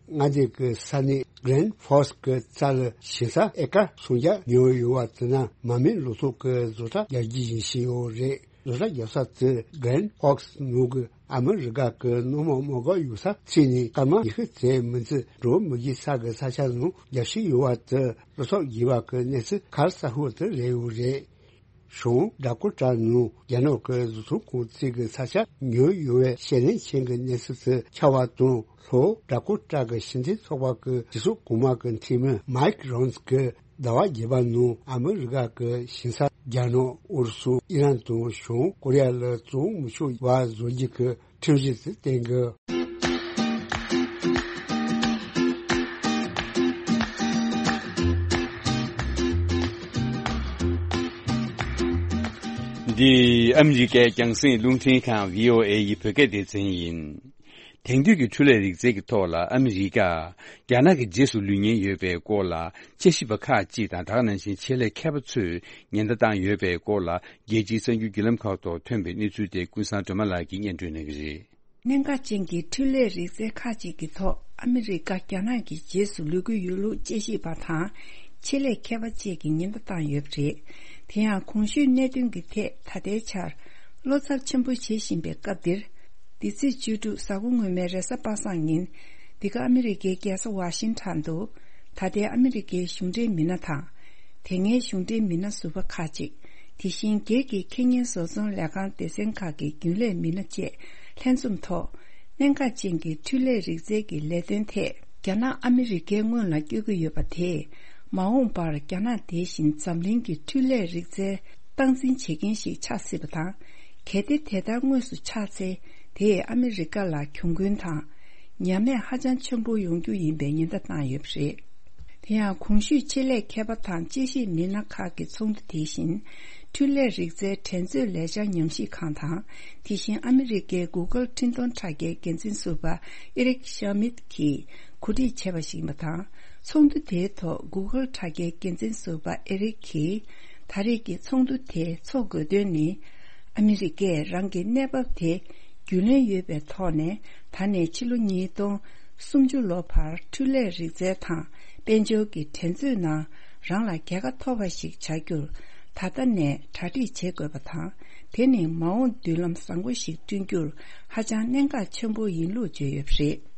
མངའ་སྡེ་གི་ས་གནས་གྷི་རེན་ཕོག་སི་གི་རྩ་ལ་ཞིང་ས་ཨེ་ཀར་སུམ་བརྒྱ་ཉོས་ཡོད་པ་དེ་ནི་མ་རྨོས་ལོ་ཏོག་གི་བཟོ་གྲྭ་རྒྱག་རྒྱུ་ཡིན་བཞིན་ཡོད་རེད། བཟོ་གྲྭ་རྒྱག་ས་དེ་གྷི་རེན་ཕོག་སི་ནང་གི་ཨ་མི་རི་ཀ་གི་སྣོད་མ་མ་འགག་ཡོད་ས་ཚུད་ནས་སྐར་མ་ཉི་ཤུ་ཙམ་མིན་ཚེ་འགྲོ་མི་དགོས་ས་གི་ས་ཆ་ནང་རྒྱག་བཞིན་ཡོད་པ་དེ་བློ་འཚབ་དགོས་པ་གི་གནས་ཚུལ་གལ་ཆེ་ཤོས་དེ་རེད་ཡོད་རེད། ཞང་ཌ་ཀོ་ཊ་ནང་རྒྱ་ནག་གི་བཟོ་ཚོང་ཁང་ཚོས་ཀྱི་ས་ཆ་ཉོས་ཡོད་པའི་ཞལ་ལེན་ཆེན་གྱི་གནས་ཚུལ་དེ་ཁྱབ་པ་དང་། ལྷོ་ཌ་ཀོ་ཊ་གི་ཞིང་ཆེན་ཚོགས་པ་གི་སྤྱི་ཚོགས་གོང་མ་གི་འཐུས་མི་མའིག་རོན་སི་གིས་ཟླ་བ་བརྒྱད་པ་ནང་ཨ་མི་རི་ཀ་གི་ཞིང་ས་རྒྱ་ནག་ཨུ་རུ་སུ་ཨི་རན་དང་བྱང་ཀོ་རི་ཡ་ལ་བཙོང་མི་ཆོག་པ་བཟོ་རྒྱུ་གི་ཁྲིམས་གཞི་དེ་བཏིང་གི། འདི་ཨ་མི་རི་ཀའི་རྒྱང་སྲིང་རླུང་འཕྲིན་ཁང་བྷི་ཨོ་ཨེ་ཡི་བོད་སྐད་སྡེ་ཚན་ཡིན། དེང་དུས་ཀྱི་འཕྲུལ་ལས་རིག་རྩལ་གྱི་ཐོག་ལ་ཨ་མི་རི་ཀ་རྒྱ་ནག་གི་རྗེས་སུ་ལུས་ཉེན་ཡོད་པའི་སྐོར་ལ་དཔྱད་ཞིབ་པ་ཁག་ཅིག་དང་། དེ་ག་ནང་བཞིན་ཆེད་ལས་མཁས་པ་ཚོས་ཉེན་བརྡ་བཏང་ཡོད་པའི་སྐོར་ལ་རྒྱལ་སྤྱིའི་གསར་འགྱུར་བརྒྱུད་ལམ་ཁག་ཐོག་ཐོན་པའི་གནས་ཚུལ་དེ་ཀུན་བཟང་སྒྲོལ་མ་ལགས་ཀྱིས་སྙན་སྒྲོན་གནང་གི་རེད། གནད་འགག་ཅན་གྱི་འཕྲུལ་ལས་རིག་རྩལ་ཁག་ཅིག་གི་ཐོག་ཨ་མི་རི་ཀ་རྒྱ་ནག་གི་རྗེས་སུ་ལུས་ཀྱི་ཡོད་ལུགས་དཔྱད་ཞིབ་པ་དང་ཆེད་ལས་མཁས་པ་བཅས་ཀྱིས་ཉེན་བརྡ་བཏང་ཡོད་པ་རེད། དེ་ཡང་གོང་ཞུས་གནད་དོན་གྱི་ཐད་ད་ལྟའི་ཆར་བློ་འཚབ་ཆེན་པོ་བྱེད་བཞིན་པའི་སྐབས་འདིར། འདི་ཚེས་བཅུ་དྲུག་གཟའ་འཁོར་སྔོན་མའི་རེས་གཟའ་པ་སངས་ཉིན། འདི་ག་ཨ་མི་རི་ཀའི་རྒྱལ་ས་ཝ་ཤིང་ཊོན་དུ། ད་ལྟའི་ཨ་མི་རི་ཀའི་གཞུང་འབྲེལ་མི་སྣ་དང་། དེ་སྔའི་གཞུང་འབྲེལ་མི་སྣ་ཟུར་པ་ཁག་ཅིག་དེ་བཞིན་སྒེར་གྱི་ཁེ་ཉེན་བཟོ་ཚོང་ལས་ཁང་སྡེ་ཚན་ཁག་གི་རྒྱུན་ལས་མི་སྣ་བཅས་ལྷན་འཛོམས་ཐོག་གནད་འགག་ཅན་གྱི་འཕྲུལ་ལས་རིག་རྩལ་གྱི་ལས་དོན་ཐད། རྒྱ་ནག་ཨ་མི་རི་ཀའི་སྔོན་ལ་བསྐྱོད་ཀྱི་ཡོད་པ་དེས། མ་འོངས་པར་རྒྱ་ནག་དེ་བཞིན་འཛམ་གླིང་གི་འཕྲུལ་ལས་རིག་རྩལ་སྟངས་འཛིན་བྱེད་མཁན་ཞིག་ཆགས་སྲིད་པ་དང་། གལ་ཏེ་དེ་ལྟར་དངོས་སུ་ཆགས་ཚེ། དེས་ཨ་མི་རི་ཀ་ལ་གྱོང་གུན་དང་། ཉམས་དམས་ཧ་ཅང་ཆེན་པོ་ཡོང་རྒྱུ་ཡིན་པའི་ཉེན་བརྡ་བཏང་ཡོད་པ་རེད། དེ་ཡང་གོང་ཞུས་ཆེད་ལས་མཁས་པ་དང་དཔྱད་ཞིབ་མི་སྣ་ཁག་གི་ཚོགས་འདུ་དེ་བཞིན། འཕྲུལ་ལས་རིག་རྩལ་འགྲན་རྩོད་ལས་འཆར་ཉམས་ཞིབ་ཁང་དང་། དེ་བཞིན་ཨ་མི་རི་ཀའི་གུ་གལ་འཕྲིན་གཏོང་དྲ་རྒྱའི་འགན་འཛིན་ཟུར་པ་ཨེ་རིག་ཤ་མིད་ཀྱིས་གོ་སྒྲིག་བྱས་པ་ཞིག་ཡིན་པ་དང་། ཚོགས་འདུ་དེའི་ཐོག་གུ་གལ་དྲ་རྒྱའི་འགན་འཛིན་ཟུར་པ་ཨེ་རིག་གིས། ད་རེས་ཀྱི་ཚོགས་འདུ་དེ་འཚོགས་དགོས་དོན་ནི། ཨ་མི་རི་ཀས་རང་གི་གནས་བབ་དེ་རྒྱུས་ལོན་ཡོད་པའི་ཐོག་ནས། ད་ནས་ཕྱི་ལོ་ཉིས་སྟོང་སུམ་ཅུ་ལོ་བར་འཕྲུལ་ལས་རིག་རྩལ་དང་དཔལ་འབྱོར་གྱི་འགྲན་རྩོད་ནང་རང་ལ་རྒྱལ་ཁ་ཐོབ་པ་ཞིག་བྱ་རྒྱུར་ད་ལྟ་ནས་གྲ་སྒྲིག་བྱེད་དགོས་པ་དང་། དེ་ནི་མ་འོངས་མདུན་ལམ་བཟང་པོ་ཞིག་བསྐྲུན་རྒྱུར་ཧ་ཅང་གནད་འགག་ཆེན་པོ་ཡིན་ལུགས་བརྗོད་ཡོད་པ་རེད།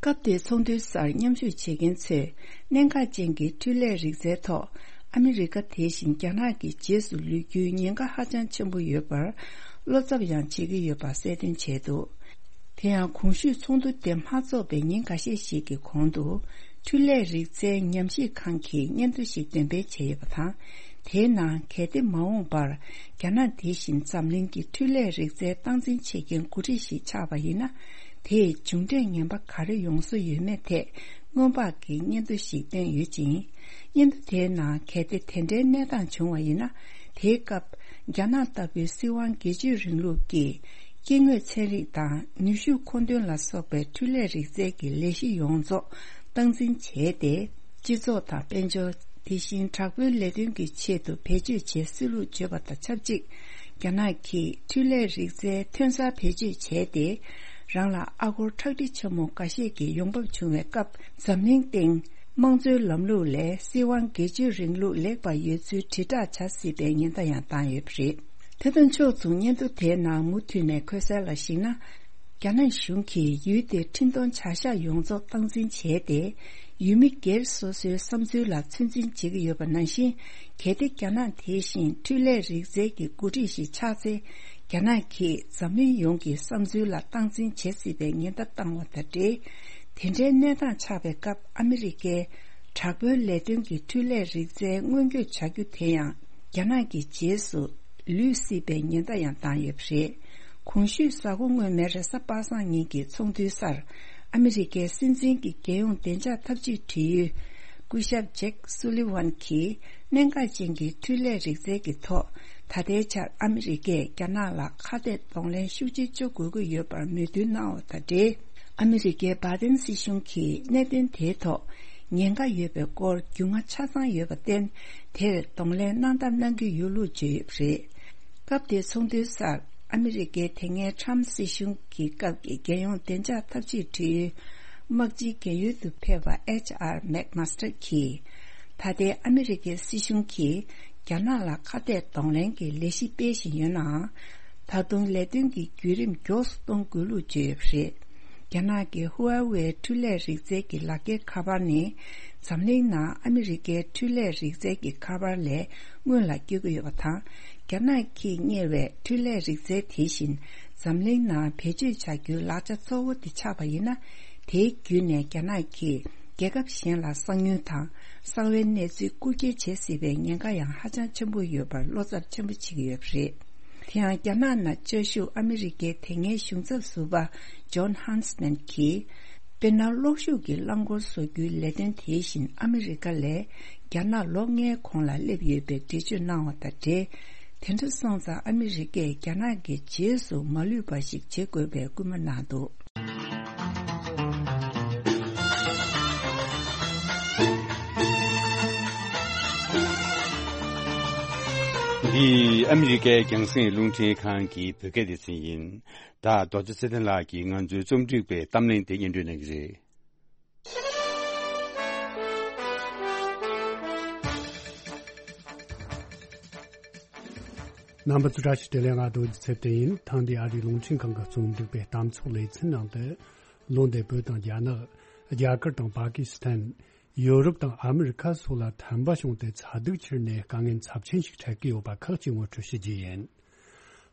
སྐབས་དེའི་ཚོགས་འདུའི་སར་མཉམ་ཞུགས་བྱེད་མཁན་ཚོས་གནད་འགག་ཅན་གྱི་འཕྲུལ་ལས་རིག་རྩལ་ཐོག་ཨ་མི་རི་ཀ་དེ་བཞིན་རྒྱ་ནག་གི་རྗེས་སུ་ལུས་རྒྱུའི་ཉེན་ཁ་ཧ་ཅང་ཆེན་པོ་ཡོད་པར་བློ་འཚབ་ཡང་བྱེད་ཀྱི་ཡོད་པ་གསལ་སྟོན་བྱས་འདུག་དེ་ཡང་གོང་ཞུས་ཚོགས་འདུ་དེ་མ་འཚོགས་པའི་ཉིན་འགའ་ཤས་ཤིག་གི་གོང་དུ། འཕྲུལ་ལས་རིག་རྩལ་ཉམས་ཞིབ་ཁང་གིས་སྙན་ཐོ་ཞིག་འདོན་སྤེལ་བྱས་ཡོད་པ་དང་། དེའི་ནང་གལ་ཏེ་མ་འོངས་པར་རྒྱ་ནག་དེ་བཞིན་འཛམ་གླིང་གི་འཕྲུལ་ལས་རིག་རྩལ་སྟངས་འཛིན་བྱེད་མཁན་འགོ་ཁྲིད་ཞིག་ཆགས་པ་ཡིན་ན། དེས་མཇུག་འབྲས་ངན་པ་ག་རེ་ཡོང་བཟོ་ཡོད་མེད་ཐད་སྔོན་དཔག་གི་སྙན་ཐོ་ཞིག་བཏོན་ཡོད་ཅིང་། སྙན་ཐོ་དེའི་ནང་གལ་ཏེ་དེ་འདྲའི་གནས་སྟངས་བྱུང་བ་ཡིན་ན། དེའི་སྐབས་རྒྱ་ནག་ལྟ་བུའི་སྲིད་དབང་སྒེར་གཅོད་རིང་ལུགས་ཀྱིས་སྐྱེ་དངོས་ཚན་རིག་དང་ནུས་ཤུགས་མཁོ་འདོན་ལ་སོགས་པའི་འཕྲུལ་ལས་རིག་རྩལ་གྱི་ལས་གཞི་ཡོངས་རྫོགས་སྟངས་འཛིན་བྱས་ཏེ། སྤྱི་ཚོགས་དང་དཔལ་འབྱོར། དེ་བཞིན་དྲག་པོའི་ལས་དོན་གྱི་ཆེད་དུ་བེད་སྤྱོད་བྱེད་སྲིད་ལུགས་བརྗོད་པ་དང་ཆབས་ཅིག་རྒྱ་ནག་གིས་འཕྲུལ་ལས་རིག་རྩལ་ཐོན་གསར་བེད་སྤྱོད་བྱས་ཏེ། རང་ལ་ཨ་སྒོར་ཁྲག་ཁྲིག་ཆེན་མོ་འགའ་ཤས་ཀྱི་ཡོང་འབབ་བྱུང་བའི་སྐབས། འཛམ་གླིང་སྟེང་དམངས་གཙོའི་ལམ་ལུགས་ལས་སྲིད་དབང་སྒེར་གཅོད་རིང་ལུགས་ལེགས་པར་ཡོད་ཚུལ་དྲིལ་བསྒྲགས་བྱ་སྲིད་པའི་ཉེན་བརྡ་ཡང་བཏང་ཡོད་པ་རེད། དེ་དང་ཕྱོགས་མཚུངས། སྙན་ཐོ་དེའི་ནང་མུ་མཐུད་ནས་འཁོད་གསལ་ལ་གཞིགས་ན། རྒྱ་ནག་གཞུང་གིས་ཡུལ་དེའི་འཕྲིན་གཏོང་བྱ་གཞག་ཡོངས་རྫོགས་སྟངས་འཛིན་བྱས་ཏེ། ཡུལ་མི་སྒེར་སོ་སོའི་བསམ་ཚུལ་ལ་ཚོད་འཛིན་བྱེད་ཀྱི་ཡོད་པ་ནང་བཞིན། གལ་ཏེ་རྒྱ་ནག་དེ་བཞིན་འཕྲུལ་ལས་རིག་རྩལ་གྱི་འགོ་ཁྲིད་ཞིག་ཆགས་ཚེ། རྒྱ་ནག་གིས་འཛམ་གླིང་ཡོངས་ཀྱི་བསམ་ཚུལ་ལ་སྟངས་འཛིན་བྱེད་སྲིད་པའི་ཉེན་བརྡ་བཏང་བ་དང་འབྲེལ། དེ་འདྲའི་གནས་སྟངས་ཆགས་པའི་སྐབས། ཨ་མི་རི་ཀའི་དྲག་པོའི་ལས་དོན་གྱི་འཕྲུལ་ལས་རིག་རྩལ་སྔོན་སྐྱོད་བྱ་རྒྱུ་དེ་ཡང་རྒྱ་ནག་གི་རྗེས་སུ་ལུས་སྲིད་པའི་ཉེན་བརྡ་ཡང་བཏང་ཡོད་པ་རེད། གོང་ཞུས་གཟའ་འཁོར་སྔོན་མའི་རེས་གཟའ་པ་སངས་ཉིན་གྱི་ཚོགས་འདུའི་སར། ཨ་མི་རི་ཀའི་སྲིད་འཛིན་གྱི་རྒྱལ་ཡོངས་བདེ་འཇགས་ཐབས་ཇུས་དྲི་ཡུལ་སྐུ་ཞབས་ཇེག་སུ་ལི་ཝན་གྱིས། གནད་འགག་ཅན་གྱི་འཕྲུལ་ལས་རིག་རྩལ་གྱི་ཐོག་ད་ལྟའི་ཆར་ཨ་མི་རི་ཀས་རྒྱ་ནག་ལ་ཁ་གཏད་གདོང་ལེན་ཤུགས་ཆེ་བྱ་དགོས་ཀྱི་ཡོད་པར་མོས་མཐུན་གནང་བ་དང་འབྲེལ། ཨ་མི་རི་ཀའི་བྷའི་ཏན་སྲིད་གཞུང་གིས་གནད་དོན་དེའི་ཐོག་ཉེན་ཁ་ཡོད་པའི་སྐོར་རྒྱུས་མངའ་ཆ་ཚང་ཡོད་པར་བརྟེན། དེར་གདོང་ལེན་གནང་ཐབས་གནང་གི་ཡོད་ལུགས་བརྗོད་ཡོད་པ་རེད། སྐབས་དེའི་ཚོགས་འདུའི་སར། ཨ་མི་རི་ཀའི་དེ་སྔའི་ཁྲམ་སྲིད་གཞུང་གི་སྐབས་ཀྱི་རྒྱལ་ཡོངས་བདེ་འཇགས་ཐབས་ཇུས་དྲི་ཡུལ་དམག་སྤྱིའི་རྒན་ཡོལ་དུ་ཕེབས་པ་ཨེཆ་ཨར་མེག་མཱ་སྟར་གྱིས། ད་ལྟའི་ཨ་མི་རི་ཀའི་སྲིད་གཞུང་གིས་རྒྱ་ནག་ལ་ཁ་གཏད་གདོང་ལེན་གྱི་ལས་གཞི་སྤེལ་བཞིན་ཡོད་ནའང་། ད་དུང་ལས་དོན་གྱི་བརྒྱུད་རིམ་མགྱོགས་སུ་གཏོང་དགོས་ལུགས་བརྗོད་ཡོད་པ་རེད། རྒྱ་ནག་གི་ཧུ་ཝེ་འཕྲུལ་ལས་རིག་རྩལ་གྱི་ལག་འཁྱེར་ཁ་པར་ནི། འཛམ་གླིང་ནང་ཨ་མི་རི་ཀའི་འཕྲུལ་ལས་རིག་རྩལ་གྱི་ཁ་པར་ལས་སྔོན་ལ་སྐྱེ་གི་ཡོད་པ་དང་། རྒྱ་ནག་གིས་གཉེར་བའི་འཕྲུལ་ལས་རིག་རྩལ་དེ་བཞིན་འཛམ་གླིང་ནང་བེད་སྤྱོད་བྱ་རྒྱུའི་ལག་ཆ་གཙོ་བོ་དེ་ཆགས་པ་ཡིན་ན། དེའི་བརྒྱུད་ནས་རྒྱ་ནག་གིས་རྒྱལ་ཁབ་གཞན་ལ་གསང་ཉུལ་དང་གསང་བའི་གནས་ཚུལ་རྐུ་འཁྱེར་བྱེད་སྲིད་པའི་ཉེན་ཁ་ཡང་ཧ་ཅང་ཆེན་པོ་ཡོད་པར་བློ་འཚབ་ཆེན་པོ་བྱེད་ཀྱི་ཡོད་པ་རེད། དེ་ཡང་རྒྱ་ནག་ནང་བཅའ་བཞུགས་ཨ་མི་རི་ཀའི་དེ་སྔའི་གཞུང་ཚབ་ཟུར་པ་ཇོན་ཧན་སི་མན་གྱིས། དཔེར་ན། གློག་ཤུགས་ཀྱི་རླངས་འཁོར་བཟོ་རྒྱུའི་ལས་དོན་དེ་བཞིན་ཨ་མི་རི་ཀ་ལས་རྒྱ་ནག་ལོ་ལྔའི་གོང་ལ་སླེབས་ཡོད་པའི་འགྲེལ་བརྗོད་གནང་བ་དང་འབྲེལ། དེ་འདྲ་སོང་ཙང་ཨ་མི་རི་ཀས་རྒྱ་ནག་གི་རྗེས་སུ་མ་ལུས་པ་ཞིག་བྱེད་དགོས་པའི་སྐུལ་མ་གནང་འདུག། འདི་ཨ་མི་རི་ཀའི་རྒྱང་སྲིང་རླུང་འཕྲིན་ཁང་གི་བོད་སྐད་སྡེ་ཚན་ཡིན། ད་རྡོ་རྗེ་ཚེ་བརྟན་ལགས་ཀྱིས་ང་ཚོའི་རྩོམ་སྒྲིག་པའི་གཏམ་གླེང་དེ་སྙན་སྒྲོན་གནང་གི་རེད། རྣམ་པ་ཚོ་བཀྲ་ཤིས་བདེ་ལེགས། ང་རྡོ་རྗེ་ཚེ་བརྟན་ཡིན། ཐེངས་འདིའི་ཨ་རིའི་རླུང་འཕྲིན་ཁང་གི་རྩོམ་སྒྲིག་པའི་གཏམ་ཚོགས་ལེ་ཚན་ནང་དུ། ལོ་འདིར་བོད་དང་རྒྱ་ནག་རྒྱ་གར་དང་པ་ཀི་སི་ཐན། ཡོ་རོབ་དང་ཨ་མི་རི་ཁ་སོགས་ལ་ཐན་པ་བྱུང་སྟེ་ཚ་གདུག་ཁྱེར་ནས་དཀའ་ངལ་ཚབས་ཆེན་ཞིག་འཕྲད་ཀྱི་ཡོད་པ་ཁག་ཅིག་ངོ་སྤྲོད་བྱེད་རྒྱུ་ཡིན།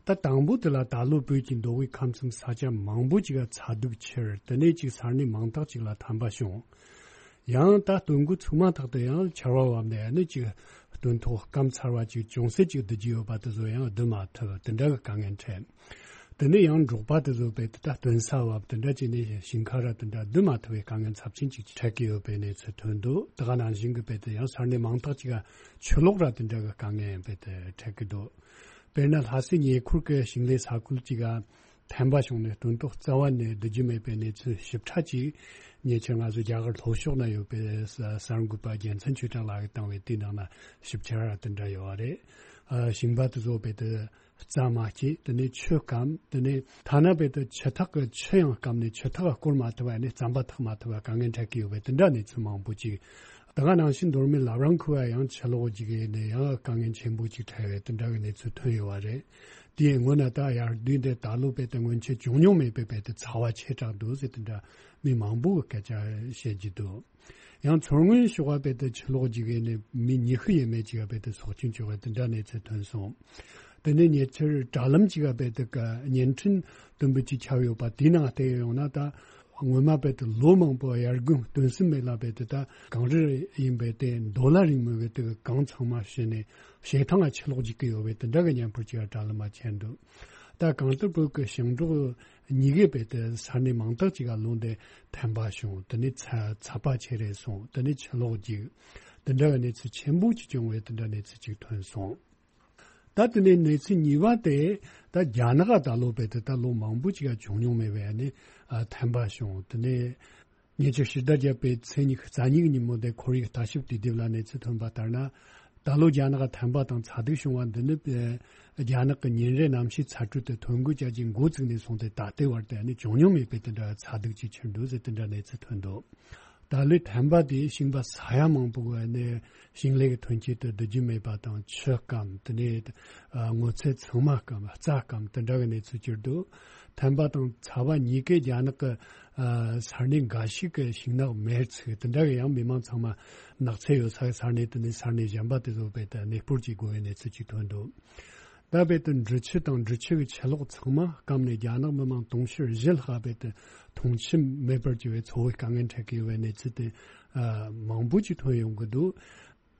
ད་དང་པོ་དེ་ལ་ད་ལོ་བོད་ཀྱི་མདོ་དབུས་ཁམས་གསུམ་ས་ཆ་མང་པོ་ཅིག་ལ་ཚ་གདུག་ཁྱེར། དེ་ནས་ཅིག་ས་གནས་མང་དག་ཅིག་ལ་ཐན་པ་བྱུང་། ཡང་ད་སྟོན་འགོ་ཚུགས་མ་ཐག་ཏུ་ཡང་ཆར་པ་བབས་ནས་ནི་ཅིག་སྟོན་ཐོག་སྐམ་ཚར་བ་ཅིག་ཅུང་ཟད་ཅིག་བསྡུ་རྒྱུ་ཡོད་པ་དེ་ཚོ་ཡང་བསྡུ་མ་ཐུབ། དེ་འདྲ་གི་དཀའ་ངལ་འཕྲད། དེ་ནས་ཡང་འབྲོག་པ་དེ་ཚོ་བས་དེ་ད་སྟོན་ས་བབས་དེ་འདྲ་བྱས་ནས་ཞིང་ཁ་ར་དེ་འདྲ་བསྡུ་མ་ཐུབ་པའི་དཀའ་ངལ་ཚབས་ཆེན་ཅིག་འཕྲད་ཀྱི་ཡོད་པའི་གནས་ཚུལ་ཐོན་འདུག། དེ་ག་ནང་བཞིན་གྱི་བས་དེ་ཡང་ས་གནས་མང་དག་ཅིག་ག་ཆུ་ལོག་ར་དེ་འདྲ་གི་དཀའ་ངལ་བས་དེ་འཕྲད་ཀྱི་འདུག། དཔེར་ན་ལྷ་སའི་ཉེ་འཁོར་གྱི་ཞིང་ལས་ས་ཁུལ་ཅིག་ག་ཐན་པ་བྱུང་ནས་སྟོན་ཐོག་རྩ་བ་ནས་བསྡུ་རྒྱུ་མེད་པའི་གནས་ཚུལ་ཞིབ་ཕྲ་ཅིག་ཉེ་ཆར་ང་ཚོ་རྒྱ་གར་ལྷོ་ཕྱོགས་ན་ཡོད་པའི་གསར་འགོད་པ་རྒྱལ་མཚན་ཆོས་གྲགས་ལགས་ཀྱིས་བཏང་བའི་དེའི་ནང་ན་ཞིབ་ཕྲ་ར་དེ་འདྲ་ཡོད་པ་རེད། ཨ། ཞིང་པ་དེ་ཚོ་བས་དེ་རྩྭ་མ་སྐྱེས། དེ་ནས་ཆུ་སྐམ། དེ་ནས་ཐ་ན་བས་དེ་ཆུ་ཐག་གི་ཆུ་ཡང་སྐམ་ནས་ཆུ་ཐག་སྐོར་མ་ཐུབ་པ་ནས་རྩམ་པ་འཐག་མ་ཐུབ་པ་དཀའ་ངལ་འཕྲད་ཀྱི་ཡོད་པའི་དེ་འདྲ་གནས་ཚུལ་མང་པོ་ཅིག། ད་ག་ནང་བཞིན་མདོ་སྨད་བླ་བྲང་ཁུལ་བ་ཡང་ཆུ་ལོག་ཅིག་ཡིན་ནས་ཡང་དཀའ་ངལ་ཆེན་པོ་ཅིག་འཕྲད་པའི་དེ་འདྲ་གི་གནས་ཚུལ་ཐོན་ཡོད་པ་རེད། དེའི་སྔོན་ན་ད་དབྱར་དུས་འདི་ད་ལོ་བས་དེ་སྔོན་ཆད་བྱུང་མྱོང་མེད་པའི་བས་དེ་ཚ་བ་ཆེ་དྲགས་འདུག་ཟེར་དེ་འདྲ་མི་མང་པོ་གི་སྐད་ཆ་བཤད་ཀྱི་འདུག། ཡང་མཚོ་སྔོན་ཕྱོགས་པ་བས་དེ་ཆུ་ལོག་ཅིག་ཡིན་ནས་མི་ཉི་ཤུ་ཡས་མས་ཅིག་བས་དེ་སྲོག་སྐྱོན་བྱུང་བའི་དེ་འདྲ་གནས་ཚུལ་ཐོན་སོང་། དེ་ནས་ཉེ་ཆར་དྲ་ལམ་ཅིག་བས་དེ་ག་བརྙན་འཕྲིན་དུམ་བུ་ཅིག་ཁྱབ་ཡོད་པ་དེའི་ནང་བལྟས་ཡོང་ན། ད་སྔོན་མ་བས་དེ་ལོ་མང་པོ་དབྱར་དགུན་སྟོན་ཟིན་མེད་ལ་བས་དེ་ད་གངས་རི་ཡིན་པས་དེ་མདོ་ལ་རིང་མོ་བས་དེ་གངས་ཚང་མ་ཞི་ནས་བྱེ་ཐང་ང་ཆུ་ལོག་ཅིག་གི་ཡོད་པས་དེ་འདྲ་གི་བརྙན་ཕུར་ཅིག་དྲ་ལམ་མ་ཁྱེར་འདུག། ད་གང་ལྟར་བོད་ཀྱི་ཞིང་འབྲོག་ཉི་གེ་བས་དེ་ས་གནས་མང་དག་ཅིག་ག་ལོ་འདི་ཐན་པ་བྱུང་། དེ་ནས་ཚ་ཚ་བ་ཆེ་རེད་སོང་། དེ་ནས་ཆུ་ལོག་ཅིག་དེ་འདྲ་གི་གནས་ཚུལ་ཆེན་པོ་ཅིག་བྱུང་བས་དེ་འདྲ་གནས་ཚུལ་ཅིག་ཐོན་སོང་། ད་དེ་ནས་གནས་ཚུལ་གཉིས་པ་དེ་ད་རྒྱ་ནག་ད་ལོ་བས་དེ་ད་ལོ་མང་པོ་ཅིག་ག་བྱུང་མྱོང་མེད་པའི་ནི་ཨ་ཐན་པ་བྱུང་། དེ་ནས་ཉེ་ཆར་ཕྱི་ཟླ་བརྒྱད་པའི་ཚེས་ཉི་ཤུ་རྩ་གཉིས་ཀྱི་ཉིན་མོ་དེ་ཁོར་ཡུག་ལྟ་ཞིབ་དུས་དེབ་ལ་གནས་ཚུལ་ཐོན་པ་ལྟར་ན། ད་ལོ་རྒྱ་ནག་ཐན་པ་དང་ཚ་སྡུག་བྱུང་བ་འདི་ནི། ཨེ། རྒྱ་ནག་གི་ཉིན་རེའི་གནམ་གཤིས་ཚ་དྲོད་དེ་ཐོན་འགོ་བྱས་རྗེས་འགོ་བཙུགས་ནས་བཟུང་སྟེ་ད་ལྟའི་བར་དུ་ཨ་ནི་བྱུང་མྱོང་མེད་པའི་དེ་འདྲ་ཚ་སྡུག་ཅིག་ཁྱེར་འདུག་ཟེར་དེ་འདྲ་གནས་ཚུལ་ཐོན་འདུག་ད་ལོའི་ཐན་པ་དེ་ཞིང་པ་ས་ཡ་མང་པོ་གི་ཨ་ནི་ཞིང་ལས་ཀྱི་ཐོན་སྐྱེད་དེ་བསྡུ་རྒྱུ་མེད་པ་དང་ཆུ་སྐམ། དེ་ནས་ཨ་སྔོ་ཚལ་ཚང་མ་སྐམ། རྩྭ་སྐམ། དེ་འདྲ་གི་གནས་ཚུལ་གྱུར་འདུག་ཐན་པ་དང་ཚ་བ་གཉིས་ཀས་རྒྱ་ནག་གི་ཨ་ས་གནས་འགའ་ཞིག་གི་ཤིང་ནགས་མེར་ཚིག་དེ་འདྲ་གི་ཡང་མི་མང་ཚང་མ་ནགས་ཚལ་ཡོད་ས་གི་ས་གནས་དེ་ནས་ས་གནས་གཞན་པ་དེ་ཚོ་རྦད་དེ་གནས་སྤོར་བྱེད་དགོས་པའི་གནས་ཚུལ་ཅིག་ཐོན་འདུག་ད་རྦད་དེ་འབྲི་ཆུ་དང་འབྲི་ཆུ་གི་ཆུ་ལོག་ཚང་མ་སྐམ་ནས་རྒྱ་ནག་མི་མང་དུང་ཕྱུར་བཞི་ལྷག་རྦད་དེ་འཐུང་ཆུ་མེད་པར་གྱུར་བའི་འཚོ་བའི་དཀའ་ངལ་འཕྲད་ཀྱི་ཡོད་པའི་གནས་ཚུལ་དེ་ཨ་མང་པོ་ཅིག་ཐོན་ཡོང་གི་འདུག་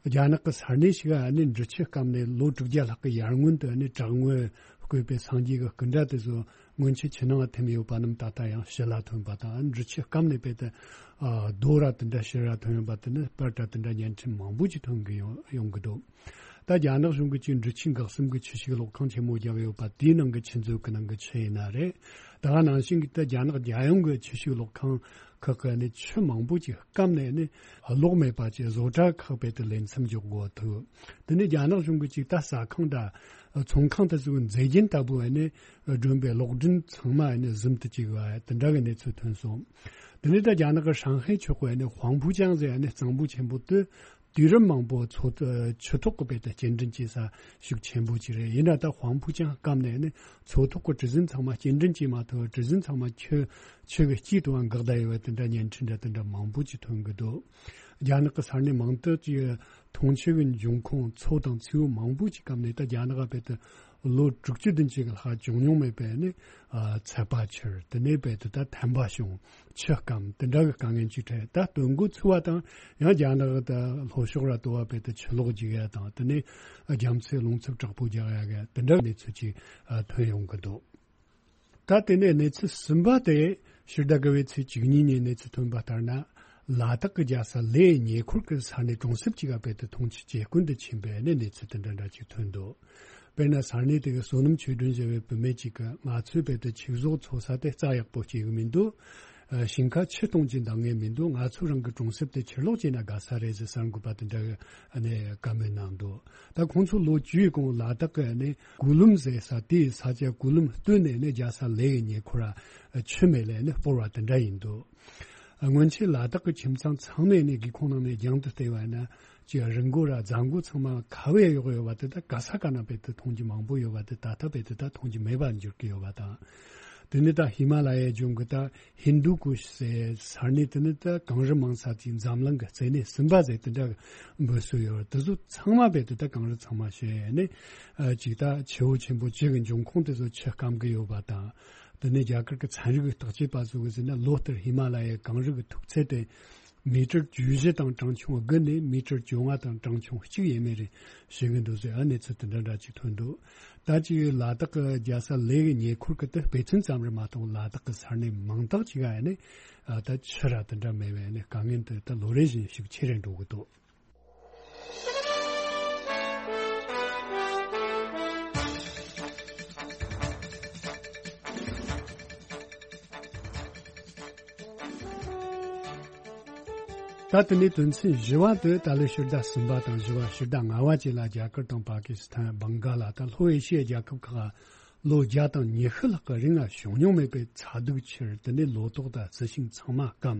རྒྱ་ནག་གི་ས་གནས་ཤིག་ཨ་ནི་འབྲི་ཆུ་སྐམ་ནས་ལོ་དྲུག་བརྒྱ་ལྷག་གི་ཡར་སྔོན་དུ་ཨ་ནི་བྲག་ངོས་བརྐོས་པའི་སངས་རྒྱས་ཀྱི་སྐུ་འདྲ་དེ་ཚོ་སྔོན་ཆད་ཆུ་ནང་ཐིམ་ཡོད་པ་རྣམས་ད་ལྟ་ཡང་ཕྱི་ལ་ཐོན་པ་དང་། འབྲི་ཆུ་སྐམ་ནས་རྦད་དེ་ཨ་རྡོ་ར་དེ་འདྲ་ཕྱི་ར་ཐོན་ཡོང་པ་དེ་ནི་པར་འདྲ་དེ་འདྲ་བརྙན་འཕྲིན་མང་པོ་ཅིག་ཐོན་གི་ཡོང་ཡོང་གི་འདུག་ད་རྒྱ་ནག་གཞུང་གིས་ཅིག་འབྲི་ཆུའི་འགག་གསུམ་གྱི་ཆུ་ཞིག་གློག་ཁང་ཆེན་མོ་བརྒྱབ་ཡོད་པ་དེའི་ནང་གི་ཆུ་མཛོད་ཀྱི་ནང་གི་ཆུ་ཡིན་ན་རེད། ད་ག་ནང་བཞིན་གྱི་ད་རྒྱ་ནག་རྒྱལ་ཡོངས་ཀྱི་ཆུ་ཞིག་གློག་ཁང་ཁག་གི་ནི་ཆུ་མང་པོ་ཅིག་སྐམ་ནས་ནི་གློག་མེད་པ་ཅིག་བཟོ་གྲྭ་ཁག་རྦད་དེ་ལས་མཚམས་འཇོག་དགོས་ཐུག་དེ་ནི་རྒྱ་ནག་གཞུང་གིས་ཅིག་ད་ཟ་ཁང་དང་ཚོང་ཁང་དེ་ཚོའི་མཛེས་རྒྱན་ལྟ་བུ་ནི་སྒྲོན་པའི་གློག་སྒྲོན་ཚང་མ་ནི་ཟུམ་དུ་བཅུག་པ་དེ་འདྲ་གི་གནས་ཚུལ་ཐོན་སོང་། དེ་ནི་ད་རྒྱ་ནག་གི་ཧྲང་ཧའེ་ཕྱོགས་ཀྱི་ནི་ཧུའང་ཕུའུ་ཅང་ཟེར་ནི་གཙང་པོ་ཆེན་པོ་དེ། དུས་རབས་མང་པོ་མཚོ་ཆུ་ཐོག་གི་རྦད་དེ་སྐྱེལ་འདྲེན་བྱེད་ས་ཤུགས་ཆེན་པོ་ཅིག་རེད། ཡིན་ན་ད་ཧུའང་ཕུའུ་ཅང་སྐམ་ནས་ནི་མཚོ་ཐོག་གི་གྲུ་གཟིངས་ཚང་མ་སྐྱེལ་འདྲེན་བྱེད་མ་ཐུབ། གྲུ་གཟིངས་ཚང་མ་ཆུ་ཆུ་གི་དཀྱིལ་དུ་འགག་བསྡད་ཡོད་པའི་དེ་འདྲ་བརྙན་འཕྲིན་འདྲ་དེ་འདྲ་མང་པོ་ཅིག་ཐོན་གི་འདུག་རྒྱ་ནག་གི་ས་གནས་མང་དུ་ཅིག་འཐུང་ཆུ་གི་འབྱུང་ཁུངས་མཚོ་དང་མཚེའུ་མང་པོ་ཅིག་སྐམ་ནས་ད་རྒྱ་ནག་རྦད་དེ་ལོ་དྲུག་ཅུ་བདུན་ཅུ་གི་ལྷག་བྱུང་མྱོང་མེད་པའི་ནི་ཚད་པ་ཆེར། དེ་ནས་རྦད་དེ་ད་ཐན་པ་བྱུང་། ཆུ་སྐམ་དེ་འདྲ་གི་དཀའ་ངལ་ཅིག་འཕྲད། ད་སྟོན་འགོ་ཚུགས་པ་དང་ཡང་རྒྱ་ནག་གི་ད་ལྷོ་ཕྱོགས་ར་དོ་བ་རྦད་དེ་ཆུ་ལོག་རྒྱུག་ཡ་དང་དེ་ནས་རྒྱ་མཚོའི་རླུང་འཚུབ་དྲག་པོ་རྒྱག་ཡ་གི་དེ་འདྲ་གི་གནས་ཚུལ་ཅིག་ཐོན་ཡོང་གི་འདུག་ད་དེ་ནས་གནས་ཚུལ་གསུམ་པ་དེ་ཕྱི་ཟླ་དགུ་པའི་ཚེས་བཅུ་གཉིས་ཉིན་གནས་ཚུལ་ཐོན་པ་ལྟར་ན། ལ་དྭགས་ཀྱི་རྒྱལ་ས་ལེའི་ཉེ་འཁོར་གྱི་ས་གནས་གྲོང་གསེབ་ཅིག་ག་རྦད་དེ་འཐུང་ཆུ་ཇེ་དཀོན་དུ་ཕྱིན་པའི་གནས་གནས་ཚུལ་དེ་འདྲ་འདྲ་ཅིག་ཐོན་འདུག་དཔེར་ན་ས་གནས་དེ་གའི་བསོད་ནམས་ཆོས་སྒྲོན་ཟེར་བའི་བུད་མེད་ཅིག་གིས་ང་ཚོའི་རྦད་དེ་ཆུ་བཟོ་འཚོ་ས་དེ་རྩྭ་ཡག་པོ་སྐྱེ་གི་མི་འདུག་ཨ། ཞིང་ཁ་ཆུ་གཏོང་གི་འདང་ངེས་མི་འདུག་ང་ཚོ་རང་གི་གྲོང་གསེབ་དེ་ཕྱིར་ལོག་བྱས་ན་དགའ་ས་རེད་ཟེར་གསར་འགོད་པ་དེ་འདྲ་གིས་ཨ་ནི་བཀའ་མོལ་གནང་འདུག་ད་ཁོང་ཚོ་ལོ་བཅུའི་གོང་ལ་དྭགས་ཀྱི་ཨ་ནི་གུ་ལུམ་ཟེར་ས་དེའི་ས་ཆ་གུ་ལུམ་སྟོད་ནས་ནི་རྒྱལ་ས་ལེའི་ཉེ་འཁོར་ཆུ་མེད་ལས་ནི་སྤོར་བ་དེ་འདྲ་ཡིན་འདུག་སྔོན་ཆད་ལ་དྭགས་ཀྱི་ཁྱིམ་ཚང་ཚང་མས་ནི་སྒེའུ་ཁུང་ནང་ནས་རྒྱང་དུ་བལྟས་པ་ན་ཅིག་རི་མགོ་ར་རྫ་མགོ་ཚང་མ་ཁ་བས་གཡོགས་ཡོད་པ་དེ་དག་ག་ས་ག་ན་རྦད་དེ་མཐོང་རྒྱུ་མང་པོ་ཡོད་པ་དེ་ད་ལྟ་རྦད་དེ་ད་མཐོང་རྒྱུ་མེད་པར་འགྱུར་གྱི་ཡོད་པ་དང་། དེ་ནི་ད་ཧི་མ་ལ་ཡའི་ལྗོངས་ཀྱི་ད་ཧིན་དུ་ཀུཤ་ཟེར་ས་གནས་དེ་ནི་ད་གངས་རི་མང་ས་ཅིག་འཛམ་གླིང་གི་རྩེ་ནས་གསུམ་པ་ཟེར་དེ་འདྲ་འབོད་སྲོལ་ཡོད་རེད། དེ་ཚོ་ཚང་མ་རྦད་དེ་ད་གངས་རི་ཚང་མ་ཞེས་ནི་ཅིག་ད་ཆུ་བོ་ཆེན་པོ་བཅུ་གི་འབྱུང་ཁུངས་དེ་ཚོ་ཆུ་སྐམ་གི་ཡོད་པ་དང་། དེ་ནས་རྒྱ་གར་གྱི་ཚན་རིག་གི་བརྟག་དཔྱད་པ་ཚོ་གིས་ཟེར་ན་ལོ་ལྟར་ཧི་མ་ལ་ཡའི་གངས་རི་གི་མཐུག་ཚད་དེ་མི་ཊར་བཅུ་བཞི་དང་གྲངས་ཆུང་དགུ་ནས་མི་ཊར་བཅོ་ལྔ་དང་གྲངས་ཆུང་གཅིག་ཡས་མས་རེད་ཞུ་གི་འདུག་ཟེར་ཨ་གནས་ཚུལ་དེ་འདྲ་འདྲ་ཅིག་ཐོན་འདུག་ད་ཅིག་ལ་དྭགས་ཀྱི་རྒྱལ་ས་ལེ་གི་ཉེ་འཁོར་གྱི་དེ་དཔེ་མཚོན་ཙམ་རེད་མ་གཏོགས་ལ་དྭགས་ཀྱི་ས་གནས་མང་དག་ཅིག་ཨ་ནི་ད་ཆུ་ར་དེ་འདྲ་མེད་པའི་ཨ་ནི་དཀའ་ངལ་དེ་ད་ལོ་རེ་བཞིན་ཤུགས་ཆེ་རུ་འགྲོ་གི་འདུག་ད་དེ་ནས་དོན་ཚན་བཞི་བ་དེ་ད་ལོའི་ཕྱི་ཟླ་གསུམ་པ་དང་བཞི་བ་ཕྱི་ཟླ་ལྔ་བ་བཅས་ལ་རྒྱ་གར་དང་པ་ཀི་སི་ཐན། བང་ག་ལ་དང་ལྷོ་ཨེ་ཤི་ཡའི་རྒྱལ་ཁབ་ཁག་ལོ་བརྒྱ་དང་ཉི་ཤུ་ལྷག་གི་རིང་ང་བྱུང་མྱོང་མེད་པའི་ཚ་གདུག་ཁྱེར། དེ་ནས་ལོ་ཏོག་དང་རྩི་ཤིང་ཚང་མ་སྐམ།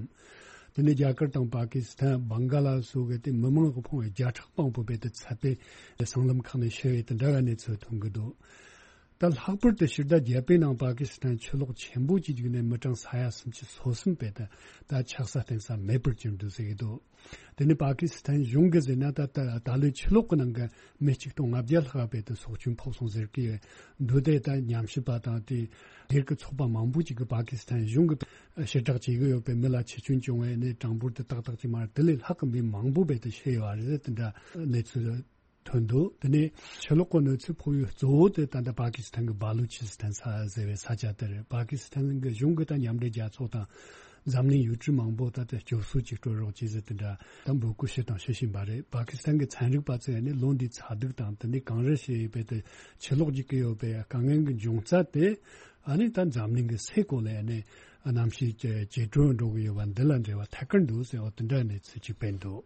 དེ་ནས་རྒྱ་གར་དང་པ་ཀི་སི་ཐན། བང་ག་ལ་སོགས་ཀྱི་དེ་མི་མང་གི་ཕོངས་བརྒྱ་ཕྲག་མང་པོ་རྦད་དེ་ཚད་པའི་སྲང་ལམ་ཁག་ནས་ཤི་བའི་དེ་འདྲ་བའི་གནས་ཚུལ་ཐོན་གྱི་འདུག་ད་ལྷག་པར་དུ་ཕྱི་ཟླ་བརྒྱད་པའི་ནང་པ་ཀི་སི་ཐན་ཆུ་ལོག་ཆེན་པོ་ཅིག་བརྒྱུགས་ནས་མི་གྲངས་ས་ཡ་སུམ་ཅུ་སོ་གསུམ་རྦད་དེ་ད་ཆགས་ས་བརྟེན་ས་མེད་པར་གྱུར་འདུག་ཟེར་གྱི་འདུག་དེ་ནི་པ་ཀི་སི་ཐན་གཞུང་གིས་ཟེར་ན་ད་ད་ད་ལོའི་ཆུ་ལོག་གི་ནང་གི་མི་གཅིག་སྟོང་ལྔ་བརྒྱ་ལྷག་རྦད་དེ་སྲོག་སྐྱོན་ཕོག་སོང་ཟེར་གྱི་ཡོད་འདུག་དེ་ད་ཉམས་ཞིབ་པ་དང་དེ་སྒེར་གྱི་ཚོགས་པ་མང་པོ་ཅིག་གིས་པ་ཀི་སི་ཐན་གཞུང་གིས་ཕྱིར་བསྒྲགས་བྱེད་ཀྱི་ཡོད་པའི་མི་ལ་ཆུ་སྐྱོན་བྱུང་བའི་ནི་གྲངས་འབོར་དེ་ཏག་ཏག་ཅིག་མ་རེད། དེ་ལས་ལྷག་གི་མི་མང་པོ་རྦད་དེ་ཤི་ཡོད་རེད་དེ་འདྲ་གནས་ཚུལ་ཐོན་འདུག་དེ་ནས་ཆུ་ལོག་གི་གནོད་འཚེ་ཕོག་ཡུལ་གཙོ་བོ་དེ་ད་ལྟ་པ་ཀི་སི་ཐན་གྱི་སྦ་ལུ་ཆི་སི་ཐན་ས་ཟེར་བའི་ས་ཆ་དེ་རེད། པ་ཀི་སི་ཐན་གྱི་གཞུང་གིས་ད་མཉམ་འབྲེལ་རྒྱལ་ཚོགས་དང་འཛམ་གླིང་ཡུལ་གྲུ་མང་པོ་ད་ལྟ་སྐྱོབ་གསོ་ཅིག་སྤྲོད་རོགས་བྱེད་ཟེར་དེ་འདྲ་ད་འབོད་སྐུལ་བྱས་དང་བྱེད་བཞིན་པ་རེད། པ་ཀི་སི་ཐན་གྱི་ཚན་རིག་པ་ཚོས་ནི་ལོ་འདིའི་ཚ་གདུག་དང་དེ་ནས་གངས་རི་ཞེས་པའི་དེ་ཆུ་ལོག་རྒྱུག་གི་ཡོད་པའི་དཀའ་ངལ་གྱི་འབྱུང་རྩ་དེ་ཨ་ནི་ད་འཛམ་གླིང་གི་སའི་གོ་ལའི་ནི་གནམ་གཤིས་ཇེ་དྲོ་འགྲོ་གི་ཡོད་པ་འདི་ལ་འབྲེལ་བ་ཐད་ཀར་འདུག་ཟེར་བ་དེ་འདྲ་གནས་ཚུལ་ཅིག་སྤེལ་འདུག་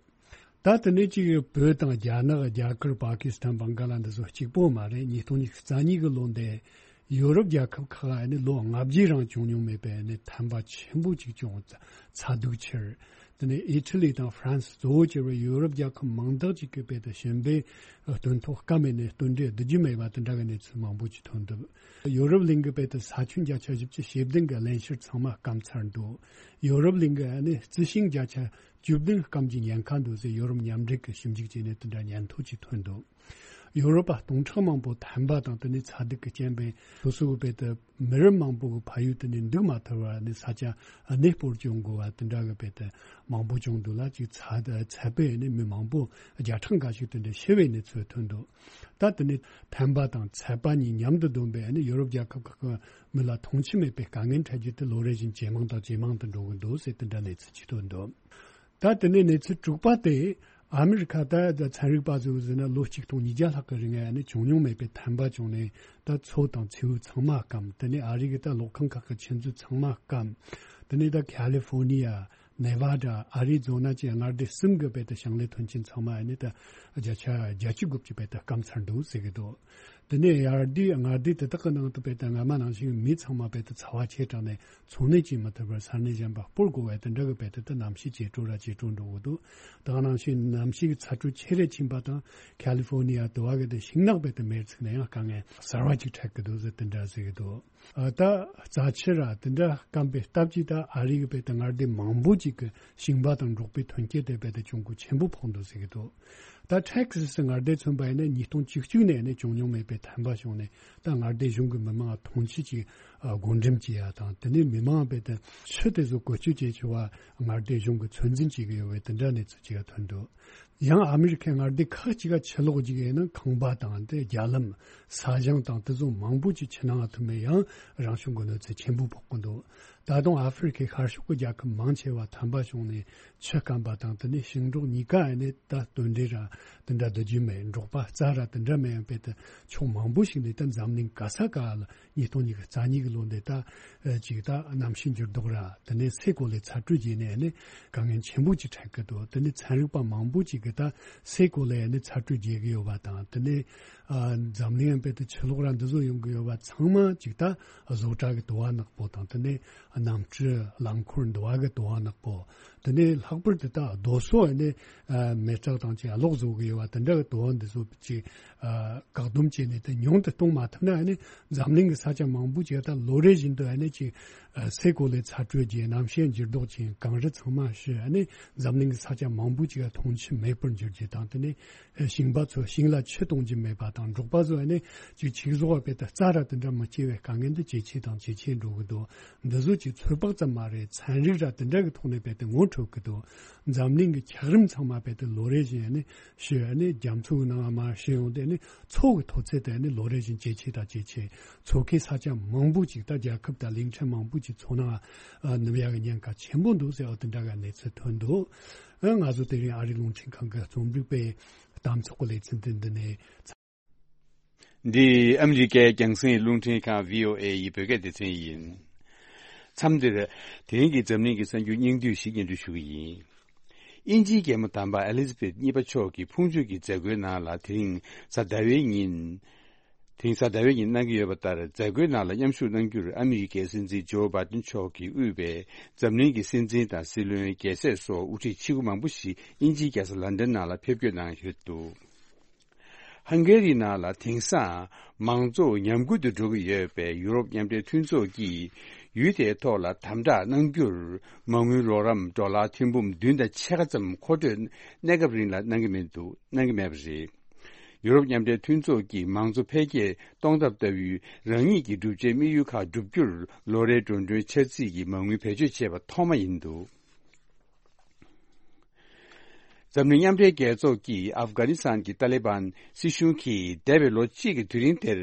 ད་དེ་ནས་ཅིག་བོད་དང་རྒྱ་ནག་རྒྱ་གར་པ་ཀི་སི་ཐན་བང་ག་ལ་འདི་ཚོ་གཅིག་པོ་མ་རེད། ཉིས་སྟོང་ཉི་ཤུ་རྩ་གཉིས་ཀྱི་ལོ་འདི་ཡོ་རོབ་རྒྱལ་ཁབ་ཁག་ཨ་ནི་ལོ་ལྔ་བརྒྱའི་རིང་བྱུང་མྱོང་མེད་པའི་ཨ་ནི་ཐན་པ་ཆེན་པོ་ཅིག་བྱུང་། ཚ་སྡུག་ཆེར། དེ་ནས་ཨི་ཊ་ལི་དང་ཧྥ་རན་སི་གཙོ་བོ་གྱུར་བའི་ཡོ་རོབ་རྒྱལ་ཁབ་མང་དག་ཅིག་གི་བོད་དུ་གཞན་པའི་སྟོན་ཐོག་སྐམ་མེད་ནས་སྟོན་འབྲས་བསྡུ་རྒྱུ་མེད་པ་དེ་འདྲ་གི་གནས་ཚུལ་མང་པོ་ཅིག་ཐོན་འདུག་ཡོ་རོབ་གླིང་གི་བོད་དུ་ས་ཁྱོན་བརྒྱ་ཆ་བཞི་བཅུ་ཞེ་བདུན་གི་རླན་གཤེར་ཚང་མ་སྐམ་ཚར་འདུག་ཡོ་རོབ་གླིང་གི་ཨ་ནི་རྩི་ཤིང་བརྒྱ་ཆ་བཅུ་བདུན་སྐམ་གྱི་ཉེན་ཁ་འདུག་ཟེར་ཡོ་རོབ་མཉམ་འབྲེལ་གྱི་ཞིབ་འཇུག་བྱས་ནས་དེ་འདྲ་སྙན་ཐོ་ཅིག་ཐོན་འདུག་ཡོ་རོབ་པ་སྟོང་ཕྲག་མང་པོ་ཐན་པ་དང་དེ་ནས་ཚ་སྡུག་གི་རྐྱེན་པས་སོ་སོའི་བོད་དུ་མི་རབས་མང་པོ་གི་ཕ་ཡུལ་དེ་ནས་འདུག་མ་ཐུབ་པར་ནས་ས་ཆ་གནས་སྤོར་བྱུང་དགོས་པ་དེ་འདྲ་གི་བོད་དུ་མང་པོ་བྱུང་འདུག་ལ། ཅིག་ཚ་ཚད་པས་ནས་མི་མང་པོ་བརྒྱ་ཕྲག་འགའ་ཞིག་དེ་འདྲ་ཤི་བའི་གནས་ཚུལ་ཐོན་འདུག་ད་དེ་ནས་ཐན་པ་དང་ཚད་པ་གཉིས་མཉམ་དུ་བསྡོམས་པས་ནི་ཡོ་རོབ་རྒྱལ་ཁབ་ཁག་གི་མི་ལ་མཐོང་ཆོས་མེད་པའི་དཀའ་ངལ་འཕྲད་རྒྱུ་དེ་ལོ་རེ་བཞིན་ཇེ་མང་དང་ཇེ་མང་དུ་འགྲོ་གི་འདུག་ཟེར་དེ་འདྲ་གནས་ཚུལ་ཅིག་ཐོན་འདུག་ད་དེ་ནས་གནས་ཚུལ་དྲུག་པ་དེ་ཨ་མི་རི་ཁ་ད་ཚན་རིག་པ་ཚོས་ཟེར་ན་ལོ་གཅིག་སྟོང་ཉིས་བརྒྱ་ལྷག་གི་རིང་ནས་བྱུང་མྱོང་མེད་པའི་ཐན་པ་བྱུང་ནས་ད་མཚོ་དང་མཚེའུ་ཚང་མ་སྐམ། དེ་ནས་ཨ་རི་གི་ད་གློག་ཁང་ཁག་གི་ཆུ་མཛོད་ཚང་མ་སྐམ། དེ་ནས་ད་ཁ་ལི་ཧྥོ་ནི་ཡ། ནེ་ཝ་ཌ། ཨ་རི་ཛོ་ན་བཅས་མངའ་སྡེ་གསུམ་གྱི་བོད་དུ་ཞིང་ལས་མཐུན་རྐྱེན་ཚང་མ་ཨ་ནི་ད་བརྒྱ་ཆ་བརྒྱད་ཅུ་དགུ་བཅུ་བོད་དུ་སྐམ་ཚར་འདུག་ཟེར་གྱི་འདུག་དེ་ནས་ཡར་དུས་མངའ་སྡེ་དེ་དག་གི་ནང་དུ་བོད་དུ་སྔ་མ་ནང་བཞིན་མི་ཚང་མ་བོད་དུ་ཚ་བ་ཆེ་དྲགས་ནས་འཚོ་གནས་བྱེད་མི་ཐུབ་པར་ས་གནས་གཞན་པ་སྤོར་དགོས་པའི་དེ་འདྲ་གི་བོད་དུ་ད་གནམ་གཤིས་ཇེ་དྲོ་ར་ཇེ་དྲོ་འགྲོ་གི་འདུག་ད་ག་ནང་བཞིན་གནམ་གཤིས་ཀྱི་ཚ་དྲོད་ཆེ་རུ་ཕྱིན་པ་དང་ཁ་ལི་ཧྥོ་ནི་ཡ་དུ་བ་གི་དེ་ཤིང་ནགས་བོད་དུ་མེར་ཚིག་ནས་ཡང་དཀའ་ངལ་གསར་བ་ཅིག་འཕྲད་ཀྱི་འདུག་ཟེར་དེ་འདྲ་ཟེར་གྱི་འདུག་ཨ། ད་རྩ་ཆེ་ར་དེ་འདྲ་སྐམ་པའི་སྟབས་ཀྱིས་ད་ཨ་རི་གི་བོད་དུ་མངའ་སྡེ་མང་པོ་ཅིག་གི་ཞིང་པ་དང་འབྲོག་པའི་ཐོན་སྐྱེད་དེ་བོད་དུ་གྱོང་གུན་ཆེན་པོ་ཕོག་འདུག་ཟེར་གྱི་འདུག་ད་ཊེག་སི་སི་མངའ་སྡེ་མཚོན་པ་ཡིན་ན་ཉིས་སྟོང་བཅུ་གཅིག་ནས་ནས་བྱུང་མྱོང་མེད་པའི་ཐན་པ་བྱུང་ནས་ད་མངའ་སྡེ་གཞུང་གི་མི་མང་ཐོངས་མཆན་ཅིག་ཨ། བགོ་འགྲེམས་བྱས་ཡ་དང་དེ་ནས་མི་མང་བོད་དུ་ཆུ་དེ་ཚོ་བཀོལ་སྤྱོད་བྱེད་ཆོག་པ་མངའ་སྡེ་གཞུང་གི་ཚོད་འཛིན་བྱེད་ཀྱི་ཡོད་པའི་དེ་འདྲ་གནས་ཚུལ་ཅིག་ཐོན་འདུག་ཡང་ཨ་མི་རི་ཁའི་མངའ་སྡེ་ཁག་ཅིག་ག་ཆུ་ལོག་ཅིག་ཡིན་ན་ཁང་པ་དང་དེ་རྒྱ་ལམ། ས་ཞིང་དང་དེ་ཚོ་མང་པོ་ཅིག་ཆུ་ནང་ཐིམ་པས་ཡང་རང་བྱུང་གི་གནོད་འཚེ་ཆེན་པོ་ཕོག་གི་འདུག་ད་དུང་ཨ་ཧྥེ་རི་ཁའི་ཤར་ཕྱོགས་ཀྱི་རྒྱལ་ཁབ་མང་ཆེ་བ་ཐན་པ་བྱུང་ནས་ཆུ་སྐམ་པ་དང་དེ་ནས་ཞིང་འབྲོག་གཉིས་ཀ་ནས་ད་སྟོན་འབྲས་ར་དེ་འདྲ་བསྡུ་རྒྱུ་མེད། འབྲོག་པ་རྩྭ་ར་དེ་འདྲ་མེད་ཡང་བོད་དུ་ཕྱོགས་མང་པོ་ཞིག་ནས་ད་འཛམ་གླིང་ག་ས་ག་ལ་ཉིས་སྟོང་ཉི་ཤུ་རྩ་གཉིས་ཀྱི་ལོ་འདི་ད་ཅིག་ད་གནམ་གཤིས་འགྱུར་ལྡོག་ར་དེ་ནས་སའི་གོ་ལའི་ཚ་དྲོད་རྒྱས་ནས་ནི་དཀའ་ངལ་ཆེན་པོ་ཅིག་འཕྲད་ཀྱི་འདུག་དེ་ནས་ཚན་རིག་པ་མང་པོ་ཅིག་གིས་ད་སའི་གོ་ལའི་ནི་ཚ་དྲོད་རྒྱས་ཀྱི་ཡོད་པ་དང་དེ་ནས་ཨ། འཛམ་གླིང་ཡང་བོད་དུ་ཆུ་ལོག་ར་འདི་ཚོ་ཡོང་གི་ཡོད་པ་ཚང་མ་ཅིག་ད་བཟོ་གྲྭ་གི་དུ་བ་ནག་པོ་དང་དེ་ནས་གནམ་གྲུ་རླངས་འཁོར་འདི་བ་གི་དུ་བ་ནག་པོ། དེ་ནས་ལྷག་པར་དུ་ད་རྡོ་སོལ་ནས་ཨ། མེ་སྲེག་དང་ཅིག་གློག་བཟོ་གི་ཡོད་པ་དེ་འདྲ་གི་དུ་བ་འདི་ཚོ་ཅིག་ཨ། བཀག་སྡོམ་བྱས་ནས་དེ་ཉུང་དུ་གཏོང་མ་ཐུབ་ན་ཨ་ནི་འཛམ་གླིང་གི་ས་ཆ་མང་པོ་ཅིག་ད་ལོ་རེ་བཞིན་དུ་ཨ་ནི་ཅིག་ཨ། སའི་གོ་ལའི་ཚ་དྲོད་རྒྱས། གནམ་གཤིས་འགྱུར་ལྡོག་ཅིག་གངས་རི་ཚང་མ་ཞི། ཨ་ནི་འཛམ་གླིང་གི་ས་ཆ་མང་པོ་ཅིག་ཐོངས་མཆན་མེད་པར་འགྱུར་རྒྱུ་དང་དེ་ནས་ཞིང་པ་ཚོ་ཞིང་ལ་ཆུ་གཏོང་རྒྱུ་མེད་པ་དང་འབྲོག་པ་ཚོ་ཨ་ནི་ཅིག་ཆུ་བཟོ་བ་བོད་དུ་རྩྭ་ར་དེ་འདྲ་མི་སྐྱེ་བའི་དཀའ་ངལ་འདི་ཇེ་ཆེ་དང་ཇེ་ཆེ་འགྲོ་གི་འདུག་འདི་ཚོ་ཅིག་ཚོད་དཔག་ཙམ་མ་རེད། ཚན་རིག་ར་དེ་འདྲ་གི་ཐོག་ནས་བོད་དུ་ངོ་འཕྲོད་ཀྱི་འདུག་འཛམ་གླིང་གི་འཁྱགས་རོམ་ཚང་མ་བོད་དུ་ལོ་རེ་བཞིན་ཨ་ནི་ཞི། ཨ་ནི་རྒྱ་མཚོའི་ནང་མར་ཞི་ཡོང་སྟེ་ཨ་ནི་མཚོ་གི་མཐོ་ཚད་དེ་ཨ་ནི་ལོ་རེ་བཞིན་ཇེ་ཆེ་དང་ཇེ་ཆེ། མཚོ་ཁའི་ས་ཆ་མང་པོ་ཅིག་ད་རྒྱལ་ཁབ་དང་གླིང་ཕྲན་མང་པོ་ཅིག་མཚོ་ནང་ཨ། ནུབ་ཡག་གི་ཉེན་ཁ་ཆེན་པོ་འདུག་ཟེར་བ་དེ་འདྲ་གི་གནས་ཚུལ་ཐོན་འདུག་ཨ། ང་ཚོ་དེ་རིང་ཨ་རིའི་རླུང་འཕྲིན་ཁང་གི་རྩོམ་སྒྲིག་པའི་གཏམ་ཚོགས་ཀྱི་ལེ་ཚན་དེ་འདི་ནས། འདི་ཨ་མི་རི་ཀའི་རྒྱང་སྲིང་རླུང་འཕྲིན་ཁང་བྷི་ཨོ་ཨེ་ཡི་བོད་སྐད་སྡེ་ཚན་ཡིན། མཚམས་འདིར་དེ་རིང་གི་འཛམ་གླིང་གི་གསར་འགྱུར་སྙིང་བསྡུས་ཤིག་སྙན་སྒྲོན་ཞུ་གི་ཡིན། དབྱིན་ཇིའི་རྒྱལ་མོ་དམ་པ་ཨེ་ལི་ཛ་བེད་གཉིས་པ་མཆོག་གི་ཕུང་མཆོད་ཀྱི་མཛད་སྒོའི་ནང་ལ་དེ་རིང་གཟའ་ཟླ་བའི་ཉིན། དེང་གཟའ་ཟླ་བའི་ཉིན་གནང་གི་ཡོད་པ་ལྟར་མཛད་སྒོའི་ནང་ལ་མཉམ་ཞུགས་གནང་རྒྱུར་ཨ་མི་རི་ཀའི་སྲིད་འཛིན་ཇོ་བྷའི་ཏིན་མཆོག་གིས་དབུས་པའི་འཛམ་གླིང་གི་སྲིད་འཛིན་དང་སྲིད་བློན། རྒྱལ་སྲས་སོགས་དབུ་ཁྲིད་ཆེ་ཁག་མང་པོ་ཞིག་དབྱིན་ཇིའི་རྒྱལ་ས་ལན་ཌན་ནང་ལ་ཕེབས་སྐྱོད་གནང་ཡོད་འདུག་ཧང་གེ་རི་ནང་ལ་དེང་སང་མང་གཙོ་ཉམས་རྒུད་དུ་འགྲོ་གི་ཡོད་པས་ཡུ་རོབ་མཉམ་འབྲེལ་མཐུན་ཚོགས་ཀྱིས་ཡུལ་དེའི་ཐོག་ལ་དམ་དྲག་གནང་རྒྱུར་མ་དངུལ་རོགས་རམ་ཌོ་ལར་ཐེར་འབུམ་བདུན་དང་ཕྱེད་ཀ་ཙམ་མཁོ་སྤྲོད་གནས་སྐབས་རིང་ལ་གནང་གི་མི་འདུག་གནང་གི་མེད་པ་རེད། ཡུ་རོབ་མཉམ་འབྲེལ་མཐུན་ཚོགས་ཀྱིས་མང་གཙོ་འཕེལ་རྒྱས་གཏོང་ཐབས་ལྟ་བུའི་རང་ཉིད་ཀྱི་བསྒྲུབ་བྱའི་དམིགས་ཡུལ་ཁག་བསྒྲུབ་རྒྱུར་ལོ་རེའི་འགྲོ་གྲོན་འཆར་རྩིས་ཀྱི་མ་དངུལ་བེད་སྤྱོད་བྱས་པ་ཐོག་མ་ཡིན་འདུག་འཛམ་གླིང་མཉམ་འབྲེལ་རྒྱལ་ཚོགས་ཀྱིས་ཨབ་གྷ་ནི་སི་ཐན་གྱི་ཏཱ་ལི་བན་སྲིད་གཞུང་གིས་འདས་པའི་ལོ་གཅིག་གི་དུས་རིང་དེར་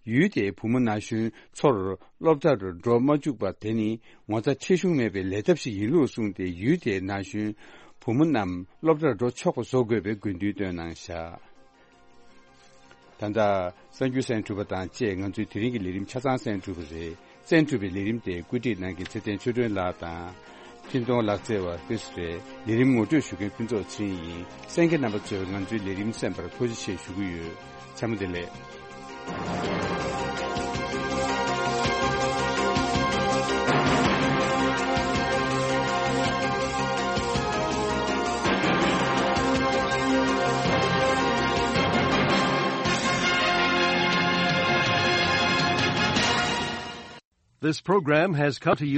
ཡུལ་དེའི་བུ་མོ་ན་གཞོན་ཚོར་སློབ་གྲྭར་འགྲོ་མ་བཅུག་པ་དེ་ནི་ངོ་ཚ་ཁྲེལ་གཞུང་མེད་པའི་ལས་ཐབས་ཤིག་ཡིན་ལུགས་གསུངས་ཏེ་ཡུལ་དེའི་ན་གཞོན་བུ་མོ་རྣམས་སློབ་གྲྭར་འགྲོ་ཆོག་པ་བཟོ་དགོས་པའི་དགོས་འདུན་བཏོན་གནང་བཞག་ད་ལྟ་གསར་འགྱུར་གསན་གྲུབ་པ་དང་བཅས་ང་ཚོའི་དེ་རིང་གི་ལས་རིམ་ཆ་ཚང་གསན་གྲུབ་པ་རེད། གསན་གྲུབ་པའི་ལས་རིམ་དེ་བཀོད་སྒྲིག་གནང་མཁན་ཚེ་བརྟན་ཆོས་སྒྲོན་ལགས་དང་། ཤིན་ཏུང་ལག་རྩེད་བ་ཕུན་སུ་རེད། ལས་རིམ་ངོ་སྤྲོད་ཞུ་མཁན་ཕུན་ཚོགས་ཚེ་རིང་ཡིན། གསན་མཁན་རྣམ་པ་ཚོས་ང་ཚོའི་ལས་རིམ་གསན་པར་ཐུགས་རྗེ་ཆེ་ཞུ་གི་ཡོད། ཚང་མ་བདེ་ལེགས། This program has come to you